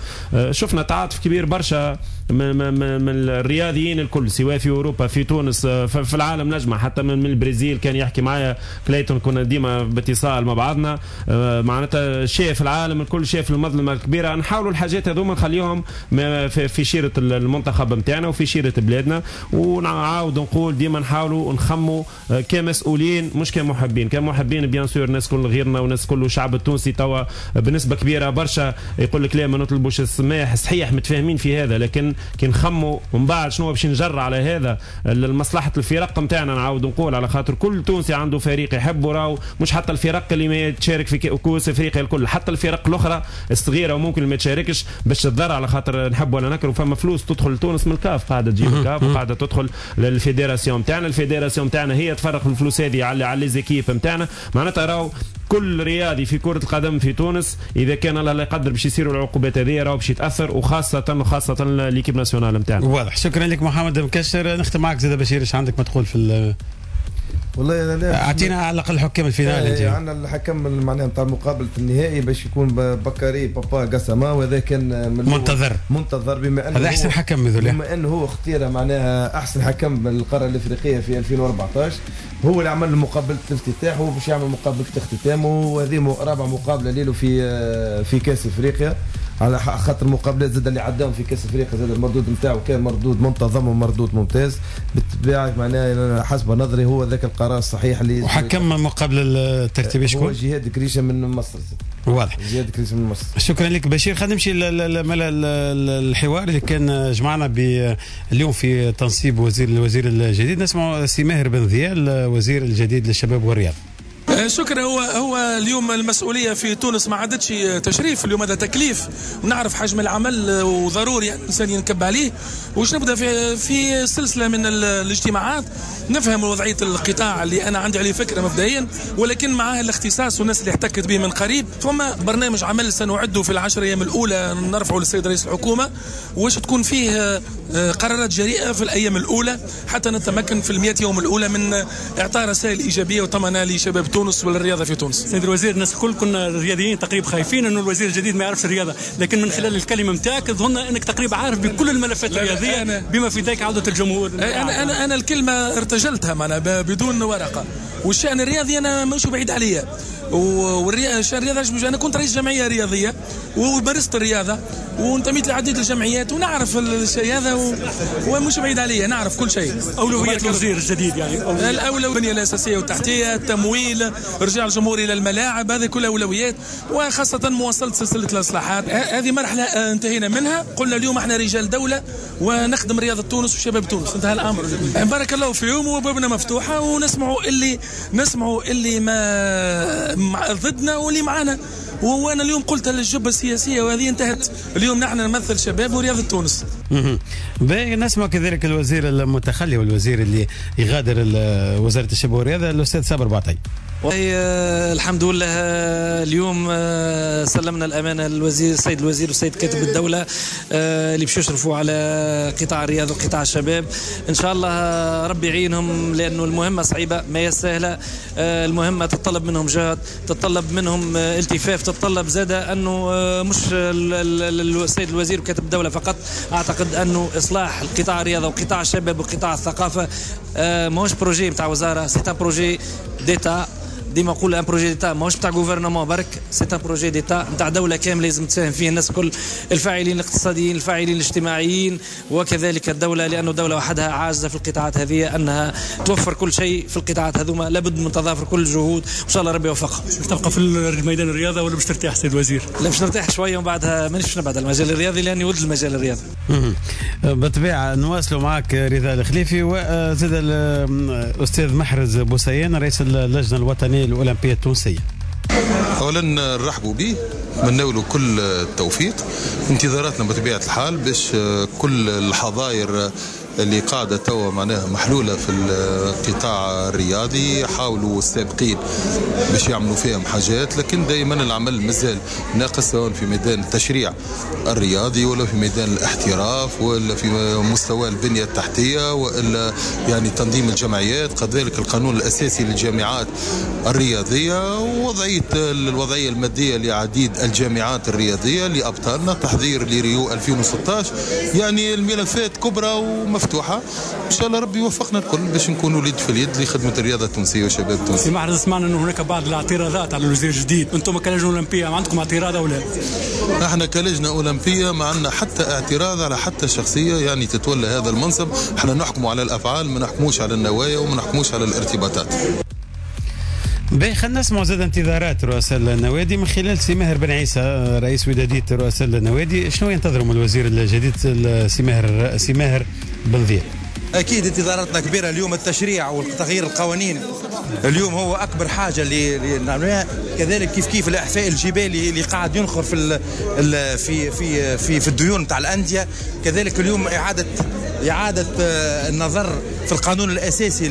شفنا تعاطف كبير برشا من الرياضيين الكل، سواء في اوروبا في تونس في العالم نجمع، حتى من البرازيل كان يحكي معايا كليتون، كنا ديما باتصال مع بعضنا، معناتها شاف العالم الكل، شاف المظلمة الكبيرة. نحاولوا الحاجات هذوما نخليهم في شيره المنتخب نتاعنا وفي شيره بلادنا. ونعاود نقول ديما نحاولوا نخموا كمسؤولين مش كمحبين. كمحبين bien sûr الناس كل غيرنا والناس كل الشعب التونسي توا بنسبة كبيرة برشا يقول لك لا ما نطلبوش السماح، صحيح متفاهمين في هذا، لكن كي نخموا ومن بعد شنو باش نجر على هذا لمصلحة الفرق نتاعنا. نعاود نقول على خاطر كل تونسي عنده فريق يحبه، راهو مش حتى الفرق اللي ما تشارك في كؤوس افريقيا الكل، حتى الفرق الاخرى الصغيرة وممكن ما تشاركش باش تضر، على خاطر نحب ولا نكره فما فلوس تدخل لتونس من الكاف، قاعدة تجيب الكاف وقاعدة تدخل لل fédération نتاعنا، ال fédération نتاعنا هي تفرق الفلوس هذه على les équipes نتاعنا. معناتها راهو كل رياضي في كرة القدم في تونس إذا كان الله لا يقدر باش يصيروا العقوبات هذه راهو باش يتأثر، وخاصة l'équipe nationale نتاعنا. واضح، شكرا لك محمد مكشر. نختم معك زاد بشير، ايش عندك ما تقول في والله لا اعطينا على الاقل حكام ال finale. عندنا الحكم معناها نتاع مقابله النهائي باش يكون بكاري بابا قاسما، وهذا كان منتظر بما انه هذا احسن حكم هذول، بما انه هو اختيره معناها احسن حكم من القارة الافريقية في 2014، هو اللي عمل مقابله الافتتاح وباش يعمل مقابله الاختتام، وهذه رابع مقابله له في كاس افريقيا. على خاطر المقابلات زاد اللي عداهم في كاس افريقيا، زاد المردود نتاعو كان مردود منتظم ومردود ممتاز. بالطبيعة معناها حسب نظري هو ذاك القرار الصحيح اللي وحكم مقابله الترتيبية شكون؟ هو جهاد كريشه من مصر. واضح، جهاد كريشه من مصر. شكرا لك بشير. خلينا نمشي الحوار اللي كان جمعنا اليوم في تنصيب الوزير الجديد. نسمع سي ماهر بن ذيال وزير الجديد للشباب والرياضة. شكرا. هو اليوم المسؤولية في تونس ما عادتش تشريف، اليوم هذا تكليف، ونعرف حجم العمل وضروري يعني الانسان ينكب عليه. وش نبدا في سلسلة من الاجتماعات نفهم وضعية القطاع اللي انا عندي عليه فكرة مبدئيا، ولكن معاه الاختصاص والناس اللي احتكت به من قريب. ثم برنامج عمل سنعده في ال10 ايام الاولى نرفعه للسيد رئيس الحكومة، واش تكون فيه قرارات جريئة في الايام الاولى حتى نتمكن في ال100 يوم الاولى من اعطاء رسائل ايجابية وطمأنة لشباب تونس وللرياضه في تونس. سيد الوزير، الناس الكل كنا الرياضيين تقريبا خايفين انه الوزير الجديد ما يعرفش الرياضة، لكن من خلال الكلمة نتاعك ظن انك تقريبا عارف بكل الملفات الرياضية بما في ذلك عوده الجمهور. انا انا الكلمة ارتجلتها معنا بدون ورقة، والشان الرياضي انا مش بعيد عليا. والشان الرياضي انا كنت رئيس جمعية رياضية ومارست الرياضة وانتميت لعديد الجمعيات ونعرف الشيء هذا ومش بعيد عليا، نعرف كل شيء. اولويات الوزير الجديد يعني الاولوية البنية الاساسية والتحتيه، التمويل، رجع الجمهور الى الملاعب، هذه كلها اولويات، وخاصة مواصلة سلسلة الاصلاحات. هذه مرحلة انتهينا منها، قلنا اليوم احنا رجال دولة ونخدم رياضة تونس وشباب تونس، انتهى الامر. بارك الله فيهم وبابنا مفتوحة، ونسمعوا اللي نسمعوا اللي ما ضدنا واللي معنا. وانا اليوم قلت للجبه السياسية وهذه انتهت، اليوم نحن نمثل شباب ورياضة تونس. نسمع كذلك الوزير المتخلي والوزير اللي يغادر وزارة الشباب والرياضة الاستاذ صابر بعطي. الحمد لله اليوم سلمنا الأمانة للوزير السيد الوزير والسيد كاتب الدولة اللي باش يشرفوا على قطاع الرياضة وقطاع الشباب. إن شاء الله ربي يعينهم لأنه المهمة صعيبة ما هي سهلة، المهمة تتطلب منهم جهد، تتطلب منهم التفاف، تتطلب زادة أنه مش السيد الوزير وكاتب الدولة فقط. أعتقد أنه إصلاح القطاع الرياضة وقطاع الشباب وقطاع الثقافة ماهوش projet نتاع وزارة، c'est un projet d'État. ديما نقول un projet d'État ماهوش تاع gouvernement برك، c'est un projet d'État نتاع دولة كاملة لازم تساهم فيه الناس الكل، الفاعلين الاقتصاديين، الفاعلين الاجتماعيين، وكذلك الدولة، لانه الدولة وحدها عاجزه في القطاعات هذه انها توفر كل شيء في القطاعات هذوما، لابد من تضافر كل الجهود، وان شاء الله ربي يوفقها. باش تبقى في الميدان الرياضة ولا باش ترتاح سيد الوزير؟ لا باش نرتاح شوية ومن بعدها مانيش باش نبعد على المجال الرياضي لاني ولد المجال الرياضي. بالطبيعة نواصلوا معك رضا الخليفي وزاد الاستاذ محرز بوسيان رئيس اللجنة الوطنية الأولمبية التونسية. أولا نرحبوا به، نتمنوا له كل التوفيق. انتظاراتنا بطبيعة الحال باش كل الحظائر اللي قاعدة توا معناها محلولة في القطاع الرياضي حاولوا السابقين باش يعملوا فيهم حاجات، لكن دائما العمل مازال ناقص، سواء في ميدان التشريع الرياضي ولا في ميدان الاحتراف ولا في مستوى البنية التحتية ولا يعني تنظيم الجمعيات، كذلك القانون الأساسي للجامعات الرياضية، ووضعية الوضعية المادية لعديد الجامعات الرياضية لأبطالنا، تحضير لريو 2016. يعني الملفات كبرى ومفتوحة، ان شاء الله ربي يوفقنا الكل باش نكونوا اليد في اليد لخدمة الرياضة التونسية وشباب التونسي. سي محرز، سمعنا انه هناك بعض الاعتراضات على الوزير الجديد، انتم كلجنه اولمبيه ما عندكم اعتراض او لا؟ احنا كلجنه اولمبيه ما عندنا حتى اعتراض على حتى شخصية يعني تتولى هذا المنصب، احنا نحكموا على الافعال، ما نحكموش على النوايا وما نحكموش على الارتباطات. باهي، خلينا نسمعوا زاد انتظارات رؤساء النوادي من خلال سي ماهر بن عيسى رئيس ودادية رؤساء النوادي. شنو ينتظروا من الوزير الجديد سي ماهر بن ذياب؟ اكيد انتظاراتنا كبيرة اليوم، التشريع وتغيير القوانين اليوم هو اكبر حاجة اللي نعملوها، كذلك كيف كيف الاحفاء الجبالي اللي قاعد ينخر في في في في, في الديون نتاع الاندية، كذلك اليوم اعاده النظر في القانون الاساسي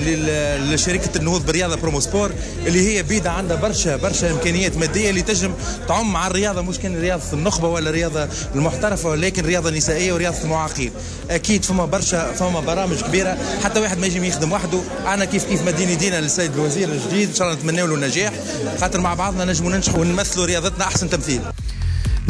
لشركة النهوض بالرياضة بروموسبور اللي هي بيدا عندها برشا امكانيات مادية اللي تجم تعم على الرياضة، مش كان رياضة النخبة ولا الرياضة المحترفه، ولكن رياضة نسائية ورياضة المعاقين. اكيد فما برامج كبيرة، حتى واحد ما يجي يخدم وحده. انا كيف كيف مديني دينا للسيد الوزير الجديد، ان شاء الله نتمنى له النجاح، خاطر مع بعضنا نجموا ننجحوا ونمثلوا رياضتنا احسن تمثيل.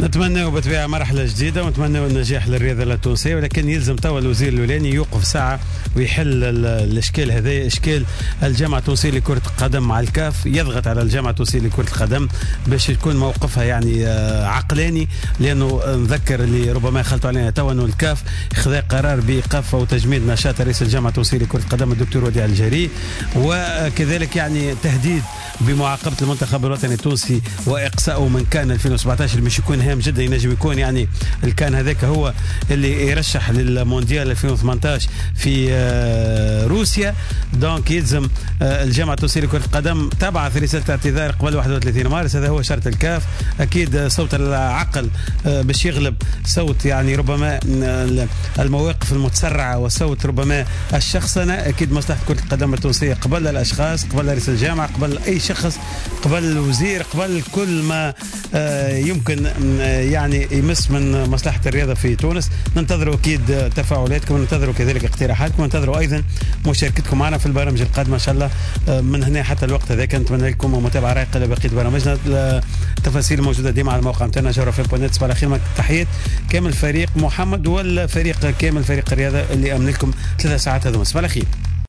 نتمنى بالطبيعة مرحلة جديدة ونتمنى النجاح للرياضة التونسية، ولكن يلزم توا الوزير الاولاني يوقف ساعة ويحل الاشكال هذا، اشكال الجامعة التونسية لكرة القدم مع الكاف، يضغط على الجامعة التونسية لكرة القدم باش يكون موقفها يعني عقلاني، لانه نذكر اللي ربما خلطوا علينا توا انه الكاف خذا قرار بايقاف او تجميد نشاط رئيس الجامعة التونسية لكرة القدم الدكتور وديع الجري، وكذلك يعني تهديد بمعاقبه المنتخب الوطني التونسي واقصائه من كان 2017 مش يكون هام جدا، ينجم يكون يعني الكان هذاك هو اللي يرشح للمونديال 2018 في روسيا. donc يلزم الجامعة التونسية لكرة القدم تبعث رسالة اعتذار قبل 31 مارس، هذا هو شرط الكاف. اكيد صوت العقل باش يغلب صوت يعني ربما المواقف المتسرعه وصوت ربما الشخصنه. اكيد مصلحة كره القدم التونسية قبل الاشخاص، قبل رئيس الجامعة، قبل اي شخص، قبل الوزير، قبل كل ما يمكن يعني يمس من مصلحة الرياضة في تونس. ننتظروا اكيد تفاعلاتكم، ننتظروا كذلك اقتراحاتكم، ننتظروا ايضا مشاركتكم معنا في البرامج القادمة ان شاء الله. من هنا حتى الوقت هذاك نتمنى لكم متابعه رايقة لبقية برامجنا. التفاصيل موجودة ديما على الموقع نتاعنا جوهرة FM point net. صباح الخير، تحيات كامل فريق محمد والفريق كامل فريق الرياضة اللي امن لكم 3 ساعات هذوما. صباح الخير.